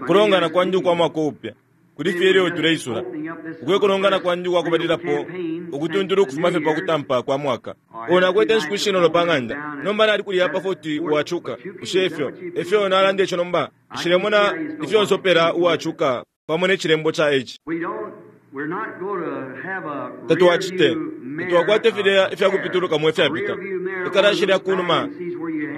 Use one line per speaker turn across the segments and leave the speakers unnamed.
Kulongana kwandi ukwa mwaka upya kuli fye ilyo tuleisula. Ukwe kulongana kwandi ukwa kubalilapo ukutuntula ukufuma fye pa kutampa kwa mwaka. O nakwete inshiku ishinono pa ng'anda. Nomba nali kulya pa 40 uwacuka. Bushe ifyo efyo nalanda ico nomba? Nshilemona ifyo nsopela uwacuka pamo ne cilembo ca H. Tatwacite. Tatwakwate filya ifya kupitulukamo ifyapita. Ikalashi lya ku numa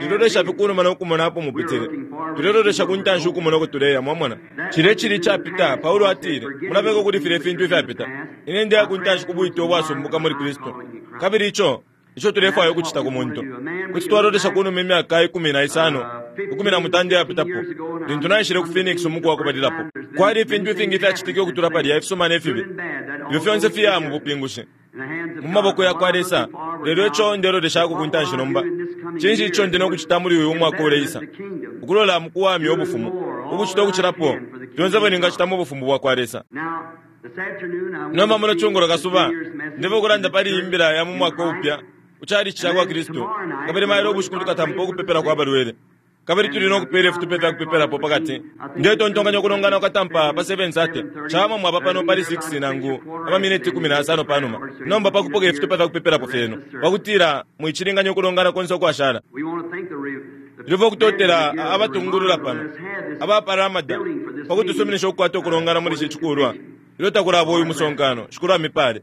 lilolesha fye ku numa no kumona apo mupitile. Tulelolesha ku ntanshi ukumona uko tuleya, mwamona. Cilya icili icapita, Paulo atile, mulabeko kuli filya ifintu ifyapita. Ine ndeya ku ntanshi ku bwite ubwasumbuka muli Kristu. Kabili ico ico tulefwaya ukucita ku muntu. Kuti twalolesha ku numa imyaka 15, 18 iyapitapo, lintu naishile ku Phoenix umuku wa kubalilapo. Kwali ifintu ifingi ifyacitike ukutula palya, ifisuma ne fibi. Ifyo fyonse fiya mu bupingushi, mu maboko ya kwa Lesa. Lelo ico ndeloleshako ku ntanshi nomba, cinshi ico ndi no kucita muli uyu mwaka uleisa? Ukulola mu kuwamya Ubufumu, ukucita ukucilapo fyonse ifyo ningacita mu Bufumu bwa kwa Lesa. Nomba muno cungulo kasuba, ndefwaya ukulanda pali iyi mbila ya mu mwaka upya ku Chalichi cakwa Kristu, kabili mailo ubushiku tukatampa ukupepelako abalwele. Kabili tuli no kupeela ifitupa ifya kupepelapo pa kati. Ndetontonkanya ukulongana kukatampa pa 7:30. Cawama mwaba pano pali 6 nangu amamineti 15 pa numa nomba pa kupoka ifitupa fya kupepelapo fyenu, pa kutila mwicilinganya ukulongana konse ukwashala. Tulefwaya ukutotela abatungulula pano aba pa Ramada pa kutusuminisha ukukwata ukulongana muli ici cikulwa ilyo takulaba uyu musonkano. Shikulu amipale.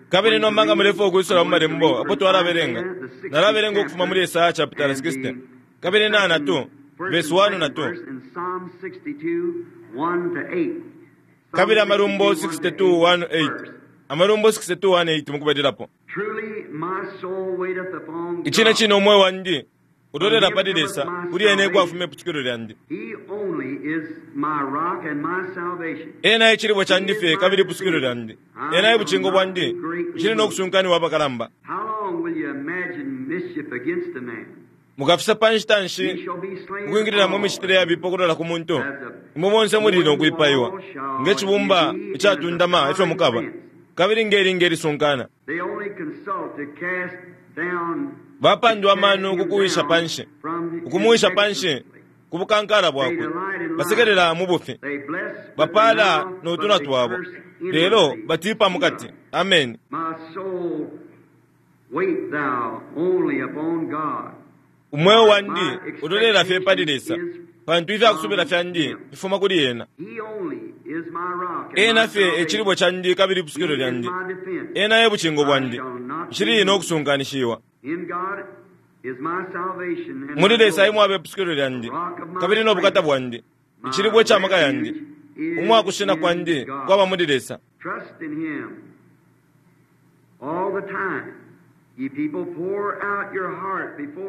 Kabili nomba nga mulefwaya ukwisula mu Malembo apo twalabelenga, nalabelenga ukufuma muli Esaya chapitala 60 kabili na na 2, vesi 1 na 2. Kabili Amalumbo 62, 1, 8. Amalumbo 62, 1, 8 mukubalilapo. Icine cine umweo wandi ulolela pali Lesa, kuli ena ekwafuma ipusukilo lyandi. Ena e cilibwe candi fye kabili ipusukilo lyandi. Ena e bucingo bwandi, nshili no kusunkaniwa apakalamba. Mukafisa pa nshita nshi ukwingilila mu micitile yabipa ukulola ku muntu? Imwe bonse muli no kwipaiwa, nge cibumba icatundama efyo mukaba, kabili nge linga ilisunkana. Bapandwa amano ku kuwisha pa nshi, ukumuwisha pa nshi ku bukankala bwakwe. Basekelela mu bufi, bapaala no tunwa twabo, lelo batiipa mu kati. Ameni. Umweo wandi ulolela fye pali Lesa, pantu ifya kusubila fyandi fifuma kuli ena. Ena fye e cilibwe candi kabili ipusukilo lyandi. Ena e bucingo bwandi, nshili no kusunkanishiwa. Muli Lesa e mwaba ipusukilo lyandi kabili no bukata bwandi, icilibwe ca maka yandi, umwa kushina kwandi kwaba muli Lesa.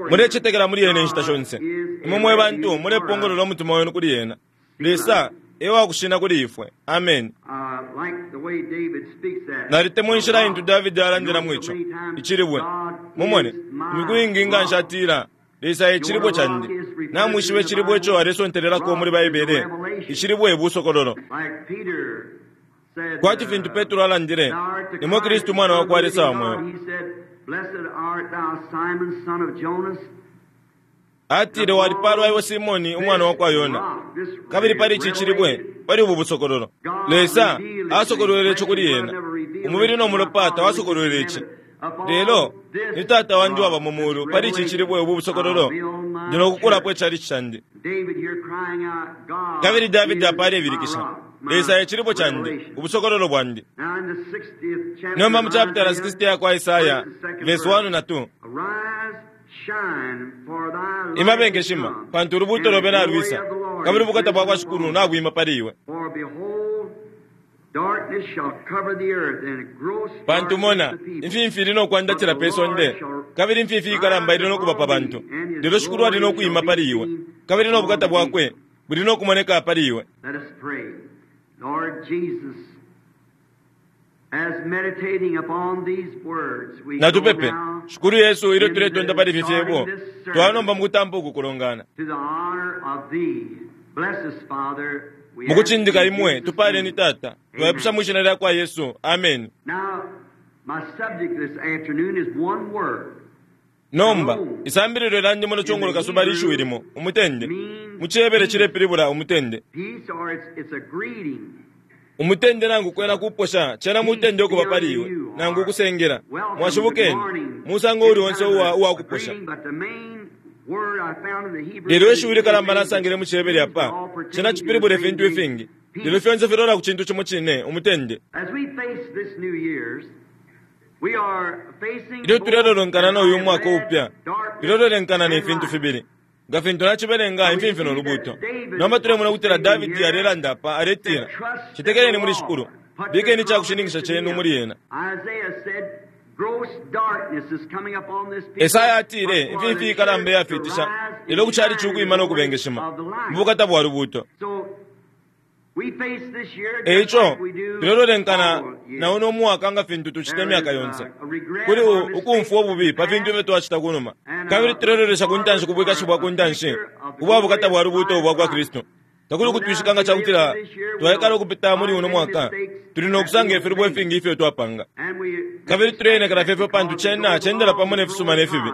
Mulecetekela muli ena inshita shonse. Imwe mwe bantu mulepongolola umutima wenu kuli ena. Lesa e wa kushina kuli ifwe. Ameni. Nalitemwa inshila intu Davidi alandilamo ico, icilibwe. Mumone, imiku iingi nga nshi atila, Lesa e cilibwe candi. Namwishiba icilibwe ico alesontelelako muli Baibele? Icilibwe busokololo. Kwati fintu Petro alandile, Nimwe Kristu Umwana wa kwa Lesa wa mweo. Atile, Walipaalwa iwe Simone, umwana wa kwa Yona, kabili pali ici cilibwe, pali ubu busokololo. Lesa asokolwele ico kuli ena. Umubili no mulopa tawasokolwele ici, lelo ni Tata wandi uwaba mu mulu. Pali ici cilibwe, ubu busokololo, ndi no kukulapo icalici candi. Kabili Davidi apa alebilikisha, Lesa e cilibwe candi, ubusokololo bwandi. Nomba mu chapitala 60 ya kwa Esaya, vesi 1 na 2. Ima bengeshima, pantu ulubuuto lobe nalwisa, kabili ubukata bwa kwa Shikulu nabwima pali iwe. Pantu mona, imfimfi ili no kwandatila pe sonde, kabili imfimfi ikalamba ili no kuba pa bantu. Lelo Shikulu ali no kwima pali iwe, kabili no bukata bwakwe buli no kumoneka pali iwe. Natupepe. Shikulu Yesu, ilyo tuletonta pali ifi fyebo, twaba nomba mukutampa uku kulongana. Mukucindika Imwe, tupaaleni, Tata. Twaipusha mwi Shina lyakwa Yesu. Ameni. Nomba, isambililo lyandi muno cungulo kasuba lishiwi limo, umutende. Mu ciHebere cilepilibula umutende. Umutende nangu kwena kuposha, cena mutende ukuba pali iwe, nangu ukusengela. Mwashibukeni, musango uuli onse uwa, uwa kuposha. Lelo ishiwi likalamba nasangile mu ciHebere apa, cena cipilibula ifintu ifingi. Lelo fyonse filola ku cintu cimo cine, umutende. Ilyo tulelolonkana no uyu mwaka upya, tulelolonkana ne fintu fibili. Nga fintu nacibelenga imfimfi no lubuuto. Nomba tulemona ukutila Davidi alelanda apa, aletila, Cetekeleni muli Shikulu, bikeni ica kushininkisha cenu muli ena. Esaya atile, Imfimfi ikalamba iyafiitisha, lelo ku calici ukwima no kubengeshima, mu bukata bwa lubuuto. E ico, tulelolenkana na uno mwaka nga fintu tucita imyaka yonse. Kuli ukumfwa ububi pa fintu ifyo twacita ku numa. Kabili tulelolesha ku ntanshi ku bwikashi bwa ku ntanshi ubwa bukata bwa lubuuto ubwa kwa Kristu. Takuli ukutwishika nga ca kutila twaikala ukupita muli uno mwaka, tuli no kusanga ifilubo ifingi ifyo twapanga. Kabili tuleenekela fye ifyo pantu cena cendela pamo ne fisuma ne fibi.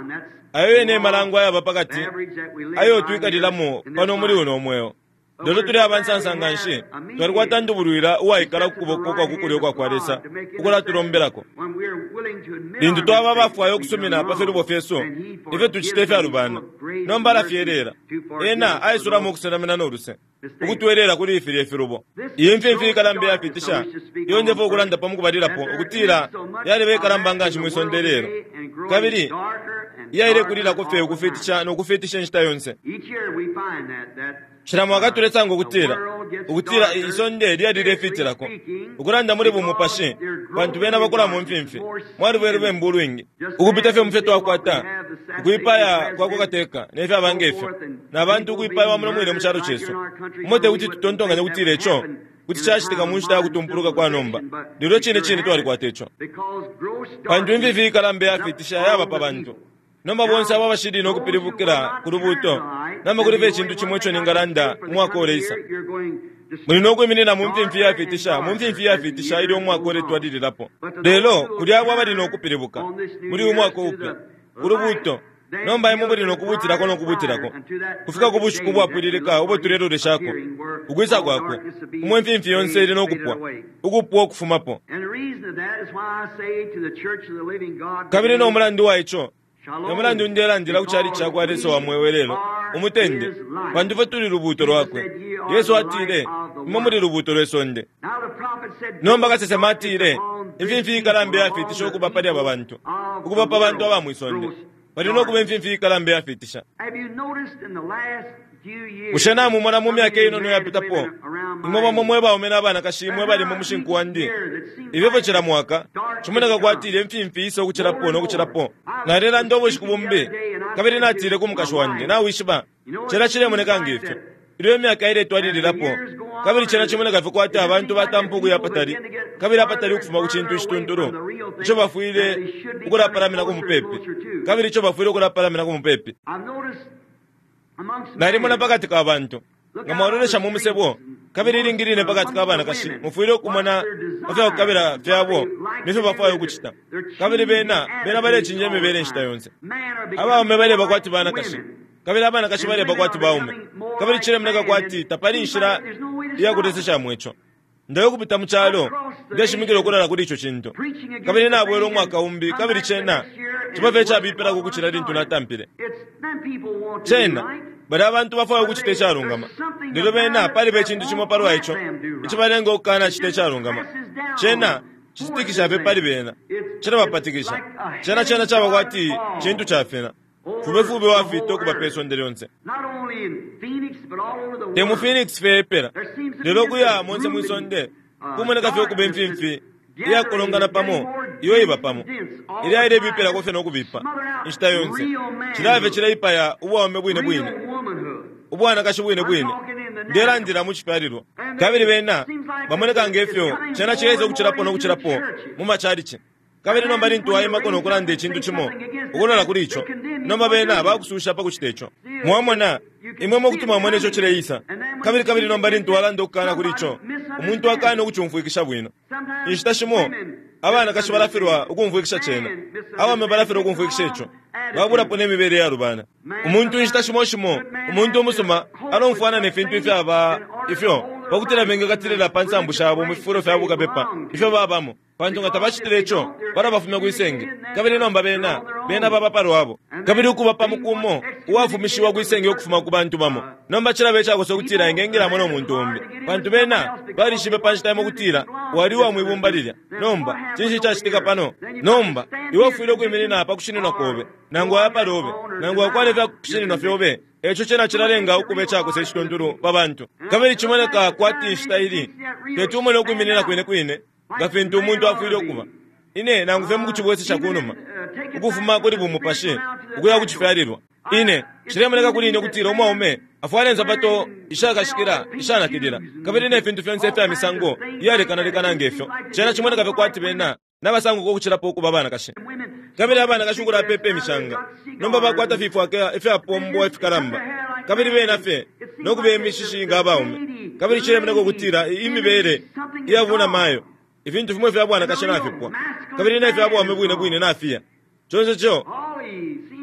Ayo yene e malango ayaba pa kati ayo twikalilamo pano muli uno mweo. Lelo tuli aba nsansa nga nshi twalikwata ndubulwila uwaikala ku kuboko kwa ku kulyo ukwa kwa Lesa ukulatulombelako. Lintu twaba abafwaya ukusumina pa filubo fyesu ifyo tucita ifyalubana, nomba alafyeleela. Ena aisulamo ukusenamina no luse, ukutweleela kuli filya ifilubo. Iyi mfimfi ikalamba iyafiitisha iyo ndefwaya ukulandapo mu kubalilapo, ukutila yaliba ikalamba nga nshi mwi sonde ilelo, kabili iyailekulilako fye ukufiitisha no kufiitisha inshita yonse. Cila mwaka tulesanga ukutila, ukutila isonde lyalilefiitilako, ukulanda muli bumupashi, pantu bena bakula mu mfimfi, mwaliba ulubembu ulwingi, ukupita fye mu fyo twakwata, ukwipaya kwa kwa kateka ne fyaba nge fyo, na bantu ukwipaiwa muno mwine mu calo cesu. Umo te kuti tutontonkanye ukutila ico kuti cacitika mu nshita ya kutumpuluka kwa nomba, lelo cine cine twalikwata ico. Pantu imfifi ikalamba iyafiitisha yaba pa bantu. Nomba bonse abo abashili no kupilibukila ku lubuuto, nomba kuli fye icintu cimo ico ningalanda umwaka uleisa. Muli no kwiminina mu mfimfi iyafiitisha, mu mfimfi iyafiitisha ilyo umwaka uletwalililapo. Lelo kuli abo abali no kupilibuka muli uyu mwaka upya, ku lubuuto, nomba imwe muli no kubuutilako no kubuutilako, kufika ku bushiku ubwapwililika ubo tuleloleshako, ukwisa kwakwe, umo imfimfi yonse ili no kupwa, ukupwa ukufumapo. Kabili no mulandu wa ico, E mulandu ndelandila ku calici ca kwa Lesa wa mweo ilelo, umutende, pantu ifwe tuli lubuuto lwakwe. Yesu atile, Imwe muli lubuuto lwe sonde. Nomba kasesema atile, Imfimfi ikalamba iyafiitisha ukuba pali aba bantu, ukuba pa bantu aba mwi sonde. Pali no kuba imfimfi ikalamba iyafiitisha. Bushe namumona mu myaka inono iyapitapo, imwe bamo mwe baume na banakashi mwe bali mu mushinku wandi, ifyo fye cila mwaka, cimoneka kwati ilye mfimfi isa ukucilapo no kucilapo. Nalelanda ubushiku bumbi, kabili natile ku mukashi wandi, Nawishiba, cena cilemoneka nge fyo, ilyo imyaka iletwalililapo, kabili cena cimoneka fye kwati abantu batampa ukuya apatali kabili apatali ukufuma ku cintu icituntulu ico bafwile ukulapalaminako mupepi, kabili ico bafwile ukulapalaminako mupepi. Nalimona pa kati ka bantu. Nga mwalolesha mu musebo, kabili ilingi line pa kati ka banakashi, mufwile ukumona pa fya kukabila fyabo ne fyo bafwaya ukucita. Kabili bena, bena balecinja imibele inshita yonse. Abaume baleba kwati banakashi, kabili abanakashi baleba kwati baume. Kabili cilemoneka kwati tapali inshila iya kuleseshamo ico. Ndaya ukupita mu calo, ndeshimikila ukulala kuli ico cintu. Kabili nabwela umwaka umbi, kabili cena ciba fye icabipilako ukucila lintu natampile. Cena, balya abantu bafwaya ukucita icalungama, lelo bena paliba icintu cimo palwa ico icibalenga ukukanacita icalungama. Cena cititikisha fye pali bena. Cilabapatikisha. Cena, cena caba kwati cintu cafina. Fubefube wafiita ukuba pe sonde lyonse. Te mu Phoenix fye epela, lelo ukuya monse mwi sonde, kumoneka fye ukuba imfimfi iyakolongana pamo iyo iba pamo, ilya ilebipilako fye no kubipa inshita yonse. Cilaya fye cileipaya ubwaume bwine bwine, ubwanakashi bwine bwine. Ndelandila mu cifyalilwa. Kabili bena bamoneka nge fyo cena cileisa ukucilapo no kucilapo mu macalici. Kabili nomba lintu waimako no kulanda icintu cimo ukulola kuli ico, nomba bena bakususha pa kucita ico. Mwamona, imwe mwe kuti mwamona ico cileisa. Kabili, kabili nomba lintu walanda ukukana kuli ico, umuntu akana ukucumfwikisha bwino. Inshita shimo, abanakashi balafilwa ukumfwikisha cena. Abaume balafilwa ukumfwikisha ico. Babulapo ne mibele iyalubana. Umuntu inshita shimo shimo, umuntu umusuma alomfwana ne fintu ifyaba ifyo pa kutila bengekatilila pa nsambu shabo mu fifulo fya bukapepa ifyo babamo, pantu nga tabacitile ico, balabafumya kwi senge. Kabili nomba bena, bena baba pa lwabo. Kabili ukuba pa muku umo uwafumishiwa kwi senge ukufuma ku bantu bamo, nomba cilaba icakosa ukutila engengilamo no muntu umbi, pantu bena balishibe pa nshita imo ukutila wali uwa mwi bumba lilya. Nomba, cinshi icacitika pano? Nomba, iwe ufwile ukwiminina pa kushininwa kobe, nangu waya pa lobe, nangu wakwata ifya kushininwa fyobe. Eco cena cilalenga ukuba icakosa icituntulu pa bantu. Kabili cimoneka kwati inshita ili teti umone ukwiminina kwine kwine nga fintu umuntu afwile ukuba. Ine nangu fye mukucibwesesha kunuma, ukufuma kuli bumupashi ukuya ku cifyalilwa. Ine, cilemoneka kuli ine ukutila umwaume afwala insapato ishakashikila ishanakilila, kabili ne fintu fyonse ifya misango iyalekanalekana nge fyo. Cena cimoneka fye kwati bena nabasanguka ukucilapo ukuba abanakashi. Kabili abanakashi ukulapepa imishanga, nomba bakwata fifwaka ifyapombwa ifikalamba, kabili bena fye no kubeya imishishi nga abaume. Kabili cilemoneka ukutila imibele iya bunamayo, ifintu fimo ifya bwanakashi nafipwa, kabili ne fya bwaume bwine bwine nafiya. Conse co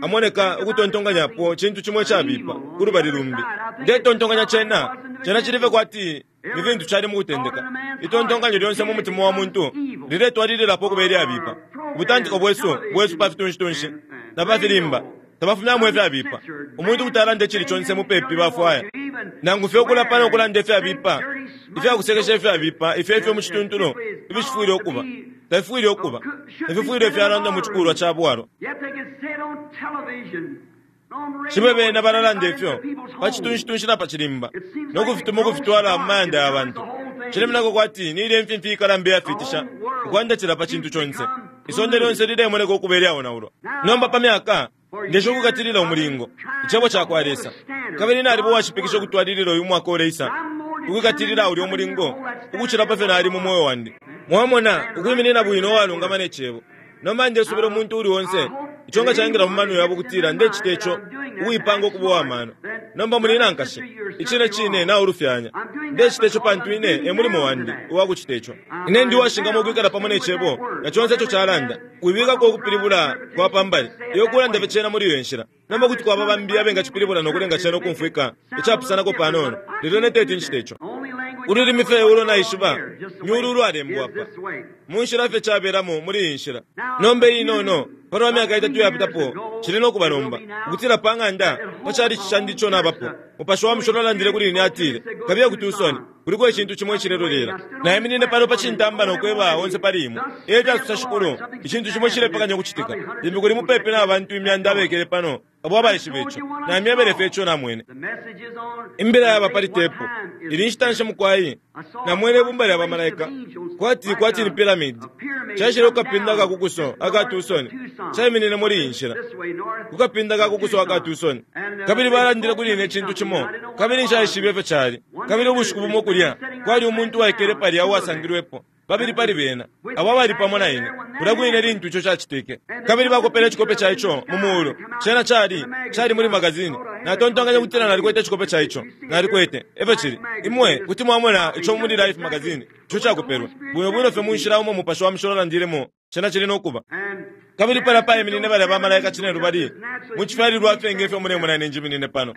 amoneka ukutontonkanyapo cintu cimo icabipa ku lubali lumbi. Ndetontonkanya cena, cena cili fye kwati ni fintu cali mu kutendeka. Itontonkanyo lyonse mu mutima wa muntu liletwalililapo ukuba ilyabipa. Ubutantiko bwesu, bwesu pa fitunshitunshi na pa filimba tabafumyamo ifyabipa. Umuntu kuti alanda icili conse mupepi bafwaya, nangu fye ukulapa no kulanda ifyabipa, ifya kusekesha ifyabipa, ifyo ifyo mu cituntulu ifishifwile ukuba, tafifwile ukuba, tafifwile fyalandwa mu cikulwa ca bwalwa. Shibe bena balalanda ifyo pa citunshitunshi na pa cilimba, no kufituma ukufitwala mu mayanda ya bantu. Cilemoneka kwati ni ilya imfimfi ikalamba iyafiitisha ukwandatila pa cintu conse. Isonde lyonse lilemoneka ukuba ilyaonaulwa. Nomba pa myaka, ndesha ukukatilila umulingo, Icebo ca kwa Lesa. Kabili naliba uwashipikisha ukutwalilila uyu mwaka uleisa, ukwikatilila ulya umulingo ukucila pa fyo nali mu mweo wandi. Mwamona, ukwiminina bwino uwalungama ne Cebo. Nomba ndesubila umuntu uuli onse, ico nga caingila mu mano yabo ukutila ndecita ico, ukuipanga ukuba uwa mano. Nomba muli na nkashi, icine cine naulufyanya. Ndecita ico pantu ine e mulimo wandi uwa kucita ico. Ine ndi uwashingamwa ukwikala pamo ne Cebo na conse ico calanda. Wibikako ukupilibula kwa pa mbali, iwe kulanda fye cena muli iyo nshila. Nomba kuti kwaba bambi abengacipilibula no kulenga cena ukumfwika icapusanako panono, lelo ine teti ncite ico. Ululimi fye ulo naishiba ni ulu ulwalembwa apa, mu nshila fye cabelamo muli iyi nshila. Nomba iinono, palwa myaka itatu iyapitapo, cili no kuba nomba, ukutila pa ng'anda, pa chalichi candi ico nabapo, Mupashi wa Mushilo alandile kuli ine, atile, Kabiye ku Tucson, kuliko icintu cimo icilelolela. Naiminine pano pa cintamba no kweba onse pali imwe, E fyasosa Shikulu, icintu cimo icilepekanya ukucitika. Limbi kuli mupepi na bantu imyanda abekele pano abo abaishiba ico. Namyebele fye ico namwene. Imbila yaba pali tepu. Ili nshita nshi mukwai? Namwene ibumba lya bamalaika, kwati, kwati ni piramidi, caishile ku kapinda ka ku kuso aka Tucson, caiminine muli iyi nshila, ku kapinda ka ku kuso aka Tucson. Kabili balandile kuli ine icintu cimo, kabili nshaishibe ifyo cali. Kabili ubushiku bumo kulya, kwali umuntu uwaikele palya uwasangilwepo. Babili pali bena, abo abali pamo na ine kulya kwine lintu ico cacitike, kabili bakopele icikope ca ico mu muulu. Cena cali, cali muli magazini. Natontonkanya ukutila nalikwete icikope ca ico. Nalikwete. Efyo cili. Imwe kuti mwamona ico muli Life magazini, ico cakopelwe. Bwino bwino fye mu nshila umo Mupashi wa Mushilo alandilemo, cena cili no kuba. Kabili palya paiminine balya ba Malaika cinelubali, mu cifyalilwa fye nge fyo mulemona ine njiminine pano,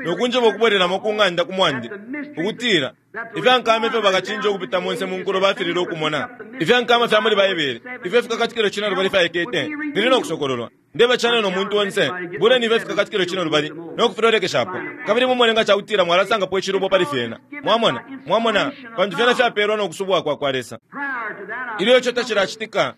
no kunjeba ukubwelelamo ku ng'anda ku mwandi, ukutila, Ifya nkama ifyo bakacinja ukupita monse mu nkulo bafililwe ukumona, ifya nkama fya muli Baibele, ifyo Ifikakatikilo Cinelubali fyaikete, fili no kusokololwa. Ndebacana no muntu onse, buleni ifyo Ifikakatikilo Cinelubali no kufilolekeshapo, kabili mumone nga cakutila mwalasangapo icilubo pali fyena. Mwamona? Mwamona? Pantu fyena fyapelwa no kusubwa kwa kwa Lesa. Ilyo ico tacilacitika,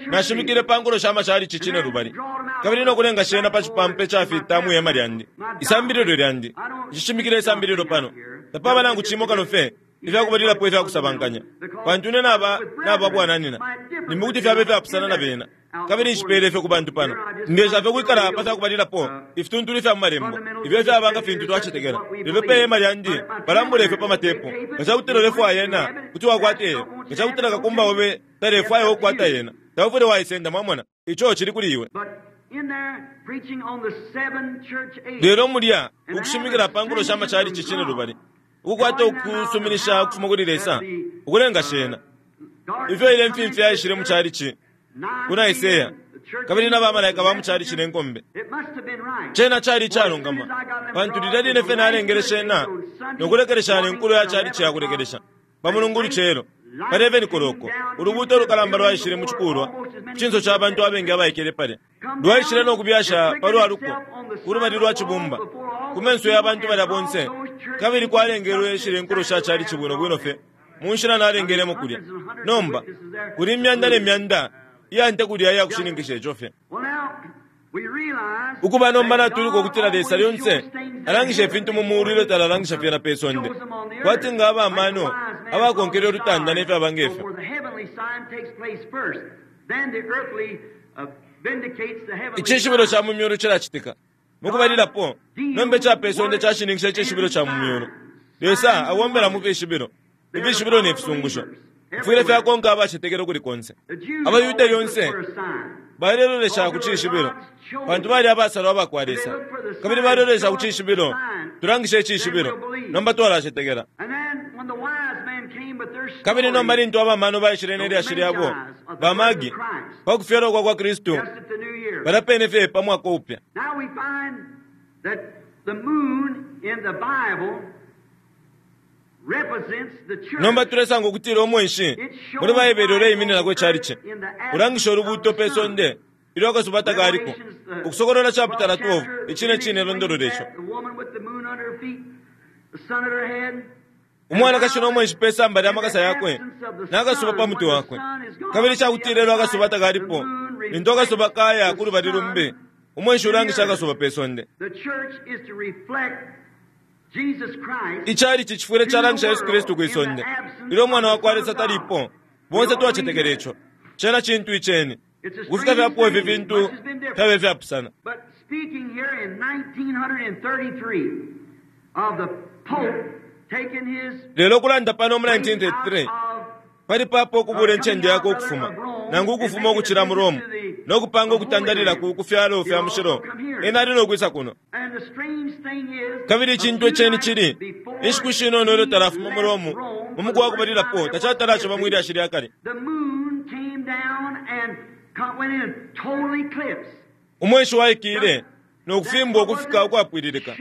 nashimikile pa nkulo sha machalichi cinelubali, kabili no kulenga shena pa cipampa icafita mwi hema lyandi, isambililo lyandi. Nshishimikila isambililo pano. Tapaba nangu cimo kano fye ifya kubalilapo ifya kusabankanya, pantu ine naba naba bwananyina, limbi kuti fyaba ifyapusana na bena, kabili nshipeele ifyo ku bantu pano. Ndesha fye ukwikala pa fya kubalilapo ifituntulu ifya mu Malembo, ifyo ifyaba nga fintu twacetekela. Lelo pe hema lyandi balambula ifyo pa matepu. Nga ca kutila ulefwaya yena, kuti wakwata iyo. Nga ca kutila kakumba obe talefwaya iwe ukukwata yena, taufwile waisenda, mwamona. Ico cili kuli iwe. Lelo mulya ukushimikila pa nkulo sha machalichi cinelubali, ukukwata ukusuminisha ukufuma kuli Lesa, ukulenga shena. Ifyo ilye mfimfi yaishile mu chalichi ku Nicaea, kabili na bamalaika ba mucalici ne nkombe. Cena cali icalungama, pantu lilya line fye nalengele cena no kulekelesha ne nkulo ya calici ya kulekelesha pa Mulungu ulucelo pa 11 koloko, ulubuuto ulukalamba lwaishile mu cikulwa ku cinso ca bantu abengi abaikele palya. Lwaishile no kubyasha pa lwa luko ku lubali lwa cibumba ku menso ya bantu balya bonse, kabili kwalengelwe shilya inkulo sha calici bwino bwino fye mu nshila nalengelemo kulya. Nomba, kuli imyanda ne myanda iya nte kulya iya kushininkisha ico fye. Ukuba nomba natwiluka ukutila Lesa lyonse alangisha ifintu mu muulu ilyo talalangisha fyena pe sonde, kwati nga aba mano abakonkele ulutanda ne fyaba nge fyo. Icishibilo ca mu myulu cilacitika mu kubalilapo, nomba ica pe sonde cashininkisha icishibilo ca mu myulu. Lesa abombela mu fishibilo, ifishibilo ne fisungusho fifwile fyakonka abacetekela ukuli konse. AbaYuda lyonse balelolesha ku cishibilo, pantu bali abasalwa aba kwa Lesa, kabili balelolesha ku cishibilo. Tulangishe icishibilo, nomba twalacetekela. Kabili nomba lintu abamano baishile ne lyashi lyabo, baMagi, pa kufyalwa kwa kwa Kristu, palya pene fye pa mwaka upya. Nomba tulesanga ukutila umweshi muli Baibele uleimininako icalici, ulangisha ulubuuto pe sonde ilyo akasuba takaliko. Ukusokolola chaputala 12 icine cine londolola ico. Umwanakashi no mweshi pe samba lya makasa yakwe, na kasuba pa mutwe wakwe. Kabili ica kutila ilyo akasuba takalipo, lintu akasuba kaya ku lubali lumbi, umweshi ulangisha akasuba pe sonde. Icalici cifwile calangisha Yesu Kristu kwi sonde ilyo Umwana wa kwa Lesa talipo. Bonse twacetekela ico. Cena cintu iceni. Ukufika fye apo ifi fintu fyaba ifyapusana. Lelo ukulanda pano mu 1933 pali papa ukubuula incende yakwe ukufuma, nangu ukufuma ukucila mu Rome, no kupanga ukutandalila ku, ku fyalo fya mushilo, ena ali no kwisa kuno. Kabili icintu iceni cili, inshiku shinono ilyo talafuma mu Rome, mu muku wa kubalilapo, tacatala aciba mwi lyashi lya kale. Umweshi waikile no kufimbwa ukufika ukwapwililika.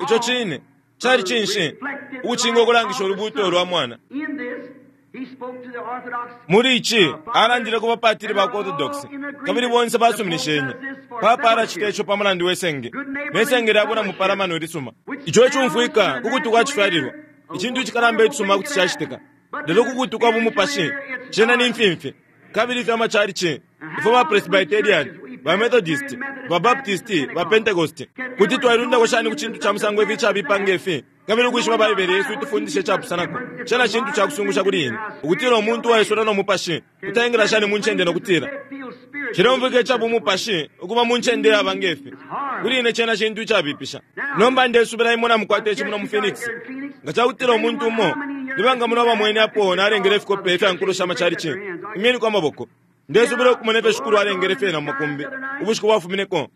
Ico cine cali cinshi? Ukucinga ukulangisha ulubuuto lwa mwana. Muli ici alandile ku bapatili ba ku Orthodox, kabili bonse basuminishenye. Papa alacita ico pa mulandu we senge, ne senge lya bwina mupalamano ilisuma. Ico icumfwika ku kutwi kwa cifyalilwa, icintu icikalamba icisuma kuti cacitika, lelo ku kutwi kwa bumupashi, cena ni mfimfi. Kabili ifyo amacalici, ifwe ba Presbyterian, ba Methodist, ba Baptist, ba Pentecost, kuti twailundako shani ku cintu ca musango ifi icabipa nge fi? Kabili ukwishiba Baibele yesu itufundisha icapusanako, cena cintu ca kusungusha kuli ine, ukutila umuntu uwaisula no Mupashi kuti aingila shani mu ncende no kutila, Cileumfwika ica bumupashi ukuba mu ncende iyaba nge fi. Kuli ine cena cintu icabipisha. Nomba ndesubila imwe namukwata ici muno mu Phoenix. Nga cakutila umuntu umo, ni banga muno abamwene apo nalengele ifikope ifya nkulo sha macalici? Imyeniko amaboko. Ndesubila ukumona ifyo Shikulu alengele fyena mu makumbi ubushiku bwafumineko.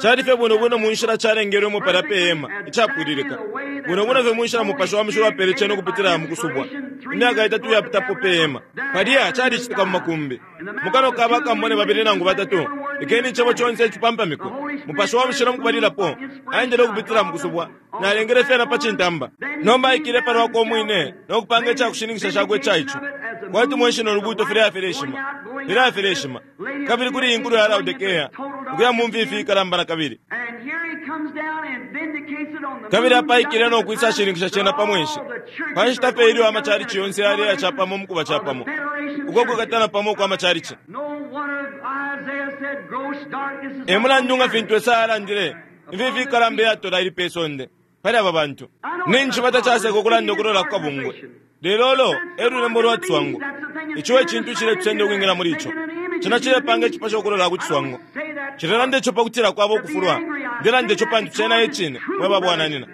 Cali fye bwino bwino mu nshila calengelwemo palya pe hema, icapwililika. Bwino bwino fye mu nshila Mupashi wa Mushilo apele cena ukupitila mu kusubwa, imyaka itatu iyapitapo pe hema. Palya calicitika mu makumbi. Mu kanwa ka bakambone babili nangu batatu, lekeni icebo conse cipampamikwe. Mupashi wa Mushilo mukubalilapo aendele ukupitila mu kusubwa, nalengele fyena pa cintamba. Nomba aikile pa lwakwe umwine no kupanga ica kushininkisha cakwe ica ico. Kwati mweshi no lubuuto filaya fileshima, filaya fileshima. Kabili kuli iyi nkulo ya Laodikea, ukuya mu mfifi ikalamba na kabili. Kabili apa aikile no kwisa shininkisha cena pa mwenshi, pa nshita fye ilyo amachalichi yonse yaleya capamo mu kuba capamo, uko kwikatana pamo ukwa machalichi. E mulandu nga fintu Esaya alandile, Imfifi ikalamba iyatola ili pe sonde pali aba bantu. Ninshi tacaseka ukulanda ukulola ku kabungwe. Lelo ulo e lulembo lwa ciswango. Ico e cintu iciletusenda ukwingila muli ico. Cena cilepanga icipasho ukulola ku ciswango. Nshilelanda ico pa kutila kwaba ukufulwa. Ndelanda ico pantu cena e cine, mwe ba bwananyina.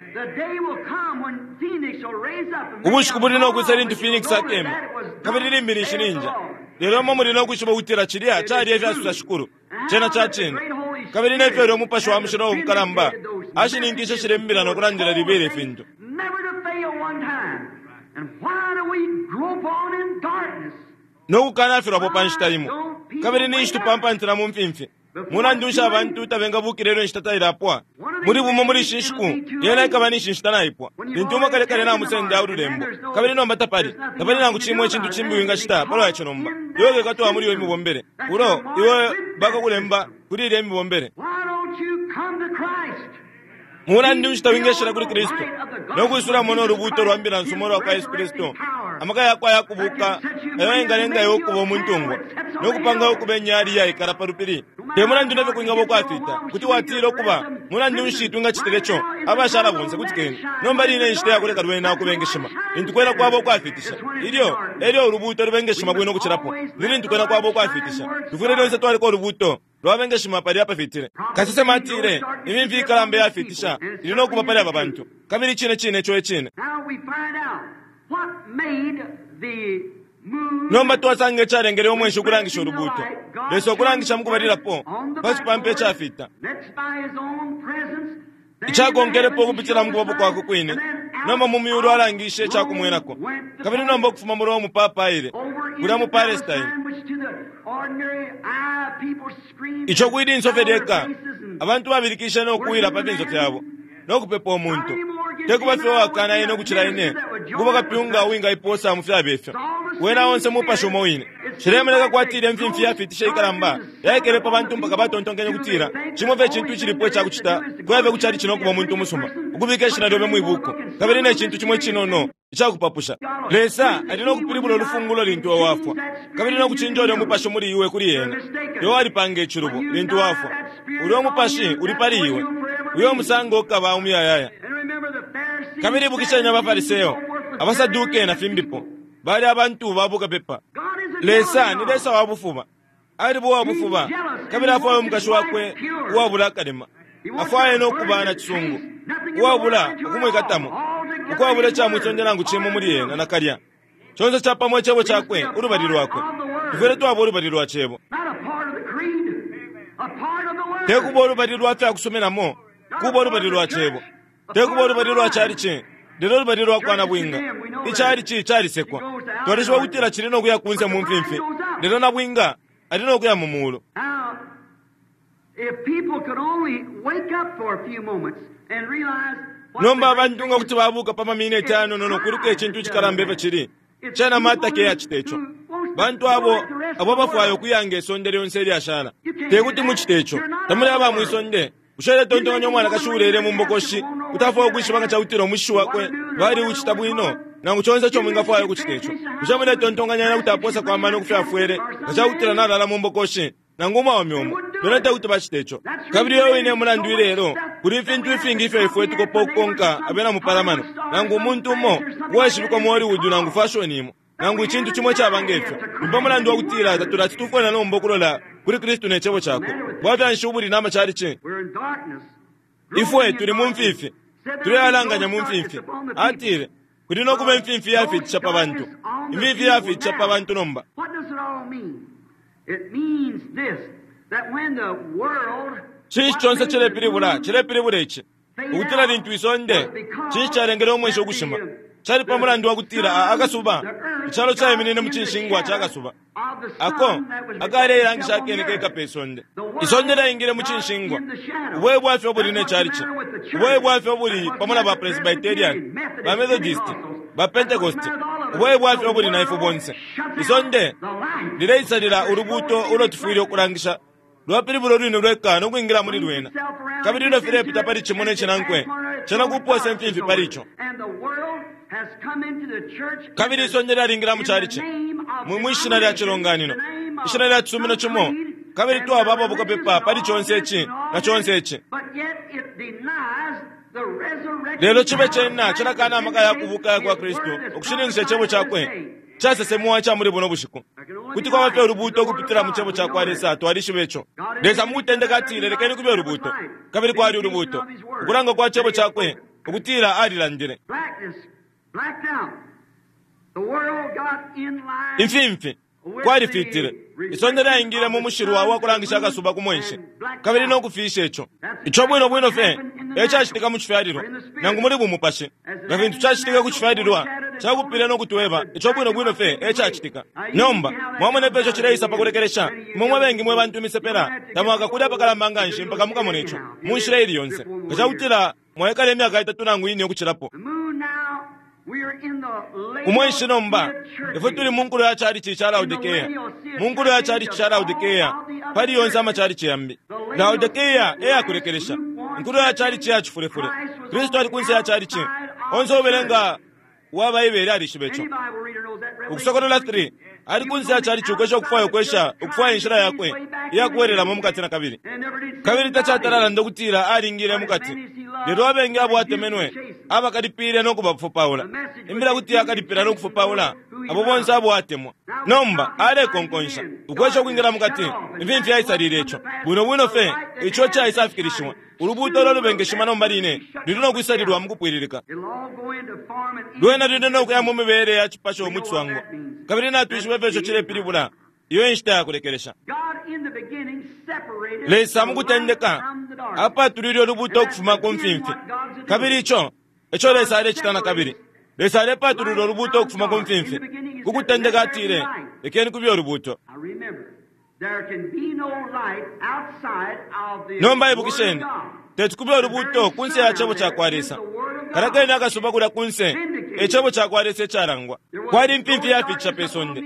Ubushiku buli no kwisa lintu Phoenix akema, kabili limbi ninshi ninja. Lelo imwe muli no kwishiba ukutila cilya cali e fyasosa Shikulu. Cena ca cine. Kabili ne fyo ulya Mupashi wa Mushilo umukalamba ashininkishe shilya Imbila no kulandila libela ifintu. No kukanafilwapo pa nshita imo. Kabili ninshi tupampantila mu mfimfi. Mulandu nshi abantu tabengabukila ilyo inshita tailapwa? Muli bumo muli ishi nshiku, yena ikaba ninshi inshita naipwa. Lintu umo kale kale namusenda ululembo, kabili nomba tapali, tapali nangu cimo icintu cimbi wingacita palwa ico nomba. Iwe ukekatwa muli iyo imibombele. Ulo iwe bakakulemba kuli ilya imibombele. Mulandu nshi tawingeshila kuli Kristu no kwisulamo no lubuuto lwa mbila nsuma ulwa kwa Yesu Kristu, amaka yakwe ayakubuuka ayo ayengalenga iwe ukuba umuntungwa no kupanga iwe ukuba inyali iyaikala pa lupili? Te mulandu ne fyo kwingaba ukwafiita, kuti watila, Ukuba, mulandu nshi twingacitile co? Abashala bonse, kutikeni. Nomba line e nshita ya kuleka lwena ukubengeshima, lintu kwena kwaba ukwafiitisha. Ilyo e lyo ulubuuto lubengeshima bwino ukucilapo, ni lintu kwena kwaba ukwafiitisha. Tufwile lyonse twaleka ulubuuto lwabengeshima palya apafitile. Kasesema atile, Imimfi ikalamba iyafiitisha ili no kuba pali aba bantu. Kabili icine cine ico e cine. Nomba twasanga icalengele umwenshi ukulangisha ulubuuto. Lesa ukulangisha mu kubalilapo pa cipampa icafita. Icakonkelepo ukupitila mu kubapo kwakwe kwine, nomba mu myulu alangishe ica kumwenako. Kabili nomba ukufuma mu Rome papa aile kulya mu Palestine. Ico kwi linso fye lyeka, abantu babilikishe no kuwila pa finso fyabo, no kupepa umuntu. Te kuba fye uwakana ine ukucila ine, ukuba kapyunga uwingaipoosa mu fyabe fyo. Wena onse mupashi umo wine. Cilemoneka kwati ilya mfimfi yafiitisha ikalamba yaikele pa bantu mpaka batontonkenye ukutila cimo fye icintu icilipo ica kucita kuya fye ku calici no kuba umuntu umusuma, ukubika ishina lyobe mwi buuku, kabili ne cintu cimo icinono ica kupapusha. Lesa ali no kupilibula ulufungulo lintu iwe wafwa, kabili no kucinja ulyo mupashi muli iwe kuli Ena. Iwe walipanga icilubo lintu wafwa. Ulyo mupashi uli pali iwe. Uyo musango ukaba umuyayaya. Kabili ibukisheni abaFariseo, abaSaduke, na fimbipo, bali abantu ba bukapepa. Lesa ni Lesa wa bufuba. Aliba uwa bufuba, kabili afwaya umukashi wakwe uwabula akalema. Afwaya no kuba na cisungu, uwabula ukumwikatamo, ukwabula ica mwisonde nangu cimo muli ena nakalya. Conse capamo Icebo Cakwe, ulubali Lwakwe. Tufwile twaba ulubali lwa Cebo. Te kuba ulubali lwa fya kusuminamo, kuba ulubali lwa Cebo. Te kuba ulubali lwa chalichi, lelo ulubali lwa kwa nabwinga. Ichalichi calisekwa. Twalishiba ukutila cili no kuya kunse mu mfimfi, lelo nabwinga ali no kuya mu muulu. Nomba abantu nga kuti babuuka pa mamineti ayanono no kwiluka icintu icikalamba ifyo cili, cena mataki eyacita ico. Bantu abo, abo abafwaya ukuya nge sonde lyonse ilyashala. Te kuti mucite ico. Tamuli aba mwi sonde. Bushe uletontonkanya umwanakashi uulele mu mbokoshi kuti afwaya ukwishiba nga ca kutila umushishi wakwe baliucita bwino, nangu conse ico mwingafwaya ukucita ico? Bushe muletontonkanya ena kuti apoosako amano ku fyo afwele nga ca kutila nalala mu mbokoshi? Nangu umwaume umo. Bena te kuti bacite ico. Kabili uyo wine e mulandu ilelo, kuli ifintu ifingi ifyo ifwe tukopa ukukonka abena mupalamano, nangu umuntu umo uwaishibikwa mu Hollywood nangu fashoni imo, nangu icintu cimo icaba nge fyo. Ni pa mulandu wa kutila tatulati tufwe na nomba ukulola kuli Kristu ne Cebo Cakwe. Bwafya nshi ubuli na macalici? Ifwe tuli mu mfifi, tulealanganya mu mfimfi. Atile, Kuli no kuba imfimfi iyafiitisha pa bantu. Imfimfi iyafiitisha pa bantu nomba. Cinshi conse cilepilibula? Cilepilibula ici, ukutila lintu isonde, cinshi calengele umweshi ukushima? Cali pa mulandu wa kutila a, akasuba, icalo caiminine mu cinshingwa ca kasuba, ako akaleilangisha akene keka pe sonde. Isonde lyaingile mu cinshingwa. Ubo e bwafya ubuli ne calici. Ubo e bwafya ubuli pamo na ba Presbyterian, ba Methodist, ba Pentecost. Ubo e bwafya ubuli na ifwe bonse. Isonde lileisalila ulubuuto ulo tufwile ukulangisha. Lwapilibula ulwine lweka no kwingila muli lwena. Kabili ilyo filepita pali cimo ne cinankwe, cena kupoosa imfimfi pali ico. Kabili isonde lyalingila mu calici, mu, mwi shina lya cilonganino, ishina lya cisumino cimo, kabili twaba aba bukapepa pali conse ici na conse ici. Lelo cibe cena cilakana amaka ya kubuuka aya kwa Kristu ukushininkisha Icebo Cakwe casesemwa ica muli buno bushiku. Kuti kwaba fye ulubuuto ukupitila mu Cebo cakwa Lesa, twalishiba ico. Lesa mu kutendeka atile, Lekeni kube ulubuuto, kabili kwali ulubuuto. Ukulanga kwa Cebo Cakwe ukutila Alilandile. Imfimfi, kwalifitile. Isonde lyaingile mu mushilwa wa kulangisha akasuba ku mwenshi, kabili no kufiisha ico. Ico bwino bwino fye e cacitika mu cifyalilwa, nangu muli bumupashi. Nga fintu cacitike ku cifyalilwa, cakupile no kutweba ico bwino bwino fye e cacitika. Nomba, mwamona ifyo ico cileisa pa kulekelesha? Imwe mwe bengi mwe bantu imisepela tamwakakule apakalamba nga nshi mpaka mukamone ico, mu nshila ili yonse, nga ca kutila mwaikala imyaka itatu nangu ine ukucilapo. Umwenshi nomba, ifwe tuli mu nkulo ya chalichi ca Laodikea, mu nkulo ya chalichi ca Laodikea, pali yonse amachalichi yambi. Laodikea e yakulekelesha, inkulo ya chalichi ya cifulefule. Kristu ali kunse ya chalichi. Onse ubelenga wa Baibele alishiba ico. Ukusokolola 3, ali kunse ya chalichi ukwesha ukufwaya ukwesha ukufwaya inshila yakwe iya kuwelelamo mukati na kabili. Kabili tacatalala ukutila alingile mukati. Lelo abengi abo atemenwe abakalipile no kubafupaula. Imbila kuti akalipila no kufupaula abo bonse abo atemwa. Nomba alekonkonsha ukwesha ukwingila mukati. Imfimfi yaisalile ico bwino bwino fye ico caisafikilishiwa. Ulubuuto ulo lubengeshima nomba line luli no kwisalilwa mu kupwililika. Lwena luli no kuya mu mibele ya cipasho mu ciswango. Kabili natwishiba ifyo ico cilepilibula. Iyo inshita ya kulekelesha. Lesa mu kutendeka apatulile ulubuuto ukufuma ku mfimfi. Kabili ico eco Lesa alecita na kabili. Lesa alepatulula ulubuuto ukufuma ku mfimfi. Ku kutendeka atile, lekeni kube ulubuuto. Nomba ibukisheni, teti kube ulubuuto kunse ya cebo ca kwa Lesa. Kalakeni akasuba kulya kunse, e cebo ca kwa Lesa icalangwa. Kwali imfimfi yafiitisha pe sonde.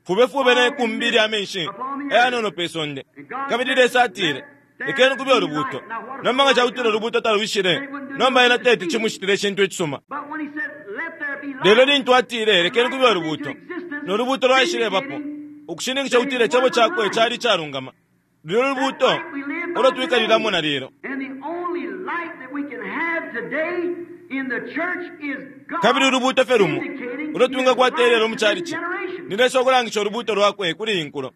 Fubefube ne kumbi lya menshi ayanono pe sonde. Kabili Lesa atile, lekeni kube ulubuuto. Nomba nga cakutila ulubuuto talwishile, nomba ena teti cimushitile icintu icisuma. Lelo lintu atile, lekeni kube ulubuuto, no lubuuto lwaishilebapo, ukushininkisha ukutila icebo cakwe cali icalungama. Lulyo lubuuto ulo twikalilamo na lelo. Kabili ulubuuto fye lumo ulo twingakwata ilelo mu chalichi ni Lesa ukulangisha ulubuuto lwakwe kuli iyi nkulo.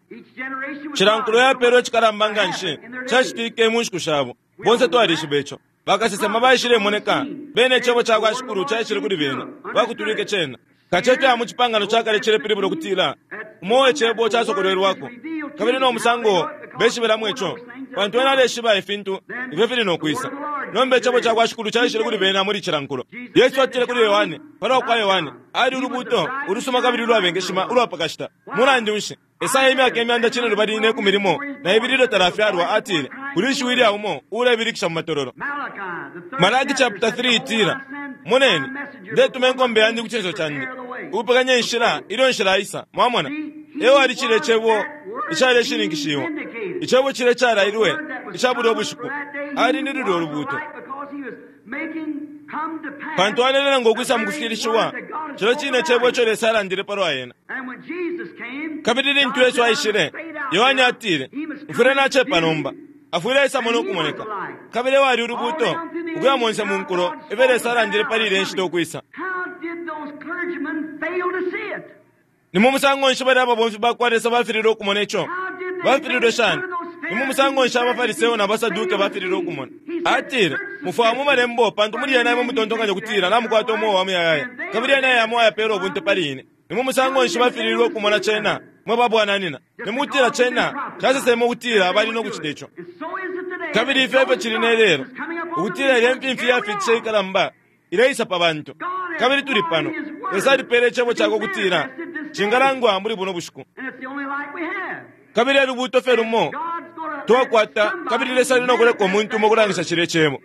Cila nkulo yapeelwe icikalamba nga nshi cacitike mu nshiku shabo. Bonse twalishiba ico. Bakasesema baishilemoneka, bene icebo ca kwa Shikulu caishile kuli bena, bakutulwike cena. Kacefya ya mu Cipangano ca Kale cilepilibula ukutila umo icebo casokolwelwako, kabili no musango beshibelamo ico, pantu ena aleshiba ifintu ifyo fili no kwisa. Nomba icebo ca kwa Shikulu caishile kuli bena muli cila nkulo. Yesu atile kuli Yohane, palwa kwa Yohane, ali ulubuuto ulusuma kabili ulwabengeshima ulwa pa kashita. Mulandu nshi? Esaya imyaka imyanda cinelubali ne kumi limo na ibili ilyo talafyalwa atile, kuli ishiwi lya umo uulebilikisha mu matololo. Malaki chapter 3 itila, Moneni, ndetuma inkombe yandi ku cinso candi, ukupekanya inshila ilyo nshilaisa. Mwamona, e wali cilya icebo icaleshininkishiwa, icebo cilya icalailwe ica bulya ubushiku. Ali ni lulyo lubuuto. Pantu alelelenga ukwisa mu kufikilishiwa cilya cine cebo ico Lesa alandile palwa ena. Kabili lintu Yesu aishile, Yohane atile, Mfwile nacepa nomba. Afwile aisamo no kumoneka. Kabili wali ulubuuto ukuya monse mu nkulo ifyo Lesa alandile pali ilya nshita ukwisa. Ni mu musango nshi balya ababomfi ba kwa Lesa bafililwe ukumona ico? Bafililwe shani? Ni mu musango nshi abaFariseo na baSaduke bafililwe ukumona? Atile, mufwaya mu malembo pantu muli yena imwe mutontonkanya ukutila namukwata umweo wa muyayaya, kabili yena yamo ayapeela ubunte pali ine. Ni mu musango nshi bafililwe ukumona cena, mwe babwananina? Ni mukutila cena caseseme ukutila bali no kucita ico. Kabili ifyo efyo cili ne lelo, ukutila ilya imfimfi yafiitisha ikalamba ileisa pa bantu. Kabili tuli pano. Lesa alipeele icebo cakwe ukutila cingalangwa muli buno bushiku. Kabili e lubuuto fye lumo twakwata, kabili Lesa ali no kuleka umuntu umo ukulangisha cilya cebo.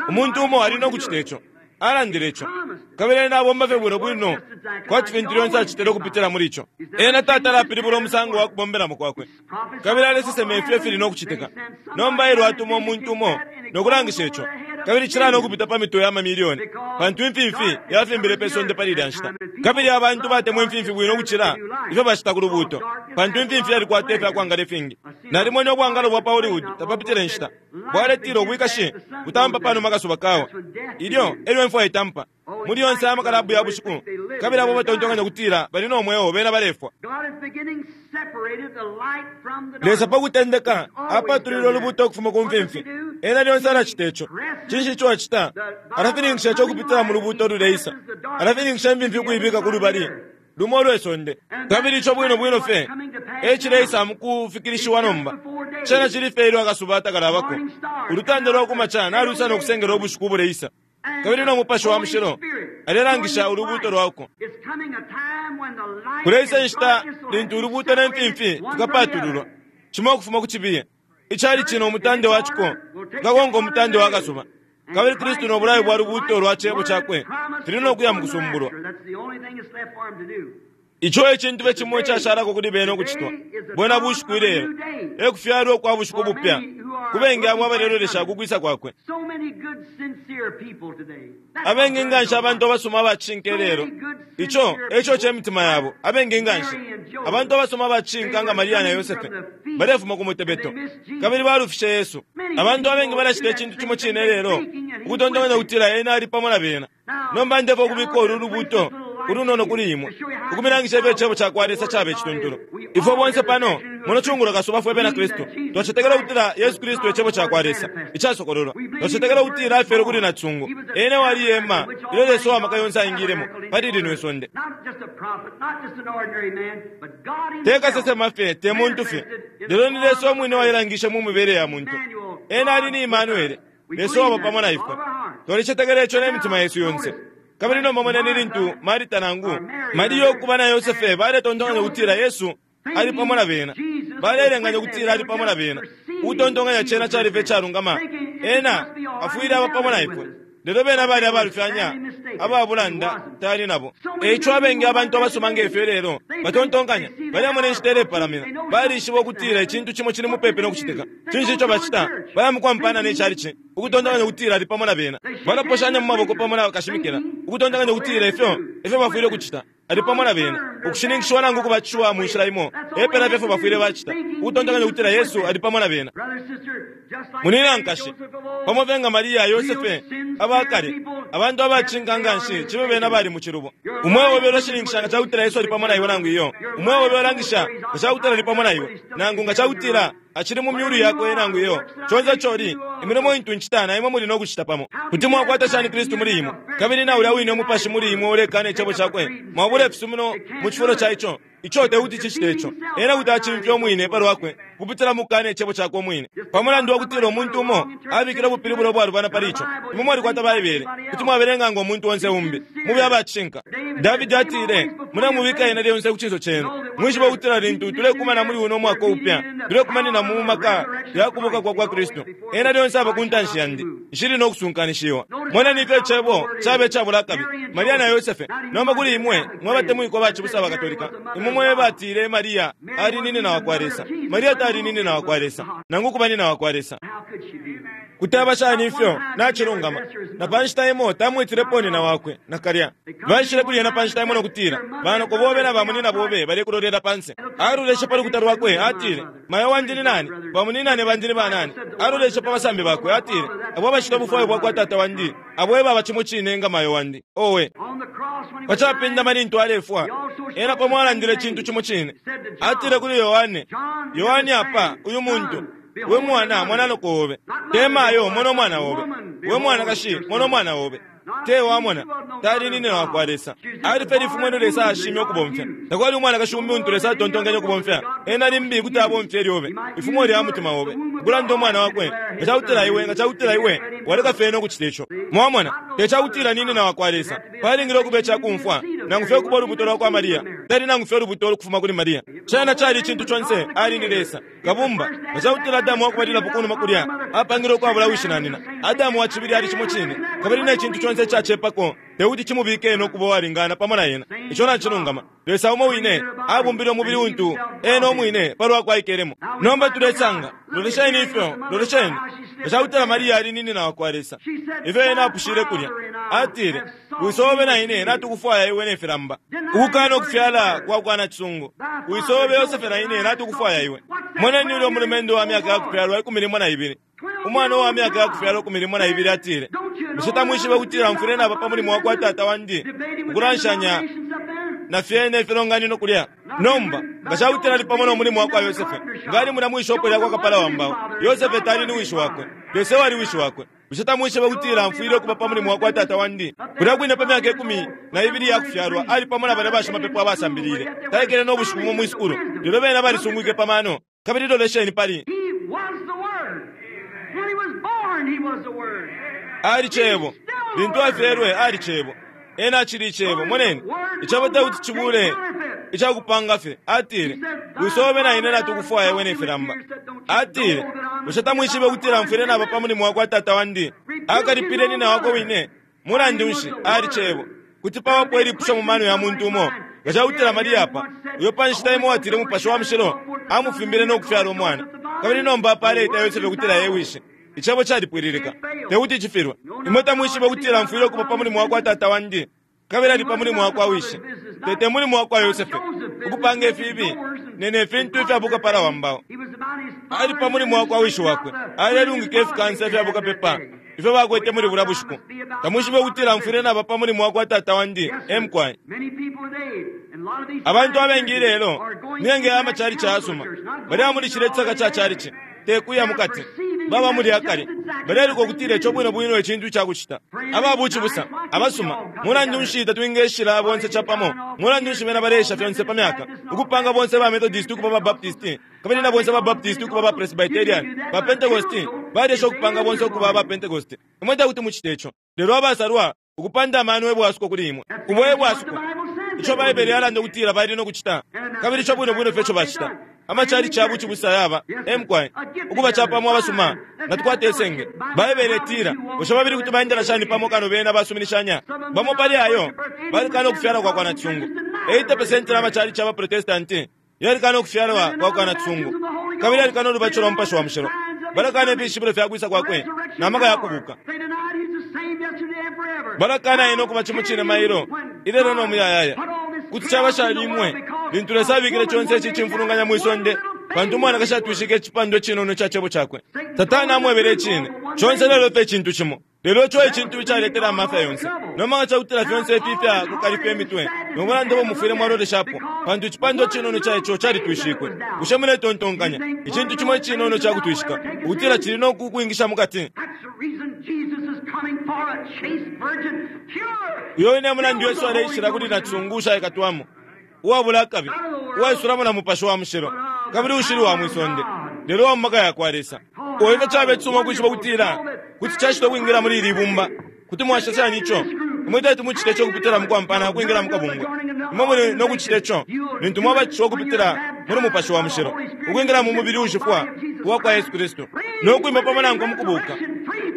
Umuntu umo ali no kucita ico. Alandile ico. Kabili ena abomba fye bwino bwino kwati fintu lyonse acitile ukupitila muli ico. Ena tatala apilibula umusango wa kubombelamo kwakwe. Kabili alesesema ifyo ifili no kucitika. Nomba elyo atuma umuntu umo no kulangisha ico. Kabili cilana ukupita pa mitwe ya mamilioni, pantu imfimfi yafimbile pe sonde pali ilya nshita. Kabili abantu batemwa imfimfi bwino ukucila ifyo bacita ku lubuuto, pantu imfimfi yalikwata ifya kwangala ifingi. Nalimwene ubwangalo bwa pa Hollywood tapapitile nshita, bwaletila ubwikashi butampa pa numa akasuba kawa. Ilyo e lyo imfwa itampa muli yonse amakalabu ya bushiku, kabili abo batontonkanya ukutila bali no mweo bena balefwa. Lesa pa kutendeka apatulile ulubuuto ukufuma ku mfimfi. Ena lyonse alacita ico. Cinshi ico acita? Alafininkisha ico ukupitila mu lubuuto ululeisa. Alafininkisha imfimfi ukuibika ku lubali lumo ulwe sonde. Kabili ico bwino bwino fye e cileisa mu kufikilishiwa nomba. Cena cili fye ilyo akasuba takalabako. Ulutanda lwa ku maca naluisa no kusengela ubushiku ubuleisa. Kabili no Mupashi wa Mushilo alelangisha ulubuuto lwauko. Kuleisa inshita lintu ulubuuto ne mfimfi fikapatululwa, cimo ukufuma ku cibiye. Icalici no mutande wa ciko fikakonka umutande wa kasuba. Kabili Kristu no bulayo bwa lubuuto lwa Cebo Cakwe fili no kuya mu Kusumbulwa. Ico e cintu fye cimo icashalako kuli bene ukucitwa. Bwena bushiku ilelo. E kufyalwa ukwa bushiku bupya ku bengi abo abalelolesha ku kwisa kwakwe. Abengi nga nshi abantu abasuma aba cishinka ilelo. Ico e co ce mitima yabo. Abengi nga nshi abantu abasuma aba cishinka nga Maria na Yosefe balefuma ku mutebeto kabili balufishe Yesu. Abantu abengi balacita icintu cimo cine ilelo, ukutontonkanya ukutila ena ali pamo na bena. Nomba ndefwaya ukubika ulu lubuuto ulunono kuli imwe, ukumilangisha ifyo Icebo cakwa Lesa caba icituntulu. Ifwe bonse pano, muno cungulo kasuba, fwe bena Kristu, twacetekela ukutila Yesu Kristu e Cebo cakwa Lesa icasokololwa. Twacetekela ukutila Afyelwe kuli nacisungu. Ena ewali ihema ilyo Lesa uwa Maka yonse aingilemo pali lino isonde. Te kasesema fye, te muntu fye, lelo ni Lesa umwine uwailangishe mu mibele ya muntu. Ena ali ni Imanuele, Lesa uwaba pamo na ifwe. Twalicetekela ico ne mitima yesu yonse. Kabili nomba moneni lintu Marita nangu Mariya ukuba na Yosefe baletontonkanya ukutila Yesu ali pamo na bena. Baleelenganya ukutila ali pamo na bena, ukutontonkanya cena cali fye icalungama, ena afwile aba pamo na ifwe. Lelo bena bali abalufyanya, aba bulanda, tali nabo. E ico abengi abantu abasoma nge fyo ilelo batontonkanya, balemona inshita ilepalamina, balishiba ukutila icintu cimo cili mupepi no kucitika. Cinshi ico bacita? Baya mu kwampana ne chalichi, ukutontonkanya ukutila ali pamo na bena. Balaposhanya mu maboko pamo na kashimikila, ukutontonkanya ukutila ifyo e fyo bafwile ukucita. Ali pamo na bena. Ukushininkishiwa nangu ukubatishiwa mu nshila imo, epela fye efyo bafwile bacita, ukutontonkanya ukutila Yesu ali pamo na bena. Munyina, nkashi, pamo fye nga Maria, Yosefe, aba kale, abantu abacinka nganshi, cibe bena bali mu cilubo. Umweo obe ulashininkisha nga cakutila Yesu ali pamo na iwe nangu iyo. Umweo obe ulangisha nga cakutila ali pamo na iwe, nangu nga cakutila Acili mu myulu yakwe nangu iyo. Conse ico uli, imilimo intu ncita na imwe muli no kucita pamo. Kuti mwakwata shani Kristu muli imwe, kabili na ulya wine Umupashi muli imwe ulekana Icebo Cakwe? Mwabula ifisumino mu cifulo ca Ico. Ico tekuti cicite ico. Ena kuti acimfya umwine palwakwe ukupitila mukukana Icebo Cakwe umwine. Pa mulandu wa kutila umuntu umo abikile ubupilibulo ubwalubana pali Ico. Imwe mwalikwata Baibele. Kuti mwabelenga ngo muntu onse umbi. Mube aba cishinka. Davidi atile, Mulemubika Ena lyonse ku cinso cenu. Mwishibe ukutila lintu tulekumana muli uno mwaka upya, tulekumanina mu maka ya kubuka kwa kwa Kristu. Ena lyonse aba ku ntanshi yandi. Nshili no kusunkanishiwa. Moneni ifyo Icebo caba icabula akabi. Maria na Yosefe. Nomba kuli imwe mwe batemwikwa bacibusa ba Katolika, imwe mwe batile Maria ali ni nyina wa kwa Lesa. Maria tali ni nyina wa kwa Lesa, nangu kuba nyina wa kwa Lesa. Kuti aba shani ifyo? Nacilungama. Na pa nshita imo tamwitilepo nyina wakwe, nakalya. Baishile kuli ena pa nshita imo no kutila, Banoko bobe na bamunyina bobe balekulolela pa nse. Aloleshe pa lukuta lwakwe, atile, Mayo wandi ni nani? Bamunyinane bandi ni banani? Aloleshe pa basambi bakwe, atile, Abo abacita ubufwayo bwa kwa Tata wandi, abo e baba cimo cine nga mayo wandi. Owe! Pa capindama lintu alefwa, ena pamo alandile icintu cimo cine. Atile kuli Yohane, Yohane apa, uyu muntu, We mwana, mona noko obe. Te mayo, mona umwana obe. We mwanakashi, mona umwana obe. Te wamona, tali ni nyina wa kwa Lesa. Ali fye lifumo ilyo Lesa ashimye ukubomfya. Takwali umwanakashi umbi untu Lesa atontonkenye ukubomfya. Ena limbi kuti abomfya ilyobe, ifumo lya mutima obe, ukulanda umwana wakwe, nga cakutila iwe, nga cakutila iwe waleka fye ena ukucita ico. Mwamona, te cakutila ni nyina wa kwa Lesa. Palingile ukuba icakumfwa, nangu fye ukuba ulubuto lwa kwa Maria. Tali nangu fye ulubuto ukufuma kuli Maria. Cena cali icintu conse, ali ni Lesa, Kabumba. Nga cakutila Adamu wakubalilapo kunuma kulya apangilwe ukwabula wishi na nina, Adamu wa cibili ali cimo cine, kabili ne cintu conse icacepako tekuti cimubike ena ukuba uwalingana pamo na ena. Ico nacilungama. Lesa umo wine abumbile umubili untu ena umwine palwakwe aikelemo. Nomba tulesanga, lolesheni ifyo, lolesheni, nga cakutila Maria ali ni nyina wakwa Lesa, ifyo ena apushile kulya. Atile, Wiso obe na ine natukufwaya iwe ne filamba. Ukukana ukufyala kwa kwa nacisungu. Wiso obe Yosefe na ine natukufwaya iwe. Moneni ulyo mulumendo wa myaka ya kufyalwa ikumi limo na ibili. Umwana uwa myaka ya kufyalwa ikumi limo na ibili atile, Bushe tamwishibe ukutila mfwile naba pa mulimo wa kwa tata wandi, ukulanshanya na fyene ifilonganino kulya? Nomba, nga ca kutila ali pamo no mulimo wa kwa Yosefe, nga ali mulya mwi shopo lya kwa kapala wa mbao. Yosefe tali ni wishi wakwe. Lesa ewali wishi wakwe. Bushe tamwishibe ukutila mfwile ukuba pa mulimo wa kwa tata wandi? Kulya kwine pa myaka ikumi na ibili iya kufyalwa ali pamo na balya bashimapepo abasambilile. Taikele no bushiku bumo mwi sukulu, lelo bena balisungwike pa mano. Kabili lolesheni pali.
He was the Word. When he was born, he was the Word.
Ali Cebo. Lintu afyelwe, ali Cebo. Ena acili Icebo. Moneni, Icebo te kuti cibule icakupanga fye. Atile, Wiso obe na ine natukufwaya iwe ne filamba. Atile, Bushe tamwishibe ukutila mfwile naba pa mulimo wa kwa Tata wandi? Akalipile nyina wakwe wine. Mulandu nshi, ali Cebo. Kuti pabapo ilipusho mu mano ya muntu umo, nga ca kutila Maria apa, uyo pa nshita imo uwatile Umupashi wa Mushilo amufimbile no kufyala umwana, kabili nomba apa aleita Yosefe ukutila e wishi. Icebo calipwililika. Te kuti cifilwe. Imwe tamwishibe ukutila mfwile ukuba pa mulimo wa kwa Tata wandi, kabili ali pa mulimo wa kwa Wishi, te te mulimo wa kwa Yosefe, ukupanga ifiibi ne ne fintu ifya bukapala wa mbao. Ali pa mulimo wa kwa Wishi wakwe. Alelungika ifikansa ifya bukapepa ifyo bakwete muli bulya bushiku. Tamwishibe ukutila mfwile naba pa mulimo wa kwa Tata wandi? E mukwai. Abantu abengi ilelo, miyenge ya macalici ayasuma, balya muli cilya cisaka ca calici. Te kuya mu kati. Baba muli akale. Baleluka ukutila ico bwino bwino e cintu ica kucita. Aba bucibusa, abasuma, mulandu nshi tatwingeshila bonse capamo? Mulandu nshi bena baleesha fyonse pa myaka, ukupanga bonse ba Methodist ukuba ba Baptist, kabili na bonse ba Baptist ukuba ba Presbyterian, ba Pentecost balyesha ukupanga bonse ukuba aba Pentecost. Imwe tekuti mucite ico. Lelo abasalwa, ukupanda amano e bwasuko kuli imwe. Ubo e bwasuko. Ico Baibele yalanda ukutila bali no kucita, kabili ico bwino bwino fye ico bacita. Amacalici ya bucibusa yaba, e mukwai, ukuba capamo abasuma, natukwate isenge. Baibele itila, Bushe babili kuti baendela shani pamo kano bena basuminishanya? Bamo pali ayo balikana ukufyalwa kwa kwa nacisungu. 80% ya macalici ya baProtestanti yalikana ukufyalwa kwa kwa nacisungu, kabili yalikana ulubatisho lwa Mupashi wa Mushilo. Balakana ifishibilo fya kwisa kwakwe na maka ya kubuka. Balakana ena ukuba cimo cine mailo, ilelo no muyayaya. Kuti caba shani imwe, lintu Lesa abikile conse ici cimfulunganya mwi sonde, pantu umwanakashi atwishike icipandwa icinono ica Cebo Cakwe? Satana amwebele icine conse lelo fye icintu cimo. Lelo ico e cintu icaletele amafya yonse. Nomba nga ca kutila fyonse ifi ifya kukalifya imitwe no bulanda ubo mufwile mwaloleshapo, pantu icipandwa cinono ica ico calitwishikwe. Bushe muletontonkanya, icintu cimo icinono ica kutwishika, ukutila cili no kukwingisha mu kati? Uyo wine e mulandu Yesu aleishila kuli nacisungu ushaikatwamo, uwabula akabi, uwaisulamo na Mupashi wa Mushilo, kabili uushili wa mwi sonde, lelo uwa mu maka ya kwa Lesa. Oh, ifyo cabe cisuma ukwishiba ukutila kuti cacitwa ukwingila muli ili ibumba! Kuti mwacita shani ico? Imwe teti mucite ico ukupitila mukwampana ukwingila mukabungwe. Imwe muli no kucita ico lintu mwabatishiwa ukupitila muli Mupashi wa Mushilo, ukwingila mu mubili uushifwa uwakwa Yesu Kristu, no kwima pamo Nankwe mukubuka,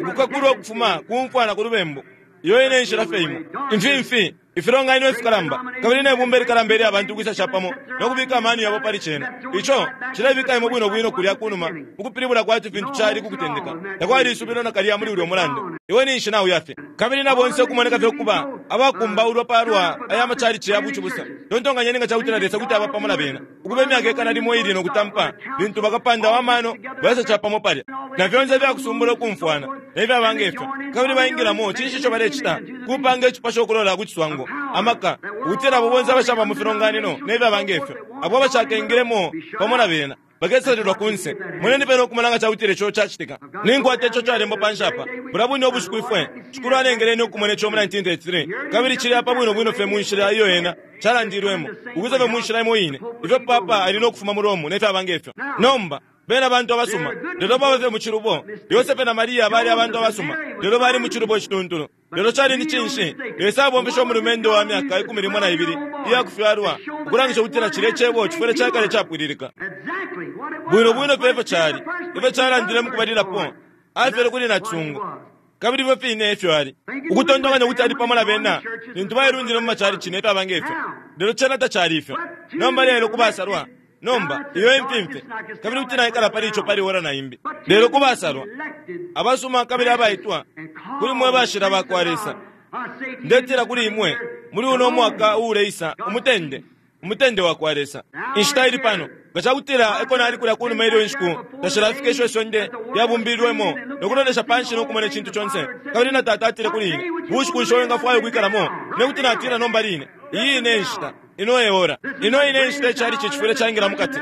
ukukakulwa ukufuma ku mfwa na ku lubembu. Iyo ine enshila fye imo. Imfimfi, ifilonganino ifikalamba, kabili ne bumba ilikalamba ilya bantu ukwisa capamo no kubika amano yabo pali cena. Ico cilebika imwe bwino bwino kulya kunuma mukupilibula kwati fintu cali ku kutendeka. Takwali isubilo nakalya muli ulyo mulandu. Iwe ninshi nauya fye. Kabili na bonse ukumoneka fye ukuba abakumbaulwa palwa aya machalichi ya bucibusa. Tontonkanyeni nga cakutila Lesa kuti aba pamo na bena, ukuba imyaka ikana limo iili no kutampa, lintu bakapanda wa mano baisa capamo palya, na fyonse ifyakusumbula ukumfwana, ne fyaba nge fyo, kabili baingilamo, cinshi ico balecita? Kupanga icipasho ukulola ku ciswango, amaka, ukutila abo bonse abashaba mu filonganino ne fyaba nge fyo, abo abashakengilemo pamo na bena, bakesalilwa kunse. Moneni pene ukumona nga cakutila ico cacitika. Ninkwata ico calembwa panshi apa. Bulya bwine ubushiku ifwe, Shikulu alengele ine ukumona ico mu 1933, kabili cili apa bwino bwino fye mu nshila iyo Ena calandilwemo, ukwisa fye mu nshila imo ine, ifyo papa ali no kufuma mu Rome ne fyaba nge fyo. Nomba, Bena bantu abasuma, lelo baba fye mu cilubo. Yosefe na Maria bali abantu abasuma, lelo bali mu cilubo icituntulu. Lelo cali ni cinshi? Lesa abomfeshe umulumendo wa myaka ikumi limo na ibili iya kufyalwa ukulangisha ukutila cilye Cebo cifwile cakale capwililika. Bwino bwino fye ifyo cali, ifyo calandile mukubalilapo, afyelwe kuli nacisungu. Kabili ifyo fine efyo ali. Ukutontonkanya ukuti ali pamo na bena lintu bailundile mu macalici ne fyaba nge fyo. Lelo cena tacali ifyo. Nomba lelo ku basalwa, Nomba, iyo e mfimfi, kabili kuti naikala pali ico pali ora na imbi. Lelo ku basalwa, abasuma kabili abaitwa, kuli mwe bashila ba kwa Lesa, ndetila kuli imwe, muli uno mwaka uuleisa, umutende, umutende wa kwa Lesa. Inshita ili pano. Nga ca kutila eko nali kulya kunuma ilyo inshiku tashilafika isho isonde lyabumbilwemo, no kulolesha panshi no kumona icintu conse, kabili na Tata atile kuli ine, Bushiku nshi wingafwaya ukwikalamo? Ine kuti natila nomba line, Iyi ine e nshita. Ino e ora. Ino ine nshita icalici cifwile caingila mu kati.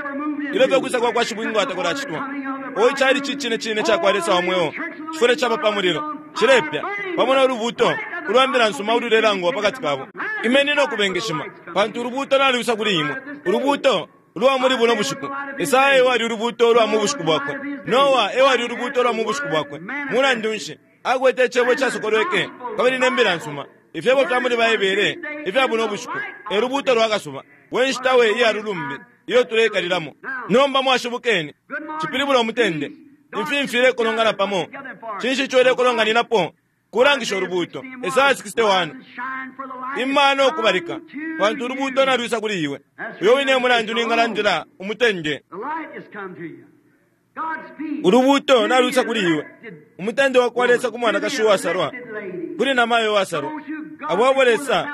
Ilyo fye ukwisa kwa kwa Shibwinga takulacitwa, o icalici icine cine ca kwa Lesa wa mweo cifwile caba pa mulilo, cilepya, pamo no lubuuto ulwa mbila nsuma ululelangwa pa kati kabo. Imeni no kubengeshima, pantu ulubuuto nalwisa kuli imwe, ulubuuto ulwa muli buno bushiku. Esaya e wali ulubuuto ulwa mu bushiku bwakwe. Noa e wali ulubuuto ulwa mu bushiku bwakwe. Mulandu nshi? Akwete Icebo icasokolweke kabili ne Mbila nsuma, Ifyebo fya muli Baibele ifya buno bushiku, e lubuuto lwa kasuba. We nshita we iya lulumbi iyo tuleikalilamo! Nomba mwashibukeni, cipilibula umutende. Imfimfi ilekolongana pamo. Cinshi ico ilekolonganinapo? Kulangisha ulubuuto. Esaya 61. Ima no kubalika, pantu ulubuuto nalwisa kuli iwe. Uyo wine e mulandu ningalandila umutende. Ulubuuto nalwisa kuli iwe, umutende wa kwa Lesa ku mwanakashi uwasalwa, kuli namayo uwasalwa, abo abo Lesa,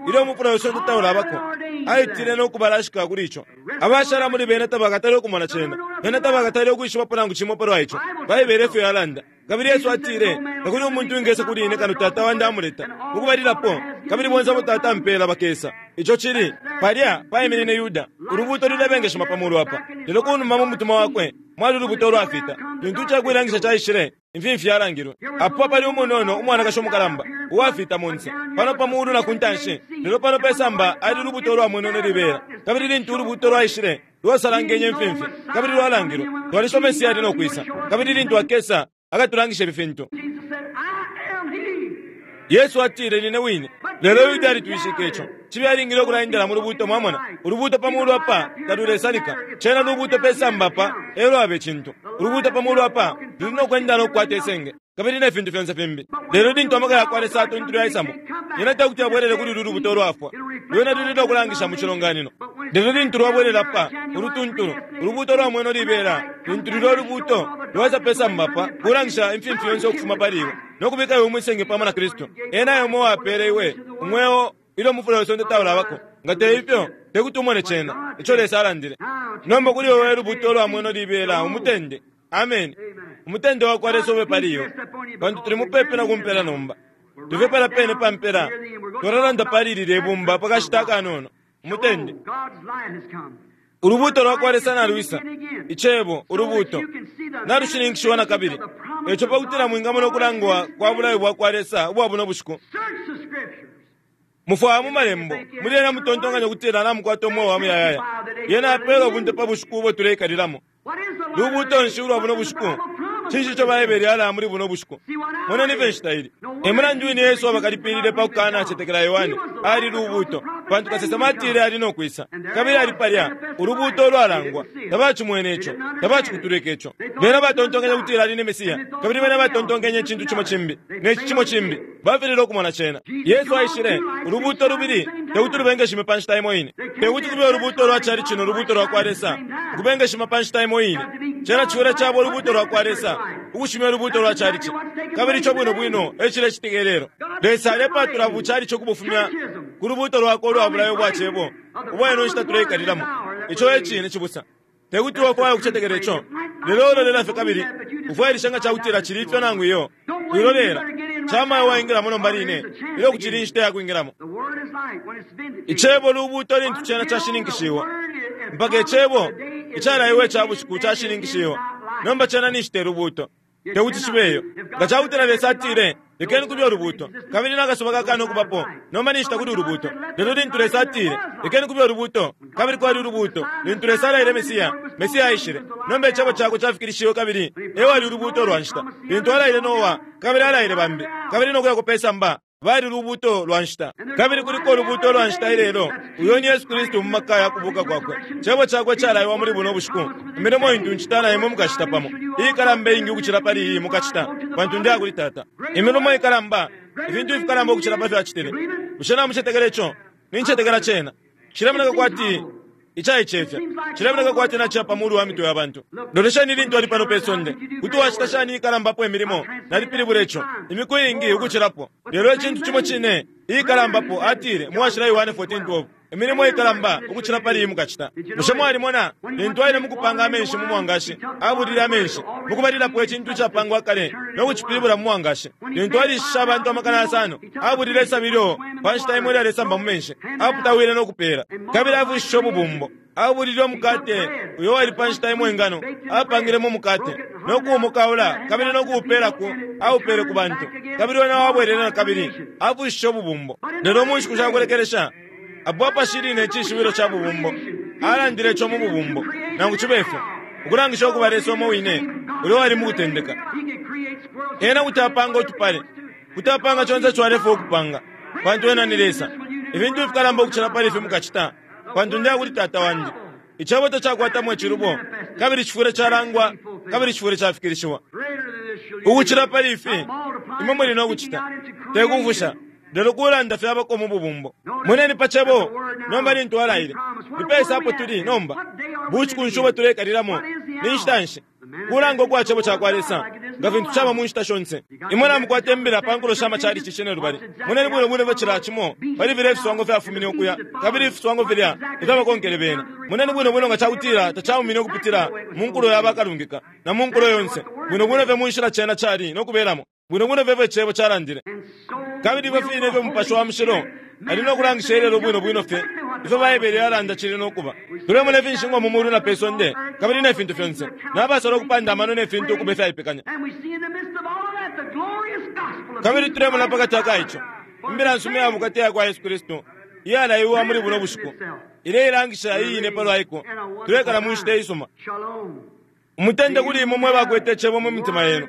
ilyo umufula we sonde taulabako, aitile no kubalashika kuli ico. Abashala muli bena tabakatale ukumona cena, bena tabakatale ukwishibapo nangu cimo palwa ico. Baibele efyo yalanda. Kabili Yesu atile, Takuli umuntu uwingesa kuli ine kano Tata wandi amuleta, mukubalilapo, kabili bonse abo Tata ampeela bakesa. Ico cili, palya paiminine Yuda, ulubuuto lulebengeshima pa mulu apa, lelo kunuma mu mutima wakwe mwali ulubuuto ulwafita. Lintu icakuilangisha caishile, imfimfi yalangilwe. Apo apali umunono umwanakashi umukalamba, uwafita monse, pano pa mulu na ku ntanshi, lelo pano pe samba ali ulubuuto ulwamwenwe libela. Kabili lintu ulubuuto lwaishile, lwasalangenye imfimfi, kabili lwalangilwe. Twalishiba Mesia ali no kwisa, kabili lintu akesa, akatulangisha ifi fintu. Yesu atile, Nine wine. Lelo Yuda alitwishike ico. Cibe alingile ukulaendela mu lubuuto, mwamona. Ulubuuto pa mulu apa talulesalika. Cena lubuuto pe samba apa e lwaba icintu. Ulubuuto pa mulu apa luli no kwenda no kukwata isenge, kabili ne fintu fyonse fimbi. Lelo lintu amaka ya kwa Lesa atuntulu yaisamo, yena te kuti abwelele kuli ulu lubuuto ulwafwa. Lwena luli no kulangisha mu cilonganino. Lelo lintu lwabwelela pa ulutuntulu, ulubuuto lwa mweno libela, lintu lulyo lubuuto lwaisa pe samba pa kulangisha imfimfi yonse ukufuma pali iwe, no kubika iwe mwisenge pamo na Kristu. Ena e Umo uwapele iwe umweo ilyo umufula we sonde taulabako. Nga te ifyo, te kuti umone cena, ico Lesa alandile. Nomba kuli iwe we lubuuto lwa mweno libela, umutende. Ameni. Umutende wa kwa Lesa ube pali iwe, pantu tuli mupepi na kumpela nomba. Tuli palya pene pa mpela. Twalalanda pali lilye bumba pa kashita akanono. Umutende. Ulubuuto lwa kwa Lesa nalwisa, Icebo, Ulubuuto, nalushininkishiwa na kabili. Eco pa kutila mwingamona ukulangwa kwa bulayo bwa kwa Lesa ubwa buno bushiku, mufwaya mu Malembo, muli yena mutontonkanya ukutila namukwata umweo wa muyayaya. Yena yapela ubunte pa bushiku ubo tuleikalilamo. Lubuuto nshi ulwa buno bushiku? Cinshi ico Baibele yalaya muli buno bushiku? Moneni ifyo inshita ili. E mulandu wine Yesu abakalipilile pa kukanacetekela Yohane. Ali lubuuto, pantu kasesema atile ali no kwisa. Kabili ali palya, ulubuuto ulwalangwa. Tabacimwene ico. Tabacikutulwike ico. Bena batontonkenye ukutila ali ni Mesia, kabili bena batontonkenye icintu cimo cimbi, ne ci cimo cimbi. Bafililwe ukumona cena. Yesu aishile, ulubuuto lubili te kuti lubengeshime pa nshita imo ine. Te kuti kube ulubuuto lwa calici no lubuuto lwa kwa Lesa ukubengeshima pa nshita imo ine. Cena cifwile caba ulubuuto lwa kwa Lesa ukushimya ulubuuto lwa calici. Kabili ico bwino bwino e cilecitika ilelo. Lesa alepatula bucalici ukubufumya ku lubuuto lwakwe ulwa bulayo bwa Cebo ubwa ino nshita tuleikalilamo. Ico e cine, cibusa. Te kuti wafwaya ukucetekela ico, lelo ulolela fye kabili ufwailishe nga ca kutila cili ifyo nangu iyo. Wilolela. Cama iwe waingilamo nomba line, ilyo kucili inshita ya kwingilamo. Icebo lubuuto lintu cena cashininkishiwa. Mpaka Icebo icalaiwe ica bushiku cashininkishiwa, nomba cena ninshi te lubuuto. Te kuti cibe iyo. Nga ca kutila Lesa atile, Lekeni kube ulubuuto, kabili na kasuba kakana ukubapo, nomba ninshi takuli ulubuuto. Lelo lintu Lesa atile, Lekeni kube ulubuuto, kabili kwali ulubuuto, lintu Lesa alaile Mesia, Mesia aishile. Nomba Icebo Cakwe cafikilishiwe kabili e wali ulubuuto lwa nshita. Lintu alaile Noa, kabili alaile bambi, kabili no kuya pe samba, bali lubuuto lwa nshita. Kabili kuliko ulubuuto lwa nshita ilelo, uyo ni Yesu Kristu mu maka ya kubuuka kwakwe. Cebo cakwe calaiwa muli buno bushiku, Imilimo intu ncita na imwe mukacita pamo, iikalamba iingi ukucila pali iyi mukacita, pantu ndeya kuli Tata. Imilimo ikalamba, ifintu ifikalamba ukucila pa fyo acitile. Bushe namucetekela ico? Nincetekela cena. Cilemoneka kwati icaicefya. Cilemoneka kwati naciya pa mulu wa mitwe ya bantu. Lolesheni lintu ali pano pe sonde. Kuti wacita shani iikalambapo imilimo? Nalipilibula ico imiku iingi ukucilapo. Lelo icintu cimo cine, iikalambapo, atile mu Washila Yohane 14:12, Imilimo ikalamba ukucila pali iyi mukacita. Bushe mwalimona lintu aile mukupanga amenshi mu mwangashi? Abulile amenshi, mukubalilapo icintu icapangwa kale, no kucipilibula mu mwangashi. Lintu alishishe abantu amakana yasano, abulile isabi ilyo pa nshita imo ilyalesamba mu menshi, aputawile no kupeela, kabili afushishe ububumbo. Abulile umukate uyo wali pa nshita imo ingano, apangilemo umukate, no kuumukaula kabili no kuupeela ku, aupeele ku bantu, kabili wena wabwelele na kabili, afushishe ububumbo. Lelo mu nshiku sha kulekelesha, apo apashili ne cishibilo ca bubumbo, alandile ico mu bubumbo, nangu cibe fyo, ukulangisha ukuba Lesa umo wine ulya wali mu kutendeka. Ena kuti apanga utupale, kuti apanga conse ico alefwaya ukupanga, pantu Ena ni Lesa. Ifintu ifikalamba ukucila pali ifi mukacita, pantu ndeya kuli Tata wandi. Icebo tacakwatamo icilubo, kabili cifwile calangwa, kabili cifwile cafikilishiwa. Ukucila pali ifi, imwe muli no kucita, te kufusha, lelo kulanda fyabako mu bubumbo. Moneni pa Cebo nomba lintu Alaile. Ni pesa apo tuli nomba? Bushiku nshi ubo tuleikalilamo? Ni nshita nshi? Kulanga ukwa Cebo cakwa Lesa, nga fintu caba mu nshita shonse. Imwe namukwata imbila pa nkulo sha machalichi cinelubali. Moneni bwino bwino ifyo cila cimo pali filya ifiswango fyafumine ukuya, kabili ifiswango filya ifyabakonkele bena. Moneni bwino bwino nga cakutila tacaumine ukupitila mu nkulo ya bakalungika, na mu nkulo yonse, bwino bwino fye mu nshila cena cali no kubelamo, bwino bwino fye ifyo Icebo calandile. Kabili ifyo fine ifyo Mupashi wa Mushilo ali no kulangisha ilelo bwino bwino fye ifyo Baibele yalanda cili no kuba. Tulemona ifinshingwa mu mulu na pe sonde, kabili ne fintu fyonse, na basala ukupanda amano ne fintu ukuba ifyaipekanya. Kabili tulemona pakati aka ico, Imbila nsuma iya bukata iya kwa Yesu Kristu, iyalaiwa muli buno bushiku, ileilangisha iine palwa iko. Tulekala mu nshita isuma. Umutende kuli imwe mwe bakwete Icebo mu mitima yenu,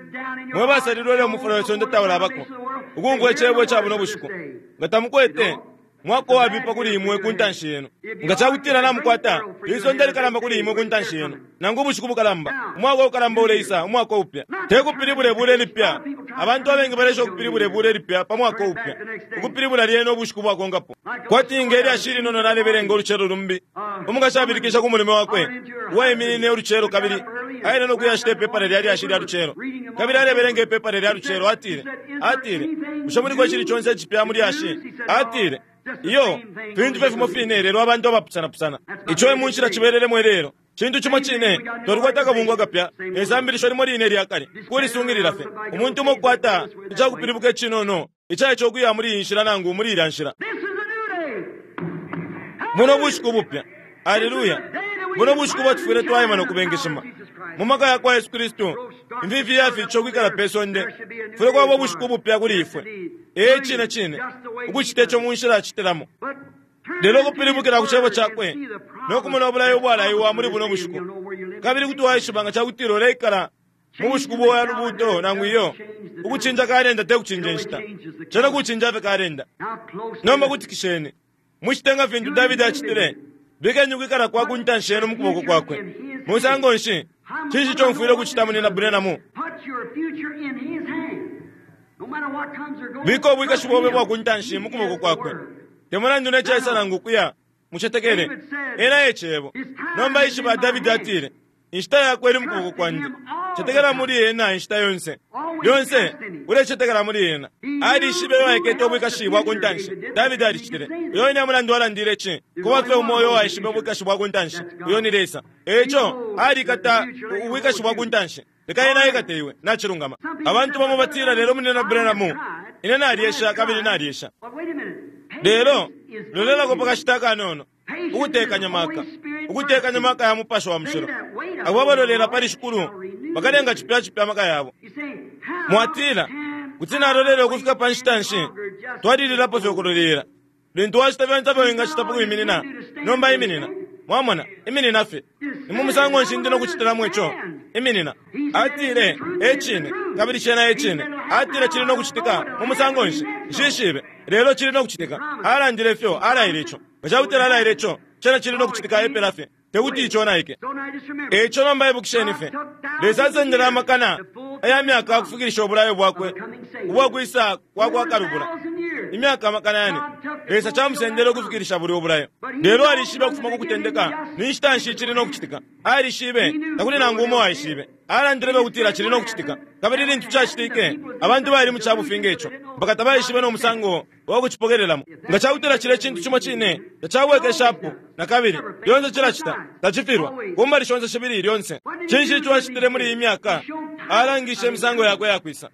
mwe basalilwe ilyo umufula we sonde taulabako, ukumfwa Icebo ica buno bushiku. Nga tamukwete, mwaka uwabipa kuli imwe ku ntanshi yenu. Nga ca kutila namukwata, isonde likalamba kuli imwe ku ntanshi yenu, nangu ubushiku bukalamba, umwaka ukalamba uleisa, umwaka upya. Te kupilibula ibula ilipya. Abantu abengi balesha ukupilibula ibula ilipya pa mwaka upya, ukupilibula lyena ubushiku bwakonkapo. Kwati nge lyashi ilinono nalebelenga ulucelo lumbi, umukashi abilikisha ku mulume wakwe uwaiminine ulucelo kabili aile no kuyashita ipepala lya lyashi lya lucelo, kabili alebelenga ipepala lya lucelo. Atile, atile, Bushe muliko icili conse icipya mu lyashi? Atile, Iyo, fintu fye fimo fine, lelo abantu abapusanapusana. Ico e mu nshila cibelelemo ilelo. Cintu cimo cine, twalikwata akabungwe akapya ne sambilisho limo line ilya kale, kulisungilila fye. Umuntu umo ukukwata icakupilibuka icinono ica ico ukuya muli iyi nshila nangu muli ilya nshila. Buno bushiku bupya. Aleluya! Buno bushiku ubo tufwile twaima no kubengeshima mu maka ya kwa Yesu Kristu. Imfifi iyafiitisha ukwikala pe sonde, kufwile kwaba ubushiku bupya kuli ifwe. Ee, cine cine, ukucite co mu nshila acitilamo. Lelo ukupilibukila ku Cebo Cakwe no kumona ubulayo ubwalaiwa muli buno bushiku, kabili kuti waishiba nga ca kutila uleikala mu bushiku bwa lubuuto nangu iyo. Ukucinja kalenda te kucinja inshita, cena kucinja fye kalenda. Nomba kutikisheni. Mucite nga fintu Davidi acitile, bikeni ukwikala kwa ku ntanshi yenu mu kuboko kwakwe. Musango nshi? Cinshi ico mfwile ukucita, Munyina Branham? Bika ubwikashi bobe bwa ku ntanshi mu kuboko kwakwe. Te mulandu ne caisa nangu ukuya, mucetekele. Ena e Cebo. Nomba ishiba, Davidi atile, Inshita yakwe ili mu kuboko kwandi. Cetekela muli Ena inshita yonse. Lyonse ulecetekela muli Ena. Alishibe uyo aikete ubwikashi bwa ku ntanshi. Davidi alicitile. Uyo wine e mulandu alandile ici. Kuba fye umo uyo waishibe ubwikashi bwa ku ntanshi, uyo ni Lesa. E ico, alikata ubwikashi bwa ku ntanshi. Leka Ena aikate iwe. Nacilungama. Abantu bamo batila, Lelo, Munyina Branham, ine nalyesha kabili nalyesha. Lelo, lolelako pa kashita akanono. Ukutekanya maka. Ukutekanya maka ya Mupashi wa Mushilo. Abo abalolela pali Shikulu bakalenga cipya cipya amaka yabo. Mwatila, Kuti nalolela ukufika pa nshita nshi? Twalililapo fye ukulolela. Lintu wacita fyonse ifyo wingacita pa kwiminina, nomba iminina. Mwamona, iminina fye. Ni mu musango nshi ndi no kucitilamo ico? Iminina. Atile, E cine, kabili cena e cine. Atile cili no kucitika mu musango nshi? Nshishibe, lelo cili no kucitika. Alandile ifyo, alaile ico. Nga ca kutila alaile ico, cena cili no kucitika epela fye. Te kuti iconaike. E ico nomba ibukisheni fye, Lesa asendele amakana aya myaka ukufikilisha ubulayo bwakwe ubwa kwisa kwa kwa Kalubula. Imyaka amakana yane, Lesa camusendele ukufikilisha bulya ubulayo. Lelo alishibe ukufuma ku kutendeka ni nshita nshi cili no kucitika. Alishibe, takuli nangu umo uwaishibe. Alandile fye ukutila cili no kucitika. Kabili lintu cacitike, abantu bali mu ca bufi nge co, mpaka tabaishibe no musango wa kucipokelelamo. Nga ca kutila cilya cintu cimo cine tacabwekeshapo na kabili, lyonse cilacita, tacifilwa, ku mbali shonse shibili lyonse. Cinshi ico acitile muli iyi myaka? Alangishe imisango yakwe iya kwisa.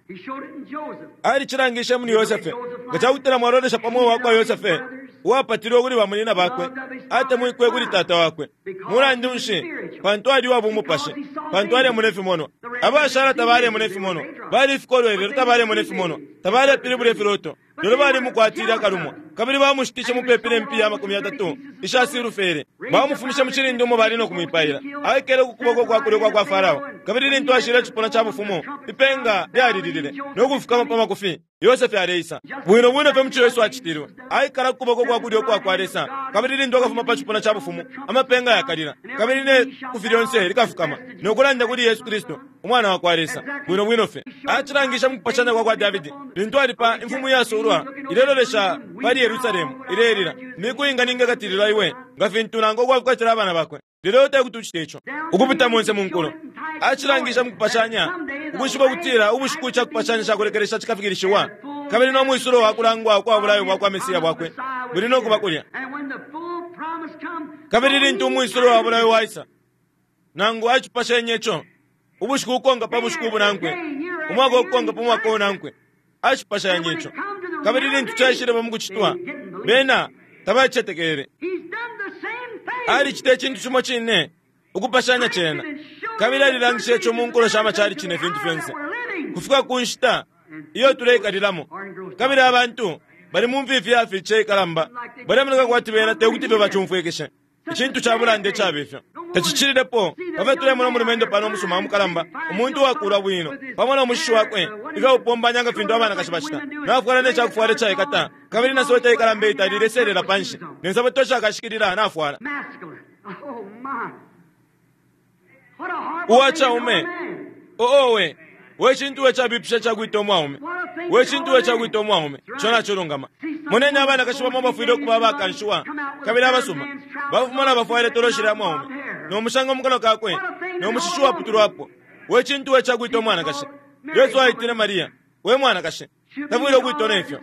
Alicilangishe muli Yosefe. Nga ca kutila mwalolesha pa mweo wa kwa Yosefe, uwapatilwe kuli bamunyina bakwe, atemwikwe kuli tata wakwe. Mulandu nshi? Pantu ali uwa bumupashi, pantu alemona ifimonwa. Abashala tabalemona ifimonwa. Bali ifikolwe lelo tabalemona ifimonwa. Tabalepilibula ifiloto. Lelo balimukwatile akalumwa. Kabili bamushitishe mupepi ne mpiya 30 isha silfere. Bamufumishe mu cilindi umo bali no kumwipaila. Aikele ku kuboko kwa kulyo kwa kwa Farao. Kabili lintu ashile icipuna ca bufumu, ipenga lyalililile no kufukama pa makufi. Yosefe aleisa. Bwino bwino fye muco Yesu acitilwe. Aikala ku kuboko kwa kulyo kwa kwa Lesa. Kabili lintu akafuma pa cipuna ca bufumu, amapenga yakalila. Kabili ne kufi lyonse likafukama no kulanda kuli Yesu Kristu, Umwana wa kwa Lesa. Bwino bwino fye. Acilangisha mu kupashanya kwa kwa Davidi. Lintu ali pa imfumu yasulwa ilelolesha pali Yerusalemu, ilelila. Miku inga ningekatilila iwe, nga fintu nango ukwafukatila abana bakwe. Lelo te kuti ucite ico. Ukupita monse mu nkulo. Acilangisha mu kupashanya, ukwishiba ukutila ubushiku ica kupashanya ca kulekelesha cikafikilishiwa, kabili no mwisulo wa kulangwa ukwa bulayo bwa kwa Mesia bwakwe buli no kuba kulya. Kabili lintu umwisulo wa bulayo waisa, nangu acipashenye ico, ubushiku ukonka pa bushiku ubunankwe, umwaka ukonka pa mwaka unankwe, acipashanye ico. Kabili lintu caishileba mu kucitwa, bena tabacetekele. Alicita icintu cimo cine, ukupashanya cena, kabili alilangisha ico mu nkulo sha macalici ne fintu fyonse, kufika ku nshita iyo tuleikalilamo. Kabili abantu bali mu mfifi ya fice ikalamba, balemoneka kwati bena te kuti fye bacumfwikishe. Icintu ca bulanda icaba ifyo tacicililepo. Pafyo tulemona umulumendo pano umusuma umukalamba, umuntu uwakula bwino, pamo no mushishi wakwe ifya kupombanya nga fintu abanakashi bacita, nafwala ne cakufwala icaikata, kabili na sweta ikalamba itali ileselela panshi, ne nsapato shakashikilila nafwala. Uwacaume, oowe, we cintu we cabipisha cakwita umwaume, we cintu we cakwita umwaume, ico nacilungama. Moneni abanakashi bamo bafwile ukuba abakanshiwa kabili abasuma, bafuma na bafwaile toloshi lya mwaume, no mushanga mu kanwa kakwe, no mushishi uwaputulwapo. We cintu we cakwita umwanakashi. Yesu aitile Maria, we mwanakashi, tafwile ukwitwa nefyo,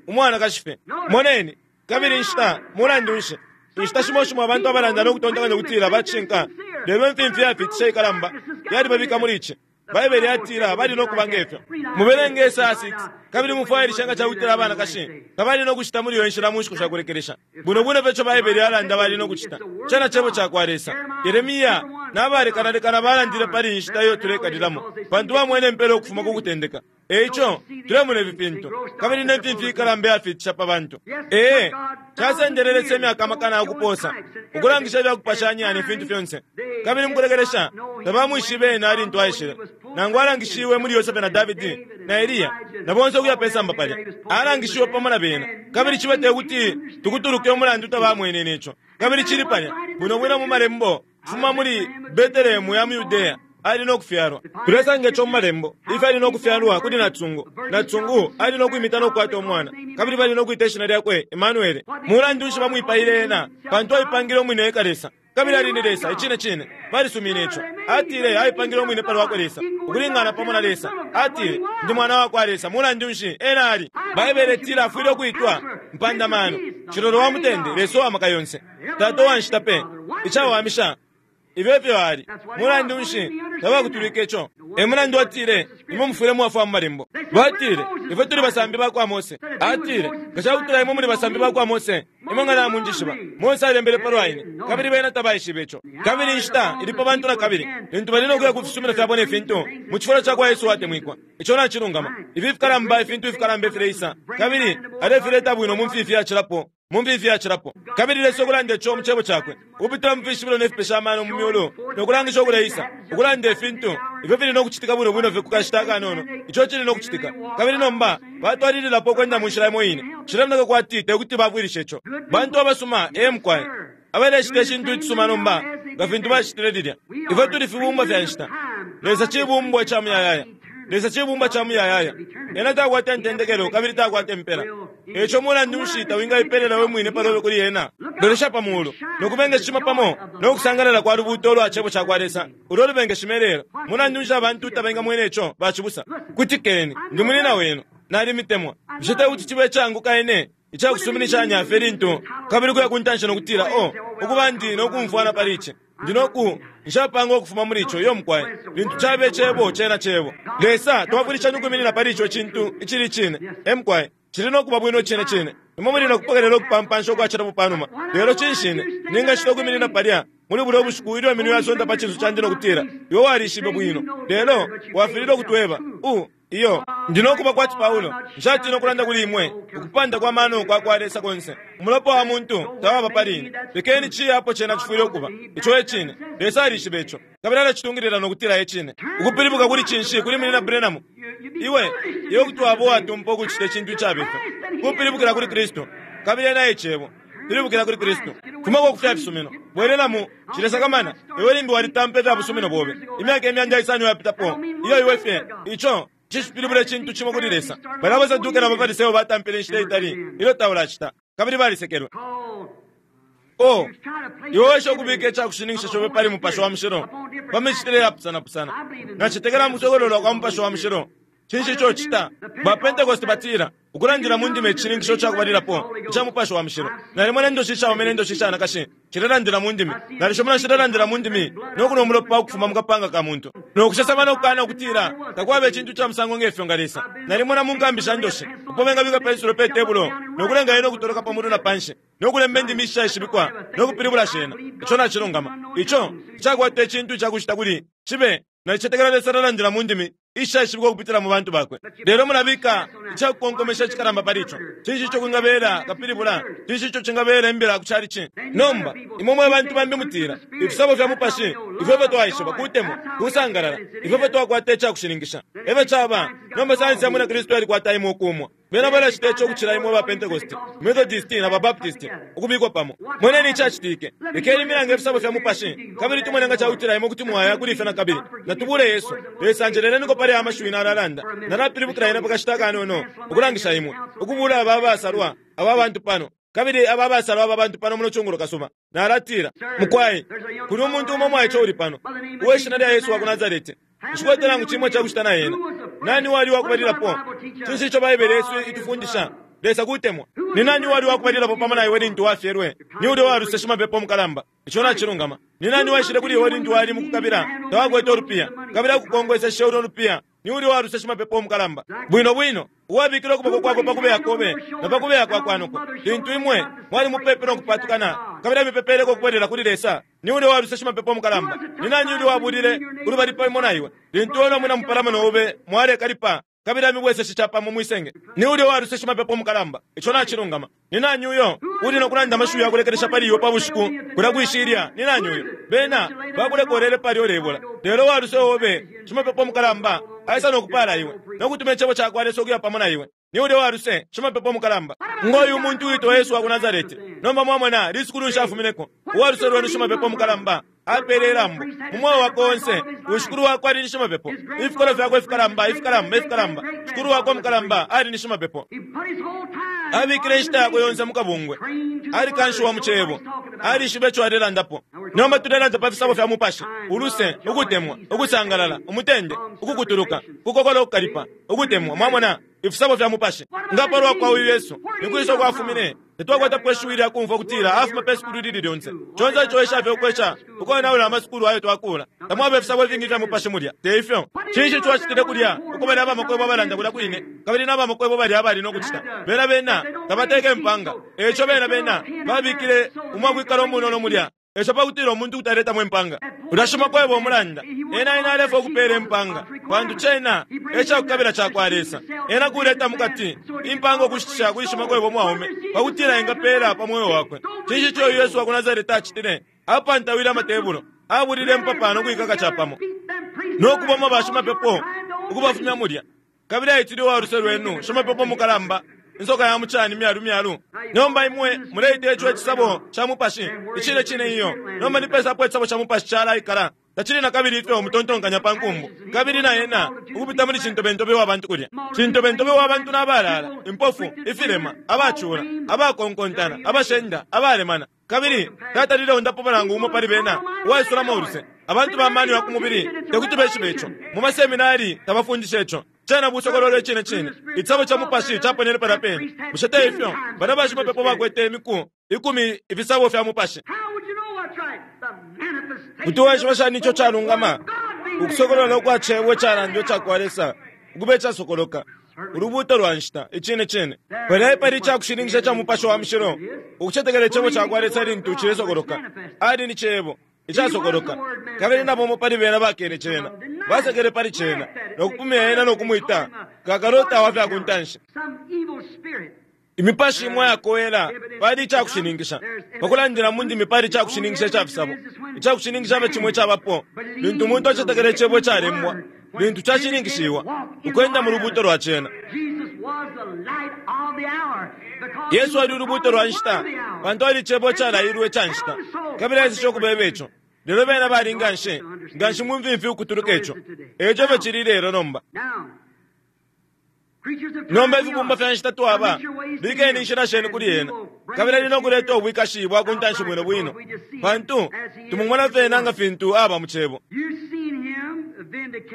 umwanakashi fye. Moneni, kabili inshita, mulandu nshi, inshita shimo shimo abantu abalanda no kutontonkanya ukutila bacishinka, lelo imfimfi yafiitisha ikalamba yalibabika muli ici. Baibele yatila bali no kuba ngefyo. Mubelenge Esaya 6, kabili mufwailishe nga cakutila abanakashi tabali no kucita muli iyo nshila mu nshiku sha kulekelesha. Bwino bwino fye ico Baibele yalanda bali no kucita. Cena Cebo ca kwa Lesa. Yeremia na balekanalekana balandile pali iyi nshita iyo tuleikalilamo, pantu bamwene impela ukufuma ku kutendeka. E ico, tulemona ifi fintu, kabili ne mfimfi ikalamba iyafiitisha pa bantu. Ee, casendele Lesa imyaka amakana ukupoosa, ukulangisha ifya kupashanya ne fintu fyonse. Kabili mukulekelesha, tabamwishibe ena lintu aishile, nangu alangishiwe muli Yosefe na Davidi na Eliya, na bonse ukuya pe samba palya. Alangishiwe pamo na bena. Kabili cibe te kuti tukutuluke umulandu tabamwenene ico. Kabili cili palya, bwino bwino mu Malembo, kufuma muli Betelehemu ya mu Yudea, ali no kufyalwa. Tulesanga ico mu Malembo, ifyo ali no kufyalwa kuli nacisungu. Nacisungu ali no kwimita no kukwata umwana, kabili bali no kwita ishina lyakwe Emmanuele. Mulandu nshi bamwipaile ena? Pantu aipangile umwine eka Lesa. Kabili ali ni Lesa, icine cine. Balisumine ico. Atile aipangile umwine pa lwakwe Lesa, ukulingana pamo na Lesa. Atile, Ndi Mwana wa kwa Lesa. Mulandu nshi ena ali? Baibele itila afwile ukwitwa Mpandamano, Cilolo wa Mutende, Lesa uwa Maka Yonse, Tata uwa nshita pe. Icawamisha, ifyo efyo ali. Mulandu nshi tabakutulwike ico? E mulandu atile, Imwe mufwile mwafwa mu Malembo. Batile, Ifwe tuli basambi ba kwa Mose. Atile, Nga ca kutila imwe muli basambi ba kwa Mose, imwe nga namunjishiba. Mose alembele palwa ine, kabili bena tabaishibe ico. Kabili inshita ili pa bantu na kabili, lintu bali no kuya ku fisumino fyabo ne fintu, mu cifulo ca kwa Yesu uwatemwikwa. Ico nacilungama. Ifi fikalamba, ifintu ifikalamba ifileisa, kabili alefileta bwino mu mfifi yacilapo. Mu mfifi yacilapo. Kabili Lesa ukulanda ico mu Cebo Cakwe, ukupitila mu fishibilo ne fipesha amano mu myulu, no kulangisha ukuleisa, ukulanda ifintu ifyo fili no kucitika bwino bwino fye ku kashita akanono, ico cili no kucitika. Kabili nomba batwalililapo ukwenda mu nshila imo ine. Cilemoneka kwati te kuti bafwilishe ico. Bantu abasuma, ee mukwai, abalecita icintu icisuma nomba, nga fintu bacitile lilya. Ifwe tuli fibumbwa fya nshita. Lesa cibumbwa ica muyayaya. Lesa cibumbwa ca muyayaya. Ena takwata intendekelo kabili takwata impela. E ico mulandu nshi tawingaipelela we mwine pa lobe kuli ena? Lolesha pa muulu, no kubengeshima pamo no kusangalala kwa lubuuto ulwa Cebo ca kwa Lesa ulo lubengeshima ilelo. Mulandu nshi abantu tabengamwena ico, bacibusa? Kutikeni, ndi munyina wenu. Nalimitemwa. Bushe te kuti cibe icaanguka ine ica kusuminishanya fye lintu kabili ukuya ku ntanshi no kutila, Oh, ukuba ndi no kumfwana pali ici. Ndi no ku, nshapanga ukufuma muli ico, iyo mukwai. Lintu cabe Cebo, cena Cebo. Lesa, twafwilisheni ukwiminina pali ico cintu icili icine. E mukwai. Cili no kuba bwino icine cine. Imwe muli no kupokelela ukupampansha ukwacilapo panuma. Lelo cinshi ine ningacita ukwiminina palya muli bulya bushiku ilyo iminwe yasonta pa cinso candi no kutila, Iwe walishibe bwino, lelo wafililwe ukutweba? U, Iyo, ndi no kuba kwati Paulo. Nshatina ukulanda kuli imwe ukupanda kwa mano kwa kwa Lesa konse. Umulopa wa muntu tawaba pali ine. Lekeni ciye apo cena cifwile ukuba. Ico e cine. Lesa alishiba ico. Kabili alacitungilila no kutila e cine. Ukupilibuka kuli cinshi kuli Munyina Branham? Iwe, iwe kuti waba uwatumpa ukucita icintu icabipa. Kupilibukila kuli Kristu. Kabili ena e Cebo. Pilibukila kuli Kristu. Fumako ku fya fisumino. Bwelelamo. Nshilesakamana. Iwe limbi walitampa ifya busumino bobe. Imyaka imyanda isano iyapitapo. Iyo iwe fye. Ico cishipilibula icintu cimo kuli Lesa. Balya abaSaduke na baFariseo batampile inshita itali ilyo taulacita, kabili balisekelwe. Oh, iwe wesha ukubika ica kushininkisha cobe pali Mupashi wa Mushilo pa micitile yapusanapusana. Nacetekela mu kusokololwa kwa Mupashi wa Mushilo. Cinshi ico ucita? Ba Pentecost batila, Ukulandila mu ndimi e cishininkisho ca kubalilapo ica Mupashi wa Mushilo. Nalimona indoshi ishaume ne ndoshi ishanakashi shilelandila mu ndimi. Nalishimona shilelandila mu ndimi no kunwa umulopa ukufuma mu kapanga ka muntu, no kusesema no kukana ukutila takwaba icintu ca musango nge fyo nga Lesa. Nalimona mu nkambi sha ndoshi uko bengabika pensulo pe tebulo no kulenga yena ukutoloka pa mulu na panshi no kulemba indimi ishishaishibikwa no kupilibula shena. Ico nacilungama. Ico tacakwata icintu ica kucita kuli cibe. Nalicetekela Lesa alalandila mu ndimi ishishaishibikwa ukupitila mu bantu bakwe. Lelo mulabika icakukonkomesha icikalamba pali ico. Cinshi ico kwingabela kapilibula? Cinshi ico cingabela imbila ku chalichi? Nomba, imwe mwe bantu bambi mutila, Ifisabo fya Mupashi, ifyo efyo twaishiba, kutemwa, kusangalala, ifyo efyo twakwata icakushininkisha. Efyo caba. Nomba sayansi ya Mwina Kristu yalikwata imwe ukuumwa. Bena balacita ico ukucila imwe ba Pentecosti, Methodisti, na ba Baptisti, ukubikwa pamo. Moneni icacitike. Lekeni imilange ifisabo fya Mupashi, kabili tumone nga cakutila imwe kuti mwaya kuli ifyo nakabili. Natubule Yesu. Lesa njeleleniko pali aya mashiwi nalalanda. Nalapilibukila yena pakashita akanono, ukulangisha imwe. Ukubula aba abasalwa, aba bantu pano, kabili aba abasalwa aba bantu pano muno cungulo kasuba. Nalatila, Mukwai, kuli umuntu umo umwaice uli pano, uwe Shina lya Yesu wa ku Nasarete. Nshikwete nangu cimo icakucita na ena. Nani uwali uwakubalilapo? Cinshi ico Baibele yesu itufundisha? Lesa kutemwa. Ni nani uwali uwakubalilapo pamo na iwe lintu wafyelwe? Ni ulya uwaluse shimapepo mukalamba. Ico nacilungama. Ni nani uwaishile kuli iwe lintu wali mukukabila, tawakwete ulupiya, kabili akukongweseshe ulo lupiya? Ni ulya uwaluse shimapepo mukalamba. Bwino bwino, uwabikile ukuboko kwakwe pa kubeya kobe na pa kubeya kwa kwa noko, lintu imwe mwali mupepi no kupatukana, kabili amipepeleko ukubwelela kuli Lesa. Ni ulya uwaluse shimapepo mukalamba. Ni nani ulya uwabulile ulubali pamo na iwe, lintu iwe no mwina mupalamano obe mwalekalipa, kabili amibweseshe capamo mwi senge? Ni ulya uwaluse shimapepo mukalamba. Ico nacilungama. Ni nani uyo uli no kulanda amashiwi ya kulekelesha pali iwe pa bushiku kulya kwi shilya? Ni nani uyo? Bena bakulekolele palya ulebola. Lelo uwaluse obe, shimapepo mukalamba, aisa no kupaala iwe, no kutuma icebo ca kwa Lesa ukuya pamo na iwe. Ni ulya uwaluse, shimapepo mukalamba. Ngo uyu muntu uwitwa Yesu wa ku Nasarete. Nomba mwamona lisukulu nshi afumineko? Uwaluse lwenu shimapepo mukalamba apeele ilambo mu mweo wakwe onse. Uyu shikulu wakwe ali ni shimapepo. Ifikolwe fyakwe ifikalamba, ifikalamba, ifikalamba, shikulu wakwe umukalamba ali ni shimapepo. Abikile inshita yakwe yonse mu kabungwe. Alikanshiwa mu Cebo. Alishibe ico alelandapo. Nomba tulelanda pa fisabo fya Mupashi, uluse, ukutemwa, ukusangalala, umutende, ukukutuluka, ukukokola ukukalipa, ukutemwa. Mwamona? Ifisabo fya Mupashi. Nga palwa kwa uyu Yesu, ni kwisa uko afumine? Tatwakwatapo ishiwi lya kumfwa ukutila afuma pe sukulu ilili lyonse. Conse ico esha fye ukwesha ukonaula amasukulu ayo twakuula. Tamwaba ifisabo ifingi ifya Mupashi mulya, te ifyo? Cinshi ico acitile kulya uko balya abamakwebo abalanda kulya kwine, kabili na bamakwebo balya abali no kucita? Bena, bena tabateka impanga, e ico bena, bena babikile umwakwikala umunono mulya. Eco pakutila umuntu kuti aletamo impanga, ulya shimakwebo umulanda, ena, ena alefwaya ukupela impanga, pantu cena e cakukabila cakwa Lesa. Ena kuleta mukati impanga ukushitisha kuli shimakwebo umwaume, pakutila engapela pa mweo wakwe. Cinshi ico uyu Yesu wa ku Nasareti acitile? Apantawile amatebulo, abulile impapa no kuikaka capamo, no kuboma bashimapepo ukubafumya mulya. Kabili aitile uwa luse lwenu shimapepo mukalamba, insoka ya mucani myalu myalu. Nomba imwe muleita ico icisabo ca Mupashi? Icine cine iyo. Nomba ni pesa apo icisabo ca Mupashi calaikala? Tacili na kabili ifyo mutontonkanya pa nkumbu. Kabili na ena ukupita muli cintobentobe wa bantu kulya. Cintobentobe wa bantu nabalala, impofu, ifilema, abacula, abakonkontana, abashenda, abalemana. Kabili tatalile undapo nangu umo pali bena uwaisulamo uluse. Abantu ba mano ya ku mubili te kuti beshibe ico. Mu maseminari tabafundisha ico. Cena busokololo icine cine. Icisabo ca Mupashi caponene palya pene. Bushe te ifyo? Balya bashimapepo bakwete imiku ikumi ifisabo fya Mupashi. Kuti waishiba shani ico calungama? Ukusokolola ukwa Cebo icalandwa icakwa Lesa ukuba icasokoloka, Ulubuuto lwa nshita. Icine cine. Palya epali icakushininkisha ca Mupashi wa Mushilo, ukucetekela Icebo cakwa Lesa lintu cilesokoloka. Ali ni Cebo icasokoloka, kabili na bamo pali bena bakene Cena. Basekele pali cena no kupumya ena no kumwita kakalota wa fya ku ntanshi. Imipashi imo yakowela pali icakushininkisha. Pakulandila mu ndimi pali icakushininkisha ica fisabo. Icakushininkisha fye cimo icabapo lintu umuntu acetekela icebo icalembwa lintu cashininkishiwa, ukwenda mu lubuuto lwa cena. Yesu ali ulubuuto lwa nshita pantu ali Cebo icalailwe ica nshita, kabili aiseshe ukubeba ico. Lelo bena bali nganshi, nganshi mu mfimfi ukutuluka ico. Eico efyo cili ilelo nomba. Nomba ifibumba fya nshita twaba, bikeni inshila shenu kuli ena, kabili ali no kuleta ubwikashi bwa ku ntanshi bwino bwino, pantu tumumona fye ena nga fintu aba mu Cebo.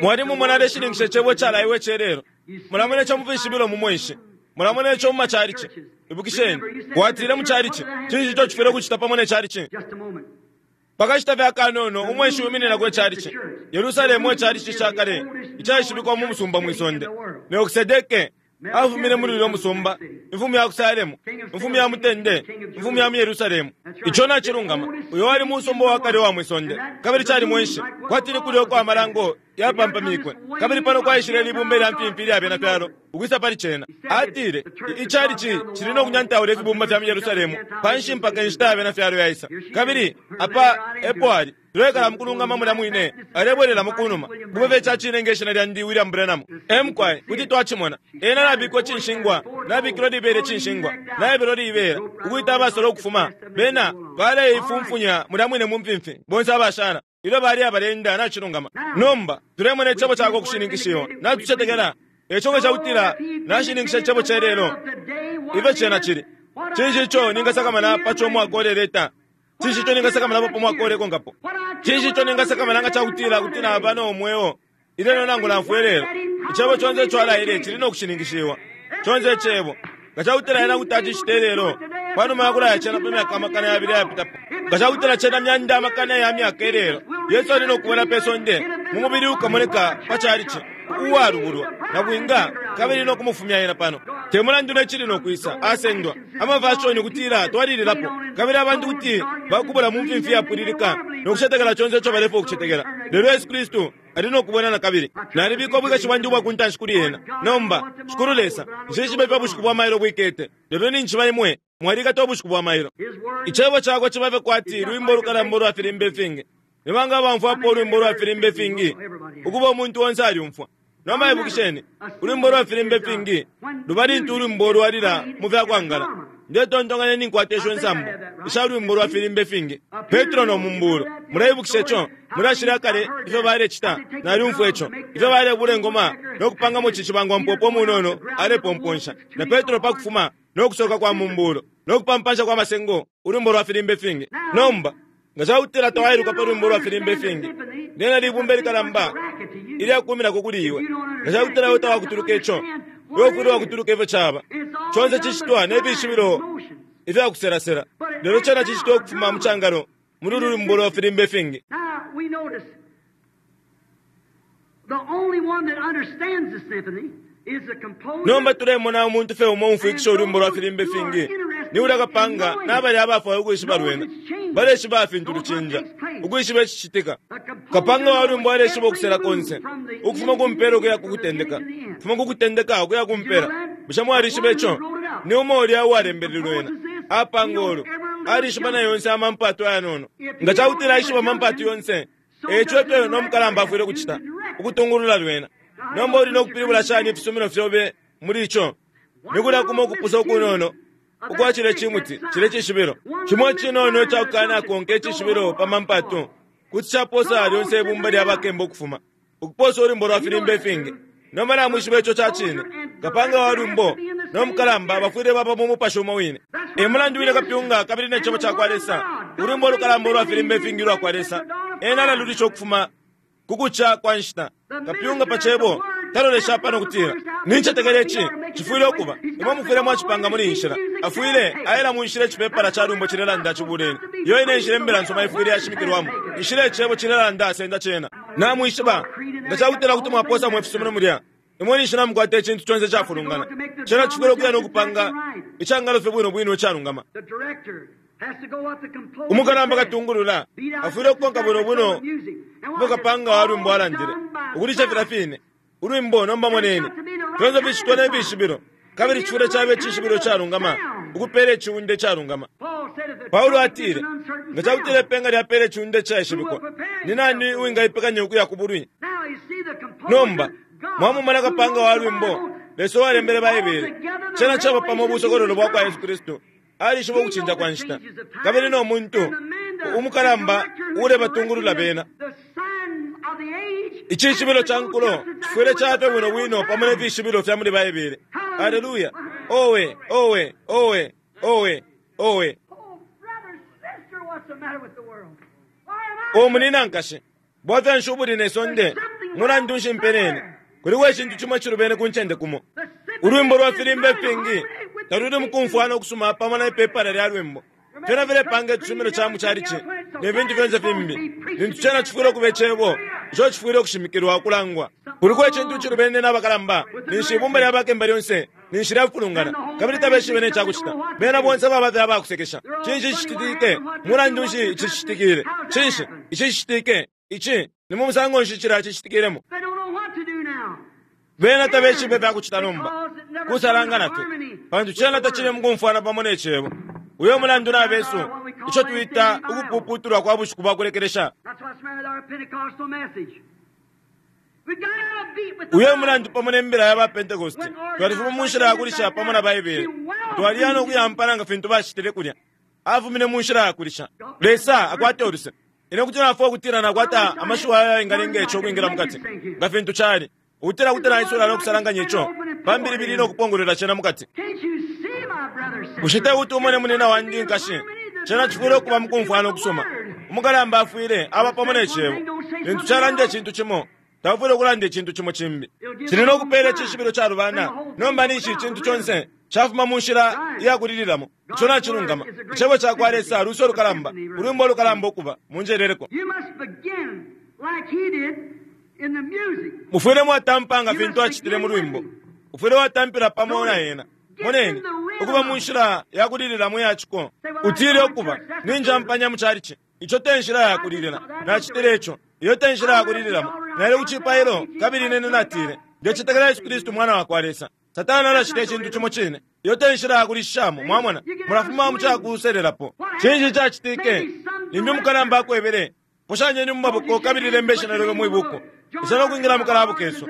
Mwalimumona aleshininkisha Icebo icalaiwe ice lelo. Mulamona ico mu fishibilo mu mweshi. Mulamona ico mu macalici. Ibukisheni, watile mu calici, cinshi ico cifwile ukucita pamo ne calici? Pa kashita fye akanono, umweshi wimininako icalici. Yerusalemu e calici ca kale icaishibikwa mu musumba mwi sonde. Melkisedeke afumine muli ulya musumba, imfumu ya ku Salemu, imfumu ya mutende, imfumu ya mu Yerusalemu. Ico nacilungama. Uyo wali musumba wa kale uwa mwi sonde, kabili cali mwenshi, kwati ni kulya uko amalango yapampamikwe. Kabili pano kwaishile libumba ilya mfimfi ilya bena fyalo ukwisa pali cena. Atile, Icalici cili no kunyantaula ifibumba fya mu Yerusalemu panshi mpaka inshita ya bena fyalo yaisa. Kabili apa epo ali. Tulekala mukulungama mulya mwine, alebwelelamo kunuma. Kube fye ica cine nge shina lyandi William Branham. Ee, mukwai, kuti twacimona. Ena nabikwa icinshingwa, nabikilwa libela icinshingwa, naebelwa libela, ukwita abasola ukufuma. Bena baleifumfunya mulya mwine mu mfimfi, bonse abashala, ilyo bali abaleenda. Nacilungama. Nomba, tulemona Icebo Cakwe ukushininkishiwa. Natucetekela. Eico nga cakutila Nashininkisha Icebo ce lelo, ifyo Cena cili, cinshi ico Ningasakamana paco umwaka uleleta? Cinshi ico ningasakamanapo pa mwaka ulekonkapo? Cinshi ico ningasakamana nga ca kutila kuti naba no mweo ilelo nangu nafwa ilelo? Icebo conse ico alaile cili no kushininkishiwa. Conse Icebo. Nga ca kutila ena kuti acicita ilelo, pa numa ya kulaya cena pa myaka amakana yabili ayapitapo, nga ca kutila cena myanda amakana ya myaka ilelo, Yesu ali no kubwela pe sonde mu mubili ukamoneka pa chalichi, uwalubulwa, nabwinga, kabili no kumufumya ena pano. Te mulandu ne cili no kwisa, asendwa. Amafashoni kutila twalililapo, kabili abantu kuti bakubula mu mfimfi yapwililika no kucetekela conse ico balefwaya ukucetekela. Lelo Yesu Kristu ali no kubwela na kabili. Nalibika ubwikashi bwandi ubwa ku ntanshi kuli Ena. Nomba, Shikulu Lesa, nshishibe ifyo ubushiku bwa mailo bwikete, lelo ninjishiba Imwe mwalikata ubushiku bwa mailo. Icebo Cakwe ciba fye kwati lwimbo lukalamba ulwa filimba ifingi. Ni banga abamfwapo ulwimbo lwa filimba ifingi? Ukuba umuntu onse alyumfwa. Nomba ibukisheni, ulwimbo lwa filimba ifingi luba lintu ulwimbo lwalila mu fya kwangala. Ndetontonkanya ninkwata isho nsambu isha lwimbo lwa filimba ifingi. Petro no mumbulo. Muleibukisha ico? Mulashile akale ifyo balecita, nalyumfwa ico. Ifyo balebula ingoma no kupangamo cicibangwa mpopo munono alepomponsha. Na Petro pa kufuma no kusoka kwa mumbulo no kupampansha kwa masengo, ulwimbo lwa filimba ifingi. Nomba Nga ca kutila tawailuka pa lwimbo lwa filimba ifingi, lyena libumba ilikalamba ilyakuuminako kuli iwe. Nga ca kutila iwe tawakutuluka ico, iwe ufwile wakutuluka ifyo caba. Conse cicitwa ne fishibilo ifya kuselasela, lelo cena cicitwa ukufuma mu cangalo muli ulu lwimbo lwa filimba ifingi. Nomba tulemona umuntu fye umo umfwikisha ulwimbo lwa filimba ifingi ni ulya kapanga na balya abafwaya ukwishiba lwena. Baleshiba fintu lucinja, ukwishiba icicitika. Kapanga wa lwimbo aleshiba ukusela konse, ukufuma ku mpela ukuya ku kutendeka, ukufuma ku kutendeka ukuya ku mpela. Bushe mwalishiba ico? Ni umo ulya uwalembele lwena. Apanga ulu. Alishiba na yonse amampatu ayanono. Nga ca kutila aishiba amampatu yonse, e ico efyo no mukalamba afwile ukucita, ukutungulula lwena. Nomba uli no kupilibula shani ifisumino fyobe muli ico? Ni kulya kumo ukupusa ukunono ukwa cilye cimuti, cilye cishibilo. Cimo icinono ica kukanakonka icishibilo pa mampatu kuti caposa lyonse ibumba lya bakemba ukufuma, ukuposa ulwimbo lwa filimba ifingi. Nomba namwishiba ico ca cine. Kapanga wa lwimbo no mukalamba bafwile baba mu mupashi umo wine. E mulandu wine kapyunga kabili ne Cebo ca kwa Lesa, ulwimbo lukalamba ulwa filimba ifingi ulwa kwa Lesa, ena alalulisha ukufuma ku kuca kwa nshita. Kapyunga pa Cebo talolesha apa no kutila, Nincetekela ici cifwile ukuba. Imwe mufwile mwacipanga muli iyi nshila. Afwile aela mu nshila icipepala ca lwimbo cilelanda cibuleni. Iyo ine nshila Imbila nsuma ifwile yashimikilwamo. Inshila Icebo cilelanda senda cena. Namwishiba, nga cakutila kuti mwapoosamo ifisumino mulya, imwe ninshi namukwata icintu conse icafulungana. Cena cifwile ukuya no kupanga icangalo fye bwino bwino icalungama. Umukalamba katungulula afwile ukukonka bwino bwino ifyo kapanga wa lwimbo alandile, ukulisha filya fine ulwimbo. Nomba moneni, fyonse ficitwa ne fishibilo, kabili cifwile caba icishibilo calungama ukupeela iciunda icalungama. Paulo atile, nga ca kutila ipenga lyapeela iciunda icaishibikwa, ni nani uwingaipekanya ukuya ku bulwi? Nomba mwamumona kapanga wa lwimbo, Lesa uwalembele Baibele, cena caba pamo ubusokololo bwa kwa Yesu Kristu. Alishiba ukucinja kwa nshita, kabili no muntu umukalamba uulebatungulula bena. Icishibilo ca nkulo cifwile caba bwino bwino pamo ne fishibilo fya muli Baibele. Aleluya! Owe, owe, owe, owe, owe! O munina nkashi, bwafya nshi ubuli ne sonde? Mulandu nshi mpenene? Kuliko icintu cimo icilubene ku ncende kumo. Ulwimbo lwa filimba ifingi taluli mukumfwana ukusuma pamo na ipepala lya lwimbo. Fyena filepanga icisumino ca mu calici ne fintu fyonse fimbi, lintu cena cifwile ukuba Icebo ico cifwile ukushimikilwa, ukulangwa. Kuliko icintu icilubene na bakalamba, ninshi ibumba lya bakemba lyonse ninshi lyafulungana, kabili tabeshibe ne ca kucita. Bena bonse baba fye abakusekesha. Cinshi cicitike? Mulandu nshi ici cicitikile? Cinshi ici cicitike? Ici ni mu musango nshi cilya cicitikilemo? Bena tabeshibe ifya kucita nomba, kusalangana fye, pantu cena tacili mukumfwana pamo ne Cebo. Uyo mulandu na besu, ico twita ukupuputulwa kwa bushiku bwa kulekelesha. Uyo mulandu pamo ne mbila ya ba Pentecost, twalifuma mu nshila ya kulisha pamo na Baibele. Twaliya no kuyampana nga fintu bacitile kulya. Afumine mu nshila ya kulisha. Lesa akwate uluse. Ine kuti nafwa ukutila nakwata amashiwi ayo ayengalenga ico ukwingila mukati, nga fintu cali, ukutila kuti naisula no kusalanganya ico pa mbilibili no kupongolola cena mukati. Bushe te kuti umone, munina wandi, nkashi? Cena cifwile ukuba mukumfwana ukusuma. Umukalamba afwile aba pamo ne Cebo. Lintu calanda icintu cimo, taufwile ukulanda icintu cimo cimbi. Cili no kupeela icishibilo calubana. Nomba ninshi icintu conse cafuma mu nshila iya kulililamo. Ico nacilungama. Icebo ca kwa Lesa luso lukalamba, ulwimbo lukalamba ukuba. Munjeleleko. Mufwile mwatampa nga fintu acitile mu lwimbo. Ufwile watampila pamo na ena. Moneni, ukuba mu nshila ya kulililamo iya ciko. Utile ukuba, ninjampanya mu calici. Ico te nshila ya kulilila. Nacitile ico. Iyo te nshila ya kulililamo. Naile ku cipailo, kabili ine natile, Ndecetekela Yesu Kristu Mwana wa kwa Lesa. Satana alacita icintu cimo cine. Iyo te nshila ya kulishishamo, mwamona. Mulafuma mu ca kuselelapo. Cinshi cacitike? Limbi umukalamba akwebele, Poshanyeni mu maboko kabili lembe ishina lyobe mwi buku. Isa no kwingila mu kalabu kesu,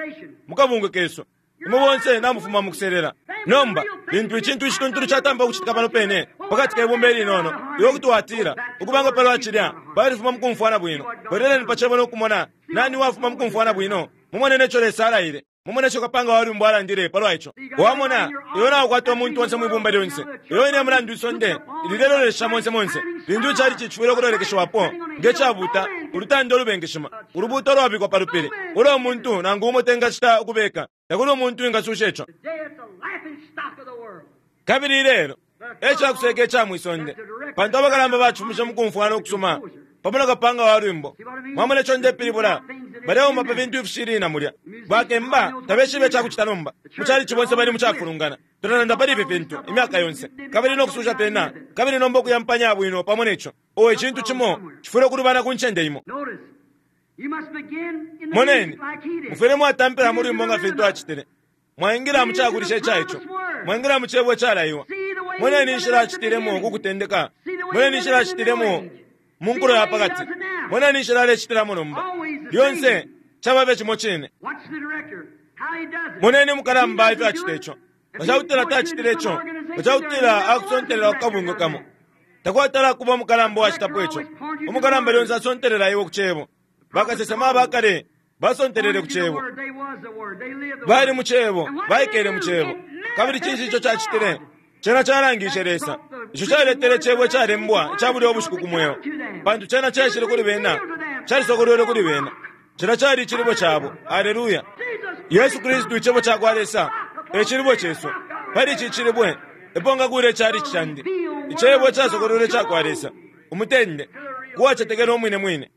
mu kabungwe kesu. Imwe bonse namufuma mu kuselela. Nomba, lintu icintu icituntulu catampa ukucitika pano pene, pakati ke bumba ilinono, iwe kuti watila, Ukuba nga palwa cilya, balifuma mu kumfwana bwino. Bweleleni pa Cebo no kumona nani uwafuma mu kumfwana bwino, mumone ne co Lesa alaile. Mumone ico kapanga wa lwimbo alandile palwa ico. Wamona, iwe naukwata umuntu onse mwi bumba lyonse. Iyo ine mulandu isonde lilelolesha monse monse, lintu icalici cifwile ukulolekeshiwapo nge cabuuta, ulutanda ulubengeshima, ulubuuto ulwabikwa pa lupili, ulo umuntu nangu umo tengacita ukubeka. Takuli umuntu uwingasusha ico. Kabili ilelo e ca kuseka ica mwi sonde, pantu abakalamba bacifumishe mu kumfwana ukusuma pamo na kapanga wa lwimbo. Mwamona ico ndepilibula? Baleuma pa fintu ifishili na mulya. Bakemba tabeshibe ica kucita nomba. Mu calici bonse bali mu cafulungana. Tulalanda pali ifi fintu imyaka yonse, kabili no kususha fyena, kabili nomba ukuyampanya bwino pamo ne co. Oh, icintu cimo cifwile ukulubana ku ncende imo. Moneni, mufwile mwatampila mu lwimbo nga fintu acitile. Mwaingila mu cakulisha ica ico. Mwaingila mu cebo icalaiwa. Moneni inshila acitilemo ku kutendeka. Moneni inshila acitilemo mu nkulo ya pa kati. Moneni inshila alecitilamo nomba. Lyonse caba fye cimo cine. Moneni umukalamba ifyo acita ico. Nga ca kutila tacitile ico, nga ca kutila akusontelela ku kabungwe kamo, takwatala kuba umukalamba uwacitapo ico. Umukalamba lyonse asontelela iwe ku Cebo. Bakasesema aba kale basontelele ku Cebo. Bali mu Cebo, baikele mu Cebo. Kabili cinshi ico cacitile? Cena calangishe Lesa. Ico caletele Cebo icalembwa ica bulya ubushiku ku mweo, pantu cena caishile kuli bena, calisokolwelwe kuli bena. Cena cali Icilibwe cabo. Aleluya! Yesu Kristu, Icebo cakwa Lesa, e Cilibwe cesu. Pali ici Cilibwe epo nkakuula icalici candi. Icebo icasokolwelwe icakwa Lesa. Umutende, ku wacetekela umwine mwine.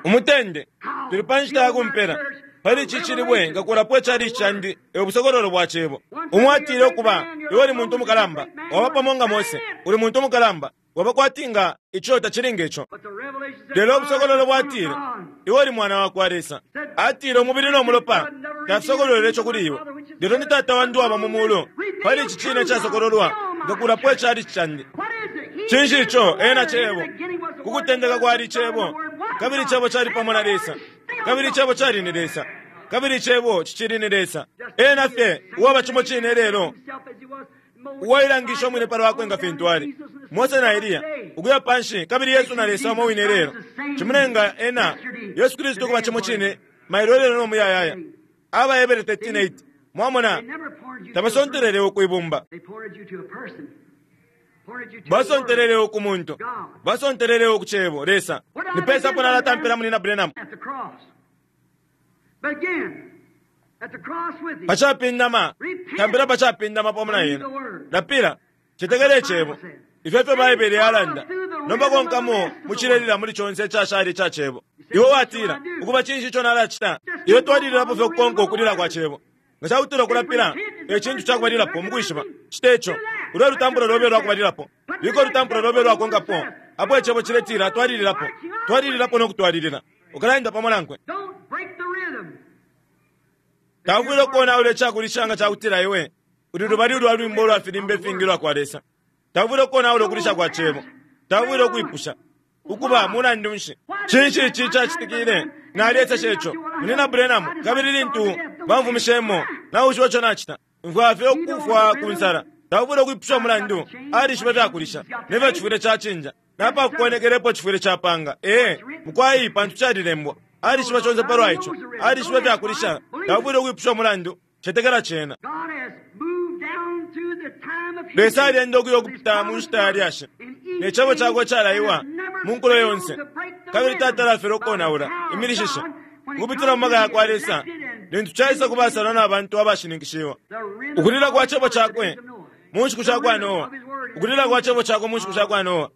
Umutende, tuli pa nshita ya kumpela. Pali ici cilibwe nkakulapo icalici candi, e busokololo bwa Cebo. Umo atile ukuba, iwe uli muntu mukalamba, waba pamo nga Mose, uli muntu mukalamba, waba kwati nga ico tacili nge co. Lelo ubusokololo bwatile, Iwe uli Mwana wa kwa Lesa. Atile umubili no mulopa tafisokolwele ico kuli iwe, lelo ni Tata wandi uwaba mu mulu. Pali ici cine icasokololwa nkakulapo icalici candi. Cinshi ico? Ena Cebo. Ku kutendeka kwali Cebo, kabili Cebo cali pamo na Lesa, kabili Cebo cali ni Lesa, kabili Cebo cicili ni Lesa. Ena fye uwaba cimo cine lelo, uwailangisha umwine pa lwakwe nga fintu ali Mose na Eliya, ukuya panshi, kabili Yesu na Lesa umo wine lelo. Cimulenga ena Yesu Kristu ukuba cimo cine mailo lelo no muyayaya. AbaHebere 13:8. Mwamona, tabasontelele ukwibumba. Basontelele ku muntu. Basontelele ku Cebo, Lesa. Ni pesa apo nalatampila Munyina Branham? Pa capindama, tampila pa capindama pamo na ena. Lapila, cetekela Icebo. Ifyo efyo Baibele yalanda. Nomba konkamo mucilelila muli conse icashala ica Cebo. Iwe watila, Ukuba, cinshi ico nalacita? Iwe twalililapo fye ukukonka ukulila kwa Cebo. Nga ca kutila ukulapila e cintu ca kubalilapo mu kwishiba, cite co. Ulwe lutampulo lobe lwa kubalilapo. Bika ulutampulo lobe lwakonkapo apo icebo ciletila twalililapo, twalililapo no kutwalilila. Ukalaenda pamo nankwe. Taufwile ukonaula icakulisha nga ca kutila iwe uli lubali ulwa lwimbo ulwa filimba ifingi ulwa kwa Lesa. Taufwile ukonaula ukulisha kwa cebo. Taufwile ukwipusha, Ukuba, mulandu nshi? Cinshi ici cacitikile? Nalyeseshe ico, Munyina Branham, kabili lintu bamfumishemo, nawishiba ico nacita? Mfwaya fye ukufwa ku nsala. Taufwile ukwipusha umulandu. Alishiba ifyakulisha, ne fyo cifwile cacinja, na pa kukonekela epo cifwile capanga. Ee, mukwai, pantu calilembwa. Alishiba conse palwa ico. Alishiba ifyakulisha. Taufwile ukwipusha umulandu. Cetekela cena. Lesa alyenda ukuya ukupita mu nshita ya lyashi, ne Cebo Cakwe calaiwa mu nkulo yonse, kabili tatalafela ukonaula imilishishe ukupitila mu maka yakwa Lesa lintu caisa ku basalwa na bantu abashininkishiwa. Ukulila kwa Cebo Cakwe mu nshiku sha kwa Noa, ukulila kwa Cebo Cakwe mu nshiku sha kwa Noa,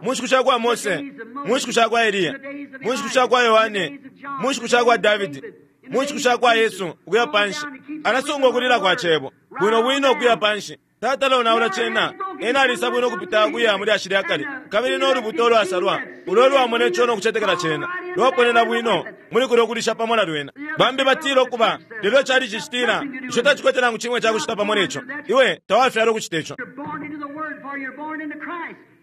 mu nshiku sha kwa Mose, mu nshiku sha kwa Eliya, mu nshiku sha kwa Yohane, mu nshiku sha kwa Davidi, mu nshiku sha kwa Yesu ukuya panshi, alasunga ukulila kwa Cebo bwino bwino ukuya panshi. Tatala onaula cena. Ena alisa bwino ukupita ukuya mu lyashi lya kale, kabili no lubuto ulwasalwa ulo ulwamona ico no kucetekela cena, lwaponena bwino muli kulyo kulisha pamo na lwena. Bambi batila ukuba, lelo icalici citila, Ico tacikwete nangu cimo icakucita pamo ne co. Iwe tawafyalwa ukucita ico.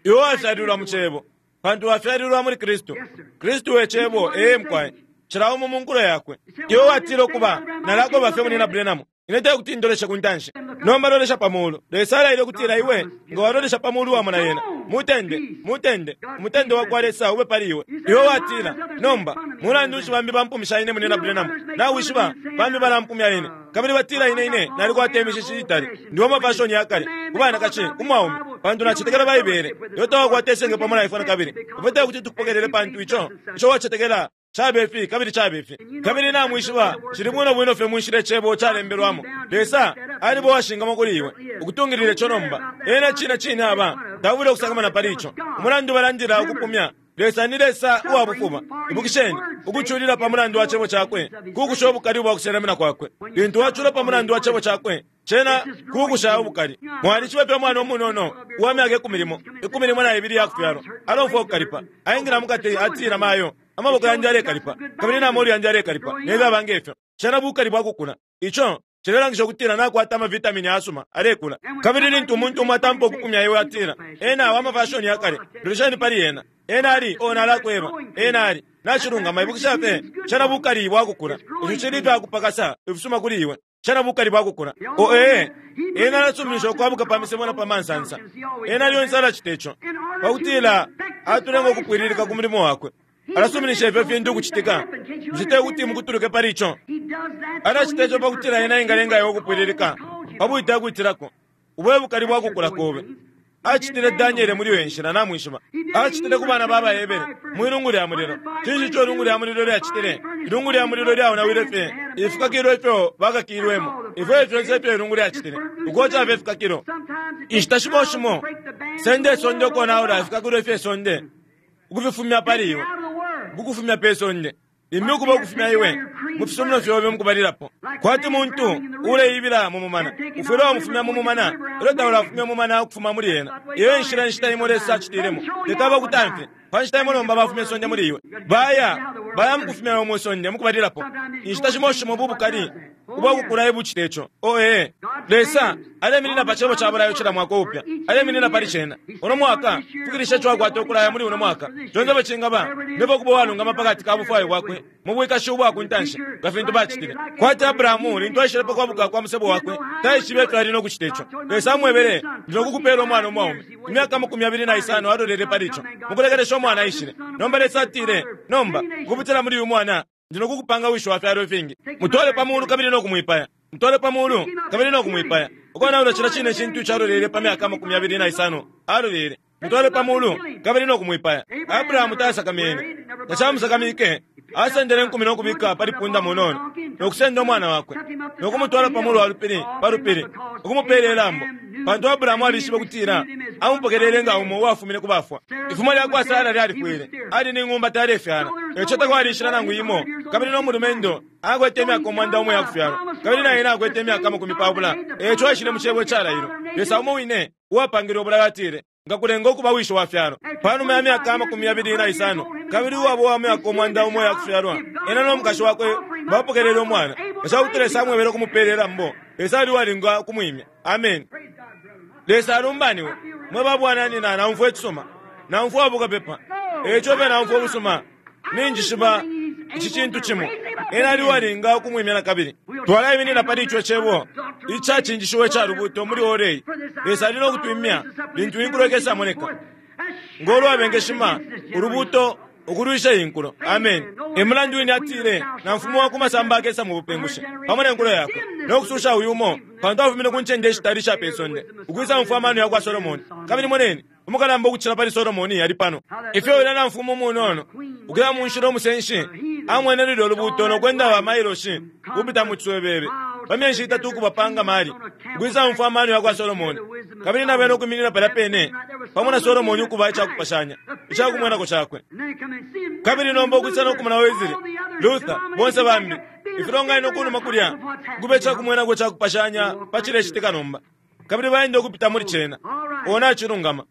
Iwe wafyalilwa mu Cebo, pantu wafyalilwa muli Kristu. Kristu e Cebo. Ee, mukwai. Cila umo mu nkulo yakwe. Iwe watila ukuba, Nalakoba fye Munyina Branham. Ine tekuti ndoleshe ku ntanshi. Nomba lolesha pa mulu. Lesa alaile ukutila iwe nga walolesha pa mulu wamona yena. Mutende, mutende, umutende wakwa Lesa ube pali iwe. Iwe watila, Nomba, mulandu nshi bambi bampumisha ine, Munyina Branham? Nawishiba, bambi balampumya ine. Kabili batila ine ine nalikwata imishishi iitali. Ndi wa mafashoni ya kale, ku banakashi, ku mwaume, pantu nacetekela Baibele. Iwe tawakwata isenge pamo na ifwe nakabili. Ifwe tekuti tukupokelele pantu ico, ico wacetekela Cabe fi kabili cabe fi. Kabili namwishiba, cili bwino bwino fye mu nshila Icebo calembelwamo. Lesa aliba uwashingamwa kuli iwe, ukutungilila ico nomba. Ena cine cine aba. Taufwile ukusakamana pali ico. Umulandu balandila ukupumya, Lesa ni Lesa uwa bufuba. Ibukisheni, ukuculila pa mulandu wa Cebo Cakwe kukusha ubukali ubwa kusenamina Kwakwe. Lintu wacula pa mulandu wa Cebo Cakwe, cena kukusha ubukali. Mwalishiba ifyo umwana umunono uwa myaka ikumi limo, ikumi limo na ibili iyakufyalwa alomfwa ukukalipa. Aingila mukati, atila, Mayo, Amaboko yandi yalekalipa, kabili na molu yandi yalekalipa, ne fyaba nge fyo. Cena bukali bwa kukula. Ico cilelangisha ukutila nakwata amavitamini ayasuma, alekula. Kabili lintu umuntu umo atampa ukupumya iwe, atila, Ena wa mafashoni ya kale. Lolesheni pali ena. Ena ali, oh, nalakweba, ena ali. Nacilungama, ibukisha fye, cena bukali bwa kukula. Ico cili ifya kupakasa ifisuma kuli iwe. Cena bukali bwa kukula. Oh, ee. Ena alasuminisha ukwabuka pa misebo na pa mansansa. Ena lyonse alacita ico, pa kutila atulenga ukupwililika ku mulimo wakwe. Alasuminisha ifyo fintu ukucitika. Bushe te kuti mukutuluke pali ico? Alacita ico pa kutila ena engalenga iwe ukupwililika pa bwite akwitilako. Ubo e bukali bwa kukula kobe. Acitile Daniele muli iyo nshila, namwishiba. Acitile ku bana ba baHebere mwi lungu lya mulilo. Cinshi ico ilungu lya mulilo lyacitile? Ilungu lya mulilo lyaonawile fye ifikakilo ifyo bakakilwemo. Ifyo e fyonse ifyo ilungu lyacitile, ukoca fye ifikakilo. Inshita shimo shimo, senda isonde ukonaula ifikakilo ifye sonde. ukufifumya pali iwe. Ukukufumya pe sonde. Limbi ukuba ukufumya iwe mu fisumino fyobe mukubalilapo. Kwati muntu uleibila mu mumana. Ufwile wamufumya mu mumana elyo taulafumya umumana ukufuma muli ena. Iyo enshila inshita imo Lesa acitilemo. Teti abakutamfye. Pa nshita imo nomba bafumya isonde muli iwe. Baya, baya mukufumya iwe mwi sonde mukubalilapo. Inshita shimo shimo ubu bukali ubwakukula ebucita ico. Oh, ee. Lesa aleminina pa Cebo ca bulayo cila mwaka uupya. Aleminina pali Cena. Uno mwaka, fikilisha ico akwata ukulaya muli uno mwaka. Conse ifyo cingaba, nebo ukuba uwalungama pakati ka bufwayo Bwakwe mu bwikashi ubwa ku ntanshi, nga fintu bacitile. Kwati Abrahamu, lintu aishile pa kwabuka kwa musebo wakwe, taishibe ifyo ali no kucita ico. Lesa amwebele, Ndi no kukupela umwana umwaume. Imyaka amakumi yabili na isano alolele pali ico. Mukulekelesha umwana aishile. Nomba Lesa atile, Nomba, ukupitila muli uyu mwana, Ndi no kukupanga wishi wa fyalo ifingi. Mutwale pa mulu kabili no kumwipaya. Mutwale pa mulu kabili no kumwipaya. Ukonaula cilya cine cintu calolele pa myaka 25 alolele. Mutwale pa mulu kabili no kumwipaya. Abrahamu tasakamene. Tacamusakamike. Asendele inkumi no kubika pali punda munono, no kusenda umwana wakwe, no kumutwala pa mulu wa lupili, pa lupili, ukumupeela ilambo. Pantu Abrahamu alishibe ukutila amupokelele nga umo uwafumine ku bafwa. Ifumo lya kwa Sara lyalifwile. Ali ni ng'umba talefyala. E ico takwali inshila nangu imo. Kabili no mulumendo akwete imyaka 1000 iya kufyalwa, kabili na ena akwete imyaka 20. E ico aishile mu Cebo icalailwe. Lesa umo wine uwapangile ubulayo atile, Nkakulenga ukuba wisho wa fyalo. Pa numa ya myaka 25, kabili uwaba uwa myaka 100 iya kufyalwa, ena no mukashi wakwe bapokelele umwana. Nga ca kuti Lesa amwebele ukumupeela ilambo, Lesa ali uwalinga ukumwimya. Ameni. Lesa alumbaniwe. Mwe ba bwananyina, naumfwa icisuma. Naumfwa uwa bukapepa. E ico fye naumfwa ubusuma. Ninjishiba ici cintu cimo, Ena ali uwalinga ukumwimya nakabili. Twalaiminina pali ico Cebo icacinjishiwa ica Lubuuto muli ora iyi. Lesa ali no kutwimya lintu inkulo ikesa moneka. Ngo lwabengeshima, Ulubuuto ukulwisha iyi nkulo. Ameni. E mulandu wine atile, Namfumu wa ku masamba akesa mu bupingushi pamo ne nkulo yakwe, no kususha uyu umo, pantu afumine ku ncende ishitali isha pe sonde, ukwisa umfwa amano yakwa Solomoni. Kabili moneni, Umukalamba ukucila pali Solomoni ali pano. Ifyo ulya namfumu umunono, ukuya mu nshila umusenshi, amwene lulyo lubuuto no kwenda ba mailoshi ukupita mu ciswebebe pa myeshi itatu ukuba pa ngamali, ukwisa umfwa amano yakwa Solomoni, kabili na bena ukwiminina palya pene pamo na Solomoni ukuba icakupashanya icakumwenako cakwe. Kabili nomba ukwisa no kumona Wesley, Luther, bonse bambi, ifilonganino kunuma kulya, ukuba icakumwenako icakupashanya pa cilecitika nomba. Kabili baenda ukupita muli cena. O nacilungama.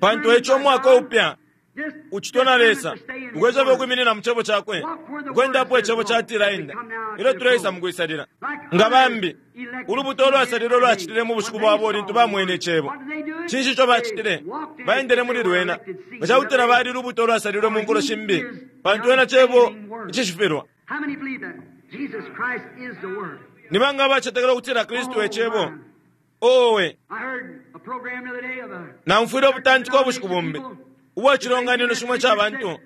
Pantu eico umwaka upya ucitwa na Lesa, ukwesha fye ukwiminina mu Cebo Cakwe, ukwenda apo Icebo catila enda, ilyo tuleisa mukwisalila. Nga bambi, ulubuto ulwasalilwe lwacitile mu bushiku bwabo lintu bamwene Icebo. Cinshi ico bacitile? Baendele muli lwena. Nga cakutila bali lubuto ulwasalilwe mu nkulo shimbi, pantu ena Cebo icishifilwa. Ni banga abacetekela ukutila Kristu e Cebo? Owe! Naumfwile ubutantiko ubushiku bumbi ubwa cilonganino cimo ica bantu.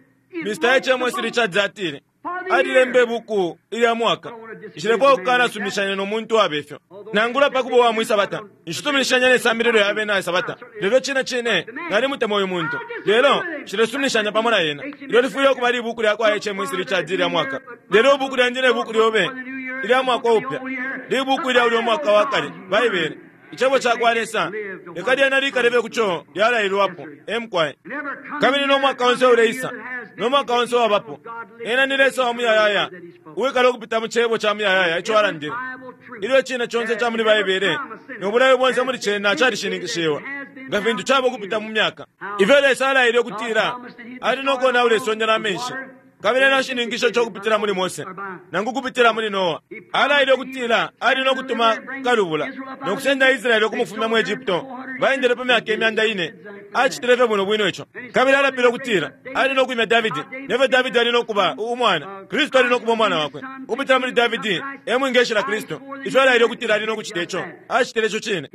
Mr. H.M.S. Richards atile alilemba ibuku ilya mwaka. Nshilefwaya ukukanasuminishanya no muntu uwabe fyo, nangula pa kuba uwa mwi Sabata. Nshisuminishanya ne sambililo ya bena Sabata, lelo cine cine nalimutemwa uyu muntu. Lelo nshilesuminishanya pamo na ena. Ilyo lifwile ukuba libuku lya kwa H.M.S. Richards ilya mwaka. Lelo ibuku lyandi ne buku lyobe ilya mwaka upya libuku ilya ulya mwaka wa kale, Baibele, Icebo cakwa Lesa. Leka lyena likalebe ku co lyalailwapo. E mukwai. Kabili no mwaka onse uleisa, no mwaka onse uwabapo, Ena ni Lesa wa muyayaya, uwikala ukupita mu Cebo ca muyayaya ico Alandile. Ilyo icine conse ica muli Baibele no bulayo bonse muli cena calishininkishiwa, nga fintu caba ukupita mu myaka. Ifyo Lesa alaile ukutila Ali no konaula isonde na menshi, kabili ena ashininkishe ico ukupitila muli Mose, nangu ukupitila muli Noa. Alaile ukutila Ali no kutuma kalubula, no kusenda Israele ukumufumya mu Egypto. Baendele pa myaka imyanda ine. Acitile fye bwino bwino ico. Kabili alapile ukutila Ali no kwimya Davidi, nefyo Davidi ali no kuba u, umwana, Kristu ali no kuba umwana wakwe. Ukupitila muli Davidi e mwingeshila Kristu. Ifyo alaile ukutila Ali no kucita ico, acitile ico cine.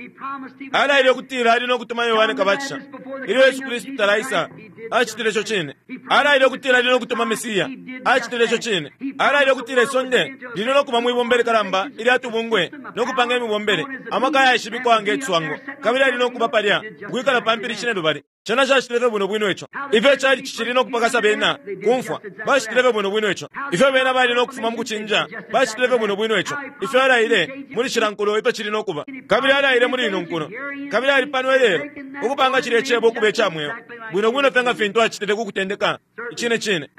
Alaile ukutila Ali no kutuma Yohane Kabatisha ilyo Yesu Kristu talaisa, acitile ico cine. Alaile ukutila Ali no kutuma Mesia, acitile ico cine. Alaile ukutila isonde lili no kuba mwi bumba ilikalamba ilya tubungwe no kupanga imibombele, amaka ayaishibikwa nge ciswango, kabili ali no. ukuba palya, ukwikala pa mpili cinelubali. Cena cacitile fye bwino bwino ico. Ifyo icalici cili no kupakasa bena kumfwa, bacitile fye bwino bwino ico. Ifyo bena bali no kufuma mu kucinja, bacitile fye bwino bwino ico. Ifyo alaile muli cila nkulo ifyo cili no kuba. Kabili alaile muli ino nkulo. Kabili ali pano ilelo, ukupanga cilye Cebo ukuba ica mweo, bwino bwino fye nga fintu acitile ku kutendeka. Icine cine.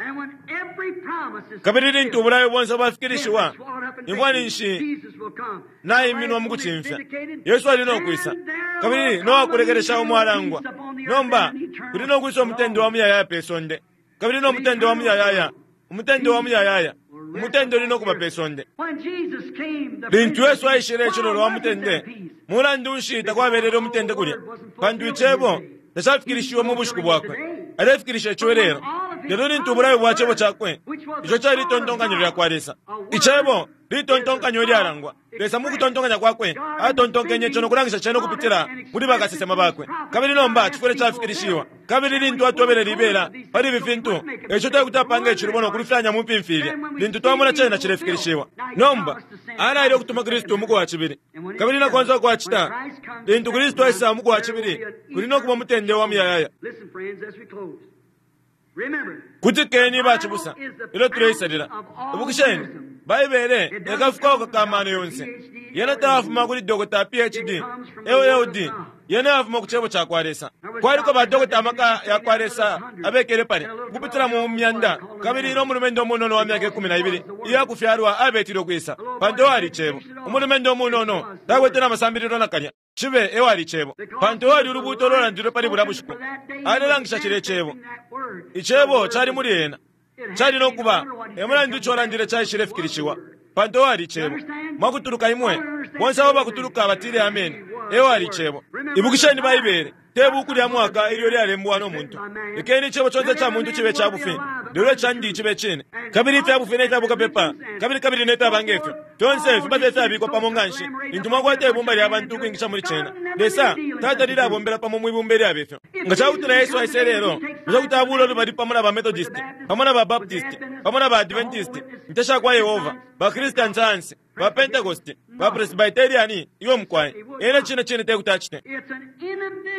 Kabili lintu ubulayo bonse bwafikilishiwa, imfwa ninshi naiminwa mu kucimfya. Yesu ali no kwisa, kabili no wakulekelesha umo alangwa. Nomba kuli no kwisa umutende wa muyayaya pe sonde, kabili no mutende wa muyayaya, umutende wa muyayaya, umutende uli no kuba pe sonde. Lintu Yesu aishile icilolo wa mutende, mulandu nshi takwabelele umutende kulya? Pantu icebo tacafikilishiwe mu bushiku bwakwe. Alefikilisha ico ilelo. Lelo lintu ubulayo bwa cebo cakwe, ico cali litontonkanyo lya kwa Lesa. Icebo litontonkanyo ilyalangwa. Lesa mu kutontonkanya kwakwe atontonkenye ico no kulangisha cene ukupitila muli bakasesema bakwe. Kabili nomba cifwile cafikilishiwa. Kabili lintu atwebele libela pali ifi fintu, ico te kuti apange icilubo no kulufyanya mu mpimfilya lintu twamona cena cilefikilishiwa. Nomba alaile ukutuma Kristu umuku wa cibili. Kabili na konse uko acita, lintu Kristu aisa umuku wa cibili, kuli no kuba umutende wa muyayaya. Kutikeni bacibusa, ilyo tuleisalila. Ibukisheni, Baibele ekafukauka ka mano yonse. Yena tayafuma kuli dokota PhD, LLD. Yena yafuma ku Cebo ca kwa Lesa. Kwaliko ba dokota amaka ya kwa Lesa abekele palya, ukupitila mu myanda, kabili no mulumendo umunono wa myaka 12 iya kufyalwa abetile ukwisa, pantu ewali Cebo. Umulumendo umunono takwete na masambililo nakalya. Cibe ewali Cebo, pantu ewali ulubuuto ululandilwe pali bulya bushiku. Alelangisha cilye Cebo. Icebo cali muli ena. Cali no kuba, e mulandu ico alandile caishilefikilishiwa, pantu ewali Icebo. Mwakutuluka imwe, bonse abo bakutuluka batile ameni, ewali Icebo. Ibukisheni Baibele, te buku lya mwaka ilyo lyalembwa no muntu. Lekeni icebo conse ca muntu cibe ca bufi, lelo icandi cibe cine. Kabili ifya bufi ne fya bukapepa, kabili kabili ne fyaba nge fyo, fyonse fiba fye fyabikwa pamo nga nshi, lintu mwakwata ibumba lya bantu ukwingisha muli cena. Lesa tatalile abombela pamo mwi bumba ilyabe fyo. Nga ca kutila Yesu aisa ilelo, bushe kuti abuula ulubali pamo na ba Methodist, pamo na ba Baptist, pamo na ba Adventist, Inte sha kwa Yehova, ba Christian Science, ba Pentecost, ba Presbyterian? Iwe mukwai, ena cine cine te kuti acite.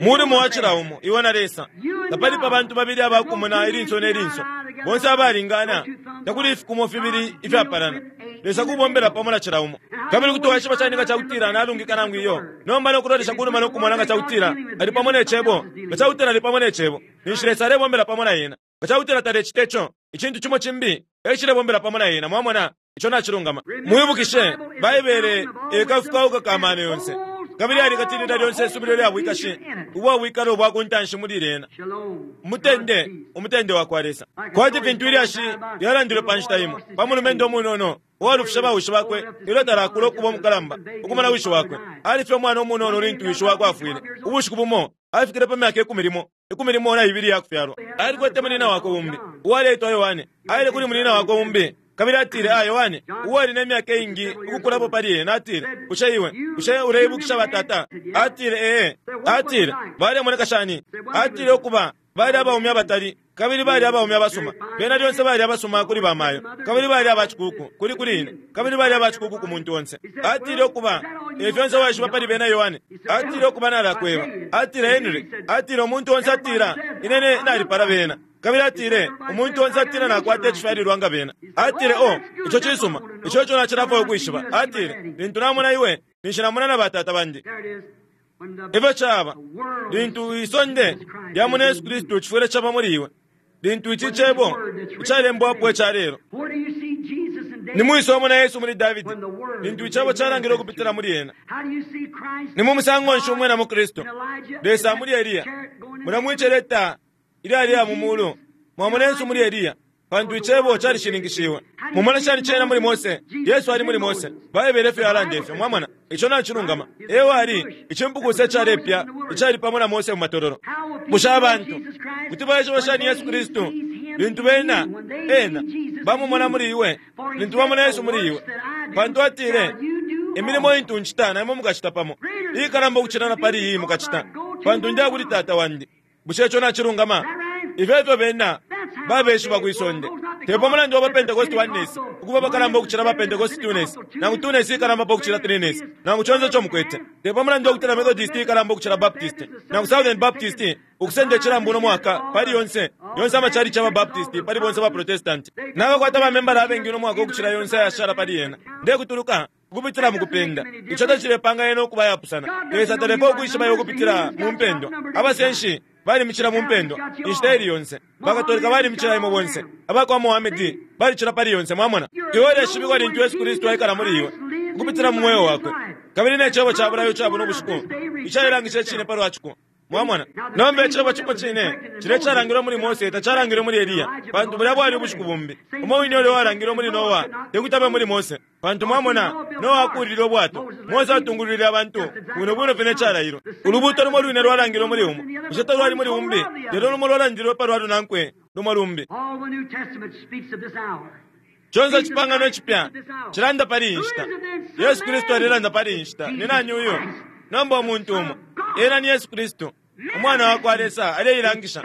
Mulimo wa cila umo, iwe na Lesa. Tapali pa bantu babili abakumona ilinso ne linso, bonse abalingana, takuli ifikumo fibili ifyapalana. Lesa kubombela pamo na cila umo. Kabili kuti waishiba shani nga ca kutila nalungika nangu iyo? Nomba no kulolesha ku numa no kumona nga ca kutila ali pamo ne Cebo. Nga ca kutila ali pamo ne Cebo, ninshi Lesa alebombela pamo na ena. Nga ca kutila talecite co, icintu cimo cimbi e cilebombela pamo na ena. Mwamona? Ico nacilungama. Mwibukishe, Baibele e kafukauka ka mano yonse, kabili alikatilila lyonse isubilo lya bwikashi ubwa bwikalo bwa ku ntanshi muli lyena. Umutende, umutende wa kwa Lesa. Kwati fintu ilyashi lyalandilwe pa nshita imo pa mulumendo umunono uwalufishe bawishi bakwe ilyo talakula ukuba umukalamba ukumona wishi wakwe. Ali fye umwana umunono lintu wishi wakwe afwile. Ubushiku bumo afikile pa myaka 12 na iya kufyalwa. Alikwete munina wakwe umbi uwaleitwa Yohane. Aile kuli munina wakwe umbi kabili atile, a Yohane, uwali ne myaka iingi ukukulapo pali ena, atile, bushe iwe, bushe uleibukisha batata? Atile, ee. Atile, balemoneka shani? Atile, ukuba bali abaume abatali, kabili bali abaume abasuma. Bena lyonse bali abasuma kuli bamayo, kabili bali abacikuku kuli kuli ine, kabili bali abacikuku ku muntu onse. Atile, ukuba e fyonse waishiba pali bena, Yohane? Atile, ukuba nalakweba. Atile, Henry, atile, umuntu onse atila ine nalipala bena. Kabili atile, umuntu onse atila nakwata icifyalilwa nga bena. Atile, o, ico cisuma, ico ico nacilafwaya ukwishiba. Atile, lintu namona iwe, ninshi namona na batata bandi. Ifyo caba, lintu isonde lyamona Yesu Kristu, cifwile caba muli iwe. Lintu ici cebo icalembwapo ica lelo. Ni mwisa umona Yesu muli Davidi? Lintu icebo calangile ukupitila muli ena. Ni mu musango nshi umwena mu Kristu, Lesa muli Eliya? Mula mwiceleta ilyaliya mu mulu, mwamona Yesu muli Eliya, pantu icebo calishininkishiwe. Mumona shani cena muli Mose? Yesu ali muli Mose. Baibele ifyo yalanda ifyo, mwamona. Ico nacilungama. Ewe ali icimpukusa icalepya icali pamo na Mose mu matololo. Bushe abantu kuti baishiba shani Yesu Kristu lintu bena ena bamumona muli iwe, lintu bamona Yesu muli iwe? Pantu atile, imilimo intu ncita na imwe mukacita pamo, iikalamba ukucila na pali iyi mukacita, pantu ndiya kuli Tata wandi. Bushe ico nacilungama? Ifyo efyo bena babeshiba kwi sonde. Te pa mulandu wa ba Pentecost Oneness ukuba abakalamba ukucila ba Pentecost Twoness, nangu Twoness ikalamba pa ukucila Threeness, nangu conse ico mukwete. Te pa mulandu wa kutila Methodist ikalamba ukucila Baptist, nangu Southern Baptist ukusenda icilambu uno mwaka pali yonse, yonse amachalichi aba Baptist pali bonse ba Protestanti. Nabakwata ba membala abengi uno mwaka ukucila yonse ayashala pali yena. Ndekutuluka ukupitila mukupenda. Ico tacilepanga yena ukuba ayapusana. Lesa talepa ukwishiba iwe ukupitila mu mpendwa. Abasenshi balimicila mu mpendwa inshita ili yonse. Bakatolika balimicila imwe bonse. Aba kwa Mohamedi balicila pali yonse. Mwamona? Iwe uleshibikwa lintu Yesu Kristu aikala muli iwe ukupitila mu mweo wakwe kabili ne cebo ca bulayo ca buno bushiku icailangisha icine palwa ciko. Mwamona? Nomba icebo cimo cine cilya icalangilwe muli Mose tacalangilwe muli Eliya, pantu bulya bwali ubushiku bumbi. Umo wine ulya uwalangilwe muli Noa tekuti abe muli Mose, pantu, mwamona, Noa akuulile ubwato, Mose atungulwile abantu, bwino bwino fye ne calailwe. Ulubuuto lumo lwine lwalangilwe muli umo, bushe talwali muli umbi? Lelo lumo lwalandilwe palwa lunankwe, lumo lumbi. Conse Icipangano Icipya cilanda pali iyi nshita. Yesu Kristu alelanda pali iyi nshita. Ni nani uyu? Nomba umuntu umo. Ena ni Yesu Kristu, Umwana wa kwa Lesa, aleilangisha,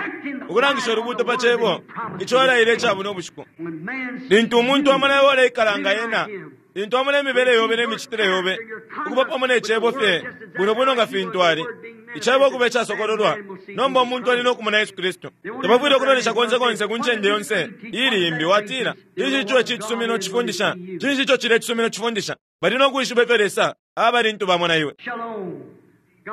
ukulangisha ulubuuto pa Cebo ico alaile ica buno bushiku. Lintu umuntu amona iwe uleikala nga Ena, lintu amona imibele yobe ne micitile yobe ukuba pamo ne Cebo fye bwino bwino nga fintu Ali, Icebo ukuba icasokololwa, nomba umuntu ali no kumona Yesu Kristu. Tabafwile ukulolesha konse konse ku ncende yonse iili imbi, watila, Cinshi ico ici cisumino cifundisha? Cinshi ico cilya icisumino cifundisha? Bali no kwishiba ifyo Lesa aba lintu bamona iwe.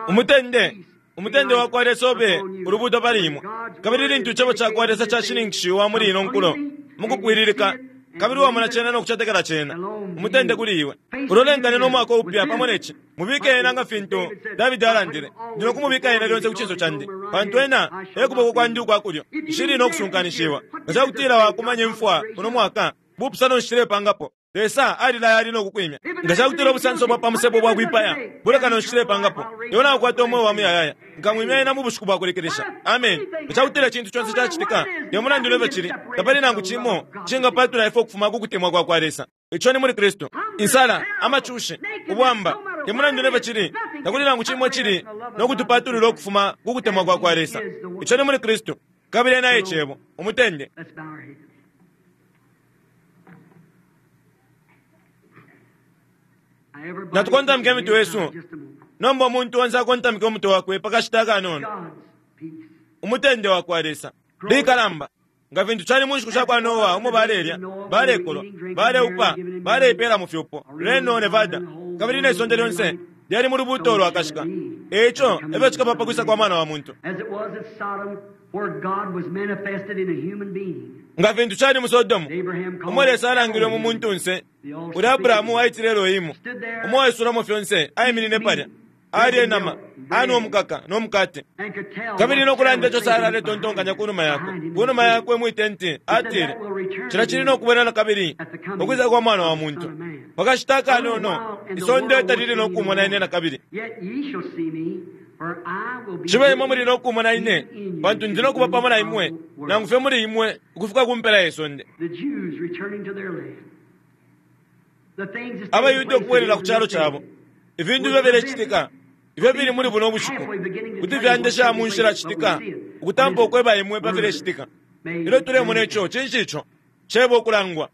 Umutende, umutende wa kwa Lesa ube ulubuuto pali imwe. Kabili lintu Icebo ca kwa Lesa cashininkishiwa muli ino nkulo mu kupwililika, kabili wamona Cena no kucetekela Cena, umutende kuli iwe. Ulolenkane no mwaka upya pamo ne ci. Mubike Ena nga fintu Dabidi alandile, Ndi no kumubika Ena lyonse ku cinso candi, pantu Ena e kuboko kwandi ukwa kulyo. Nshili no kusunkanishiwa. Nga ca kutila wakumanya imfwa uno mwaka, bupusano nshi cilepangapo? Lesa alilaya ali no kukwimya. Nga ca kutila ubusanso bwa pa musebo bwa kwipaya, bulekano nshi cilepangapo? Iwe naukwata umweo wa muyayaya. Nkamwimya ena mu bushiku bwa kulekelesha. Ameni. Nga ca kutila icintu conse cacitika, te mulandu ne fyo cili, tapali nangu cimo icingapatula ifwe ukufuma ku kutemwa kwa kwa Lesa. Ico ni muli Kristu. Insala, amacushi, ubwamba, te mulandu ne fyo cili, takuli nangu cimo icili no kutupatulula ukufuma ku kutemwa kwa kwa Lesa. Ico ni muli Kristu. Kabili Ena e Cebo, umutende. Natukontamike imitwe yesu. Nomba umuntu onse akontamike umutwe wakwe pa kashita akanono. Umutende wa kwa Lesa likalamba. Nga fintu cali mu nshiku sha kwa Noa umo balelya, balekolwa, baleupa, baleipeela mu fyupo, Reno, Nevada, kabili ne sonde lyonse lyali mu lubuuto lwakashika. E ico e fyo cikaba pa kwisa kwa Mwana wa muntu. Nga fintu cali mu Sodomu, umo Lesa alangilwe mu muntunse, ulya Abrahamu aitile Elohimu, umo uwaisulamo fyonse, aiminine palya, alya inama, anwa umukaka no mukate, kabili no kulanda ico Sara aletontonkanya ku numa yakwe, ku numa yakwe mwi tenti, atile, Cilya cili no kubwela na kabili, ukwisa kwa Mwana wa muntu. Pa kashita akanono, isonde talili no kumona ine na kabili. Cibe imwe muli no kumona ine, pantu ndi no kuba pamo na imwe, nangu fye muli imwe, ukufika ku mpela ye sonde. AbaYuda ukubwelela ku calo cabo, ifintu ifyo filecitika, ifyo fili muli buno bushiku, kuti fyandesha mu nshila citika ukutampa ukweba imwe pa filecitika. Ilyo tulemona ico, cinshi ico? Cebo ukulangwa.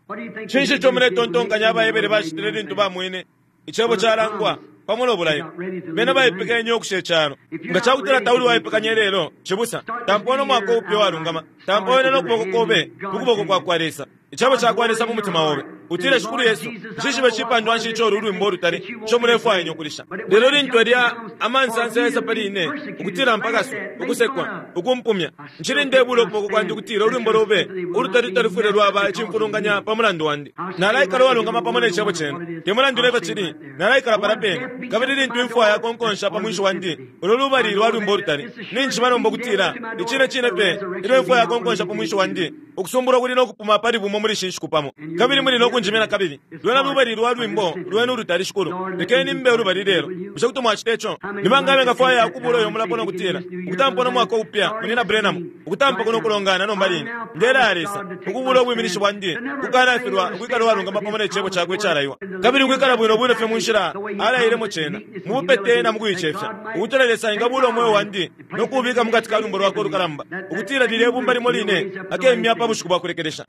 Cinshi ico muletontonkanya abaHebere bacitile lintu bamwene Icebo calangwa pamo no bulayo? Bena baipekenye ukusha icalo. Nga ca kutila tauli uwaipekanya ilelo, cibusa, tampa no mwaka upya uwalungama. Tampa wene no kuboko kobe mu kuboko kwa kwa Lesa, Icebo ca kwa Lesa mu mutima obe. Utile, Shikulu Yesu, nshishibe cipandwa nshi ico ulu lwimbo ulutali ico mulefwaya ine ukulisha. Lelo lintu yalya amansansa yaisa pali ine, ukutila mpakaswe, ukusekwa, ukumpumya, ncili ndebula ukuboko kwandi ukutila ulwimbo lobe ulutali talufwile lwaba icimfulunganya pa mulandu wandi. Nalaikala uwalungama pamo ne Cebo Cenu. Te mulandu ne fyo cili, nalaikala palya pene. Kabili lintu imfwa yakonkonsha pa mwinshi wandi, ulo lubali lwa lwimbo ulutali, ninjishiba nomba ukutila, icine cine fye, ilyo imfwa yakonkonsha pa mwinshi wandi, Ukusumbulwa kuli no kupuma pali bumo muli ishi nshiku pamo, kabili muli no kunjimya na kabili. Lwena lubali lwa lwimbo lwenu ulutali, Shikulu. Lekeni mbe ulubali lelo. Bushe kuti mwacita ico? Ni banga abengafwaya ukubula uyo mulapo no kutila, Ukutampa no mwaka upya, Munyina Branham, ukutampa kuno kulongana nomba line, ndelaya Lesa, ukubula ubwiminishi bwandi, ukukanafilwa ukwikala uwalungama pamo ne Cebo Cakwe icalaiwa, kabili ukwikala bwino bwino fye mu nshila Alailemo Cena, mu bupete na mu kuicefya, ukutila Lesa engabula umweo wandi no kuubika mukati ka lwimbo Lwakwe ulukalamba, ukutila lilye bumba limo line akemya pa. pa bushiku bwa kulekelesha.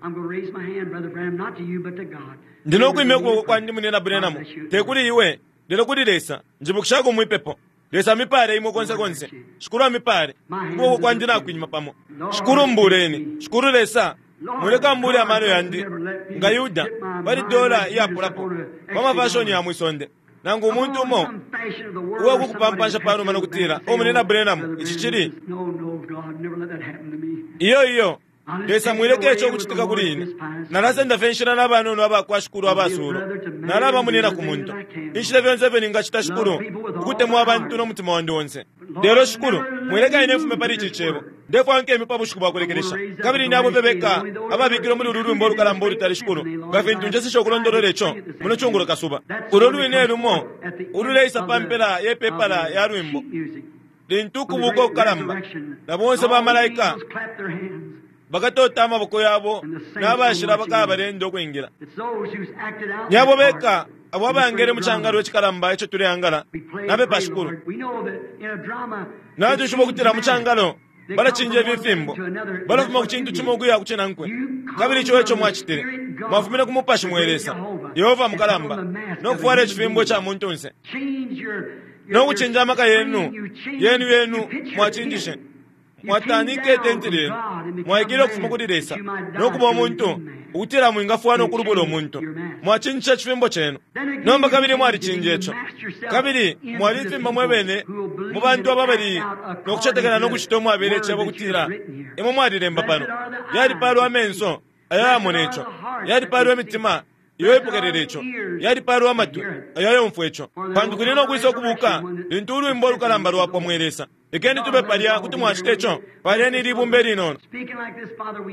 Ndi no kwimya ukuboko kwandi, Munyina Branham, te kuli iwe, lelo kuli Lesa. Njibukishako mwipepo. Lesa amipale imwe konse konse. Shikulu amipale. Ukuboko kwandi nakwima pamo. Shikulu mbuleni. Shikulu Lesa, mwileka mbule amano yandi nga Yuda pali dola iyapulapo pa mafashoni ya mwisonde. Nangu umuntu umo uwa kukupampansha panuma no kutila, "O Munyina Branham, ici cili." Iyo, iyo. Lesa mwileka ico ukucitika kuli ine. Nalasenda fye inshila na banono aba kwa Shikulu abasuulwa. Nalaba munyina ku muntu. Inshila fyonse ifyo ningacita, Shikulu, ukutemwa abantu no mutima wandi onse. Lelo, Shikulu, mwileka ine mfume pali ici Cebo. Ndefwaya nkeme pa bushiku bwa kulekelesha. Kabili ni abo fye beka ababikilwe muli ulu lwimbo ulukalamba ulutali, Shikulu, nga fintu njeseshe ukulondolola ico muno cungulo kasuba. Ulo lwine lumo ululeisa pa mpela ye pepala ya lwimbo. Lintu ukubuka ukukalamba na bonse bamalaika bakatota amaboko yabo na bashila bakaba balenda ukwingila. Ni abo beka abo abayangele mu cangalo icikalamba ico tuleangala. Napepa, Shikulu. Natwishiba ukutila mu cangalo balacinja ififimbo, balafuma ku cintu cimo ukuya ku cinankwe. Kabili ico eco mwacitile, mwafumine ku Mupashi mwe Lesa, Yehova mukalamba, no kufwala icifimbo ica muntunse, no kucinja amaka yenu yenu yenu mwacinjishe, mwatanike itenti lyenu, mwaikile ukufuma kuli Lesa no kuba umuntu, ukutila mwingafwa no kulubula umuntu. Mwacinjishe icifimbo cenu. Nomba kabili mwalicinja ico, kabili mwalifimba mwe bene mu bantu ababali no kucetekela no kucita umwabele icebo ukutila imwe mwalilemba pano. Yalipaalwa amenso ayo ayamona ico, yalipaalwa imitima iyo ipokelela ico, yalipaalwa amatwi ayo ayomfwa ico, pantu kuli no kwisa ukubuka lintu ulwimbo ulukalamba lwapwa. Mwe Lesa, lekeni tube palya. Kuti mwacita ico? Paleni ili ibumba ilinono.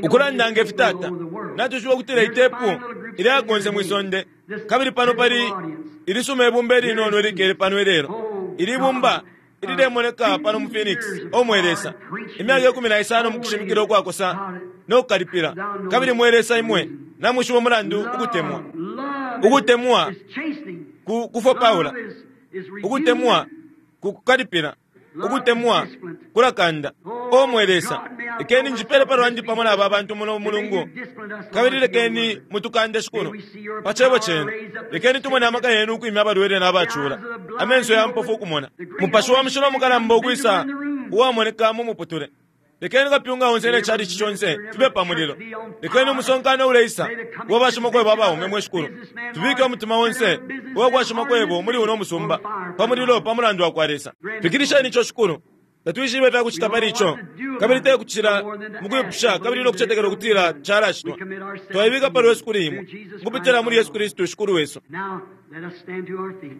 Ukulanda nge fi, Tata, natwishiba ukutila itepu ilya konse mwi sonde, kabili pano pali ilisuma ibumba ilinono ilikele pano ilelo, ili ibumba ililemoneka pano mu Phoenix. O mwe Lesa, imyaka 15 mukushimikila ukwakosa no kukalipila, kabili mwe Lesa, imwe namwishiba umulandu. Ukutemwa, ukutemwa ku kufopaula, ukutemwa ku kukalipila, ukutemwa kulakanda. O mwe Lesa, lekeni njipele pa lwandi pamo na aba bantu muno mulungu, kabili lekeni mutukande, Shikulu, pa cebo cenu. Lekeni tumone amaka yenu ukwimya abalwele n'abacula, amenso ya mpofu ukumona, Mupashi wa Mushilo mukalamba ukwisa uwamoneka mu muputule. Lekeni kapyunga onse ne chalichi chonse fibe pa mulilo. Lekeni umusonkano uleisa uwa bashimakwebo abaume, mwe Shikulu, tubike umutima onse uwa kwa shimakwebo muli uno musumba pa mulilo pa mulandu wa kwa Lesa. Fikilisheni ico, Shikulu. Tatwishibe ifya kucita pali ico, kabili te kucila mukwipusha kabili no kucetekela ukutila calacitwa. Twaibika pa lwesu kuli imwe mukupitila muli Yesu Kristu Shikulu wesu.
Now, let us stand to our feet.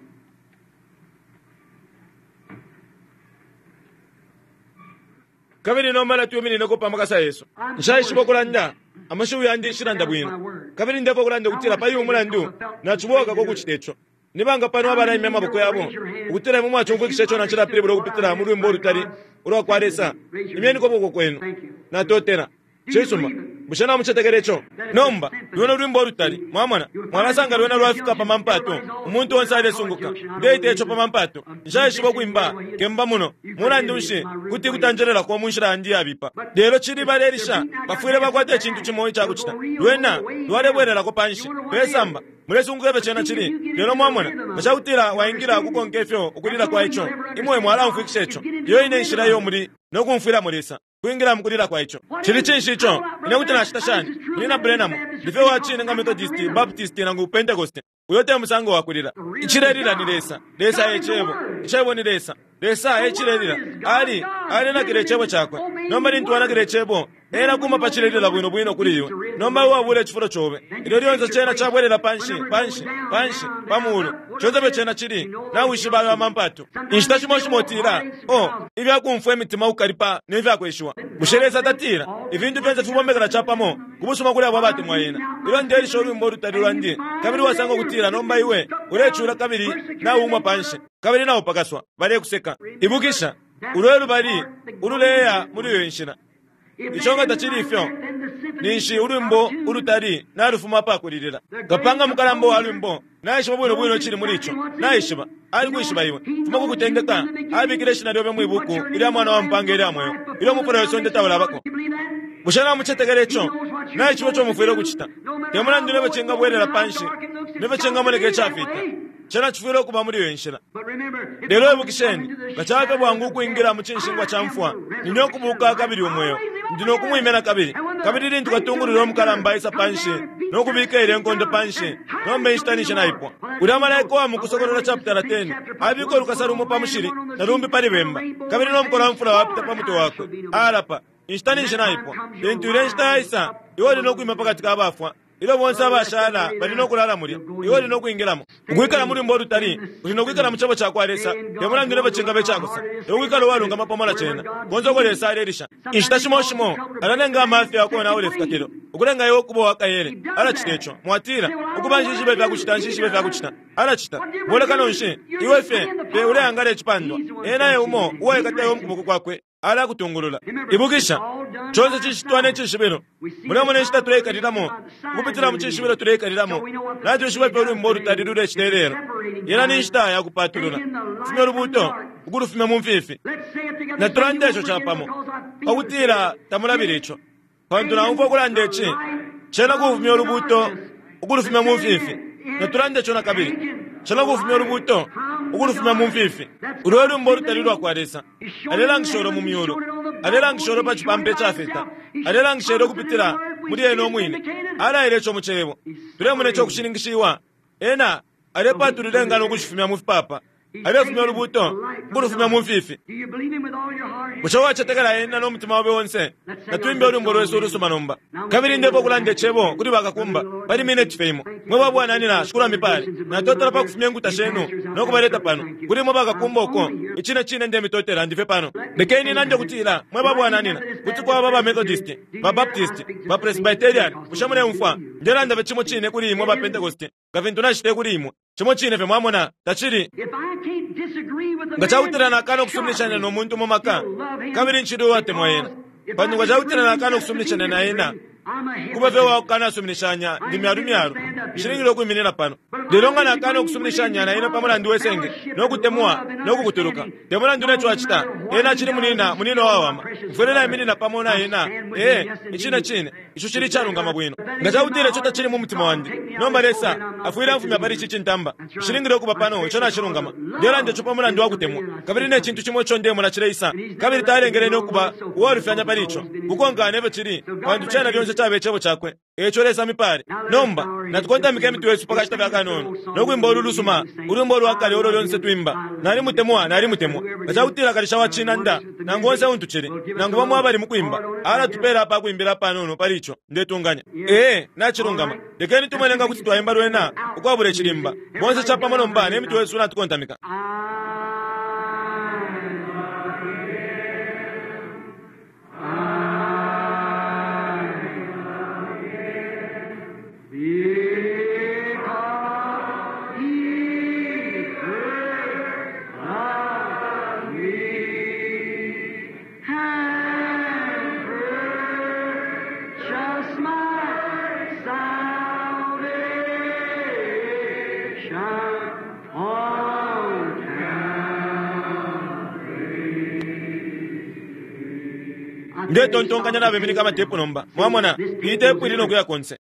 Kabili nomba natwiminineko pa makasa yesu. Nshaishiba ukulanda, amashiwi yandi nshilanda bwino, kabili ndefwa ukulanda ukutila pali uyu mulandu naciboka kucita ico. Nibanga pano abalaimya amaboko yabo ukutila imwe mwacumfwikisha ico nacilapilibula ukupitila mu lwimbo ulutali ulwa kwa Lesa? Imyeniko ukuboko kwenu. Natotela. Cisuma. Bushe namucetekela ico? Nomba lwena lwimbo ulutali, mwamona, mwalasanga lwena lwafika pa mampato, umuntu onse alesunguka. Ndeita ico pa mampato. Nshaishiba ukwimba kemba muno. Mulandu nshi, kuti kutanjelelako mu nshila yandi yabipa, lelo cili balelisha bafwile bakwata icintu cimo icakucita. Lwena lwalebwelelako panshi pesamba. Mulesunguka ifyo cena cili. Lelo mwamona, nga cakutila waingila ukukonka ifyo ukulila kwa ico, imwe mwalaumfwikisha ico. Iyo ine nshila iyo muli no kumfwilamo Lesa, kwingila mukulila kwa ico. Cili cinshi ico? Ine kuti nacita shani, Munyina Branham? Ndife wa cine nga Methodist, Baptist nangu Pentecost. Uyo te musango wa kulila. Icilelila ni Lesa. Lesa e Cebo. Icebo ni Lesa. Lesa e cilelila. Ali alenakila Icebo cakwe. Nomba lintu wanakila Icebo, ena kuma pa cilelila bwino bwino kuli iwe. Nomba iwe wabula icifulo cobe. Ilyo lyonse cena cabwelela panshi, panshi, panshi, pa mulu, conse fye cena cili, nawishiba ayo amampatu. Inshita shimo shimo utila, "Oh, ifya kumfwa imitima ukukalipa ne fya kweshiwa." Bushe Lesa tatila ifintu fyonse fibombekela capamo ku busuma kuli abo abatemwa ena? Ilyo ndelisha ulwimbo ulutali lwandi, kabili wasanga ukutila nomba iwe ulecula kabili nauumwa panshi kabili naupakaswa, balekuseka, ibukisha, ulo e lubali ululeya muli iyo nshila. Ico nga tacili ifyo, ninshi ulwimbo ulutali nalufuma apakulilila. Kapanga mukalamba wa lwimbo naishiba bwino bwino icili muli ico. Naishiba. Alikwishiba iwe. Fuma ku kutendeka, abikile ishina lyobe mwi buku ilya Mwana wa mpaanga ilya mweo, ilyo umufula we sonde taulabako. Bushe namucetekela ico? Naishiba ico mufwile ukucita. Te mulandu nefyo cingabwelela panshi, nefyo cingamoneka icafita, cena cifwile ukuba muli iyo inshila. Lelo ibukisheni, nga caba fye bwangu ukwingila mu cinshingwa ca mfwa, ndi no kubuuka kabili umweo. Ndi no kumwimya na kabili. Kabili lintu katungulula umukalamba aisa panshi no kubika ilye nkondo panshi, nomba inshita ninshi naipwa. Ulya malaika uwa mu Kusokolola chaputala 10 abika ulukasa lumo pa mushili na lumbi pali bemba, kabili no mukola wa mfula wapita pa mutwe wakwe. Alapa, inshita ninshi naipwa. Lintu ilya nshita yaisa, iwe uli no kwima pa kati ka bafwa. Ilyo bonse abashala bali no kulala mulya, iwe uli no kwingilamo. Ukwikala mu lwimbo ulutali, uli no kwikala mu Cebo cakwa Lesa, te mulandu ne fyo cingaba icakosa, e ukwikala uwalungama pamo na Cena, konse uko Lesa alelisha. Inshita shimo shimo, alalenga amafya ukonaula ifikakilo, ukulenga iwe ukuba uwa kaele. Alacita ico. Mwatila, Ukuba, nshishibe ifya kucita, nshishibe ifya kucita. Alacita. Bulekano nshi? Iwe fye, fye uleangala icipandwa. Ena e Umo uwaikata iwe mu kuboko Kwakwe. Alakutungulula. Ibukisha, conse cicitwa ne cishibilo. Mulemona inshita tuleikalilamo, ukupitila mu cishibilo tuleikalilamo. Natwishiba ifyo ulwimbo ulutali lulecita ilelo. Yena ni nshita ya kupatulula, kufumya ulubuuto, ukulufumya mu mfifi. Natulande ico capamo, pa kutila tamulabile ico. Pantu naumfwa ukulanda ici, cena kufumya ulubuuto ukulufumya mu mfifi. Natulande ico na kabili. Cena kufumya ulubuuto ukulufumya mu mfifi. Ulwo e lwimbo ulutali lwa kwa Lesa. Alelangisha ulo mu myulu. Alelangisha ulo pa cipampa icafita. Alelangisha ilyo ukupitila muli Ena umwine. Alaile ico mu Cebo. Tulemona ico ukushininkishiwa. Ena alepatulula ingano ukushifumya mu fipapa. Alefumya ulubuuto ukulufumya mu mfifi. Bushe wacetekela Ena no mutima obe onse? Natwimbe ulwimbo lwesu ulusuma nomba. Kabili ndepo ukulanda Icebo kuli bakakumba pali mineti fye imo. Mwe babwananyina, Shikulu amipale. Natotela pa kufumya inkuta shenu no kubaleta pano. Kuli imwe bakakumba uko, icine cine ndemitotela, ndi fye pano. Lekeni nande ukutila, mwe babwananyina, kuti kwaba ba Methodist, ba Baptist, ba Presbyterian, bushe muleumfwa? Ndelanda fye cimo cine kuli imwe ba Pentecost nga fintu nacitile kuli imwe. Cimo cine fye, mwamona, tacili. Nga cakutila nakana ukusuminishanya no muntu mu maka, kabili ncili uwatemwa ena, pantu nga cakutila nakana ukusuminishanya na ena, kuba fye uwa kukanasuminishanya, ndi myalu myalu, nshilingile ukwiminina pano. Lelo nga nakana ukusuminishanya na ena pa mulandu we senge, no kutemwa, no kukutuluka, te mulandu ne co acita, ena acili munina, munina uwawama. Mfwile naiminina pamo na ena. Ee, icine cine, ico cili icalungama bwino. Nga cakutila ico tacili mu mutima wandi, nomba Lesa afwile amfumya pali ici cintamba. Nshilingile ukuba pano, ico nacilungama. Ndelanda ico pa mulandu wa kutemwa, kabili ne cintu cimo ico ndemona cileisa, kabili talengele ine ukuba uwalufyanya pali ico, ukukonkana ne fyo cili, pantu cena lyonse caba Icebo Cakwe. Eico Lesa amipale. Nomba, natukontamike imitwe yesu pa kashita fye akanono, no kwimba ulu lusuma, ulwimbo ulwa kale ulo lyonse twimba, Nalimutemwa, nalimutemwa. Nga cakutila kalisha wa cinanda, nangu onse untu cili, nangu bamo abali mu kwimba, alatupela apa kwimbila apanono pali ico, ndetunganya. Ee, nacilungama. Lekeni tumone nga kuti twaimba lwena ukwabula icilimba. Bonse capamo nomba ne mitwe yesu natukontamika.
Because he first loved me and purchased my salvation on Calvary.
Ndetontonkanya nabeminika amatepu nomba. Mwamona, iyi tepu ili no kuya konse.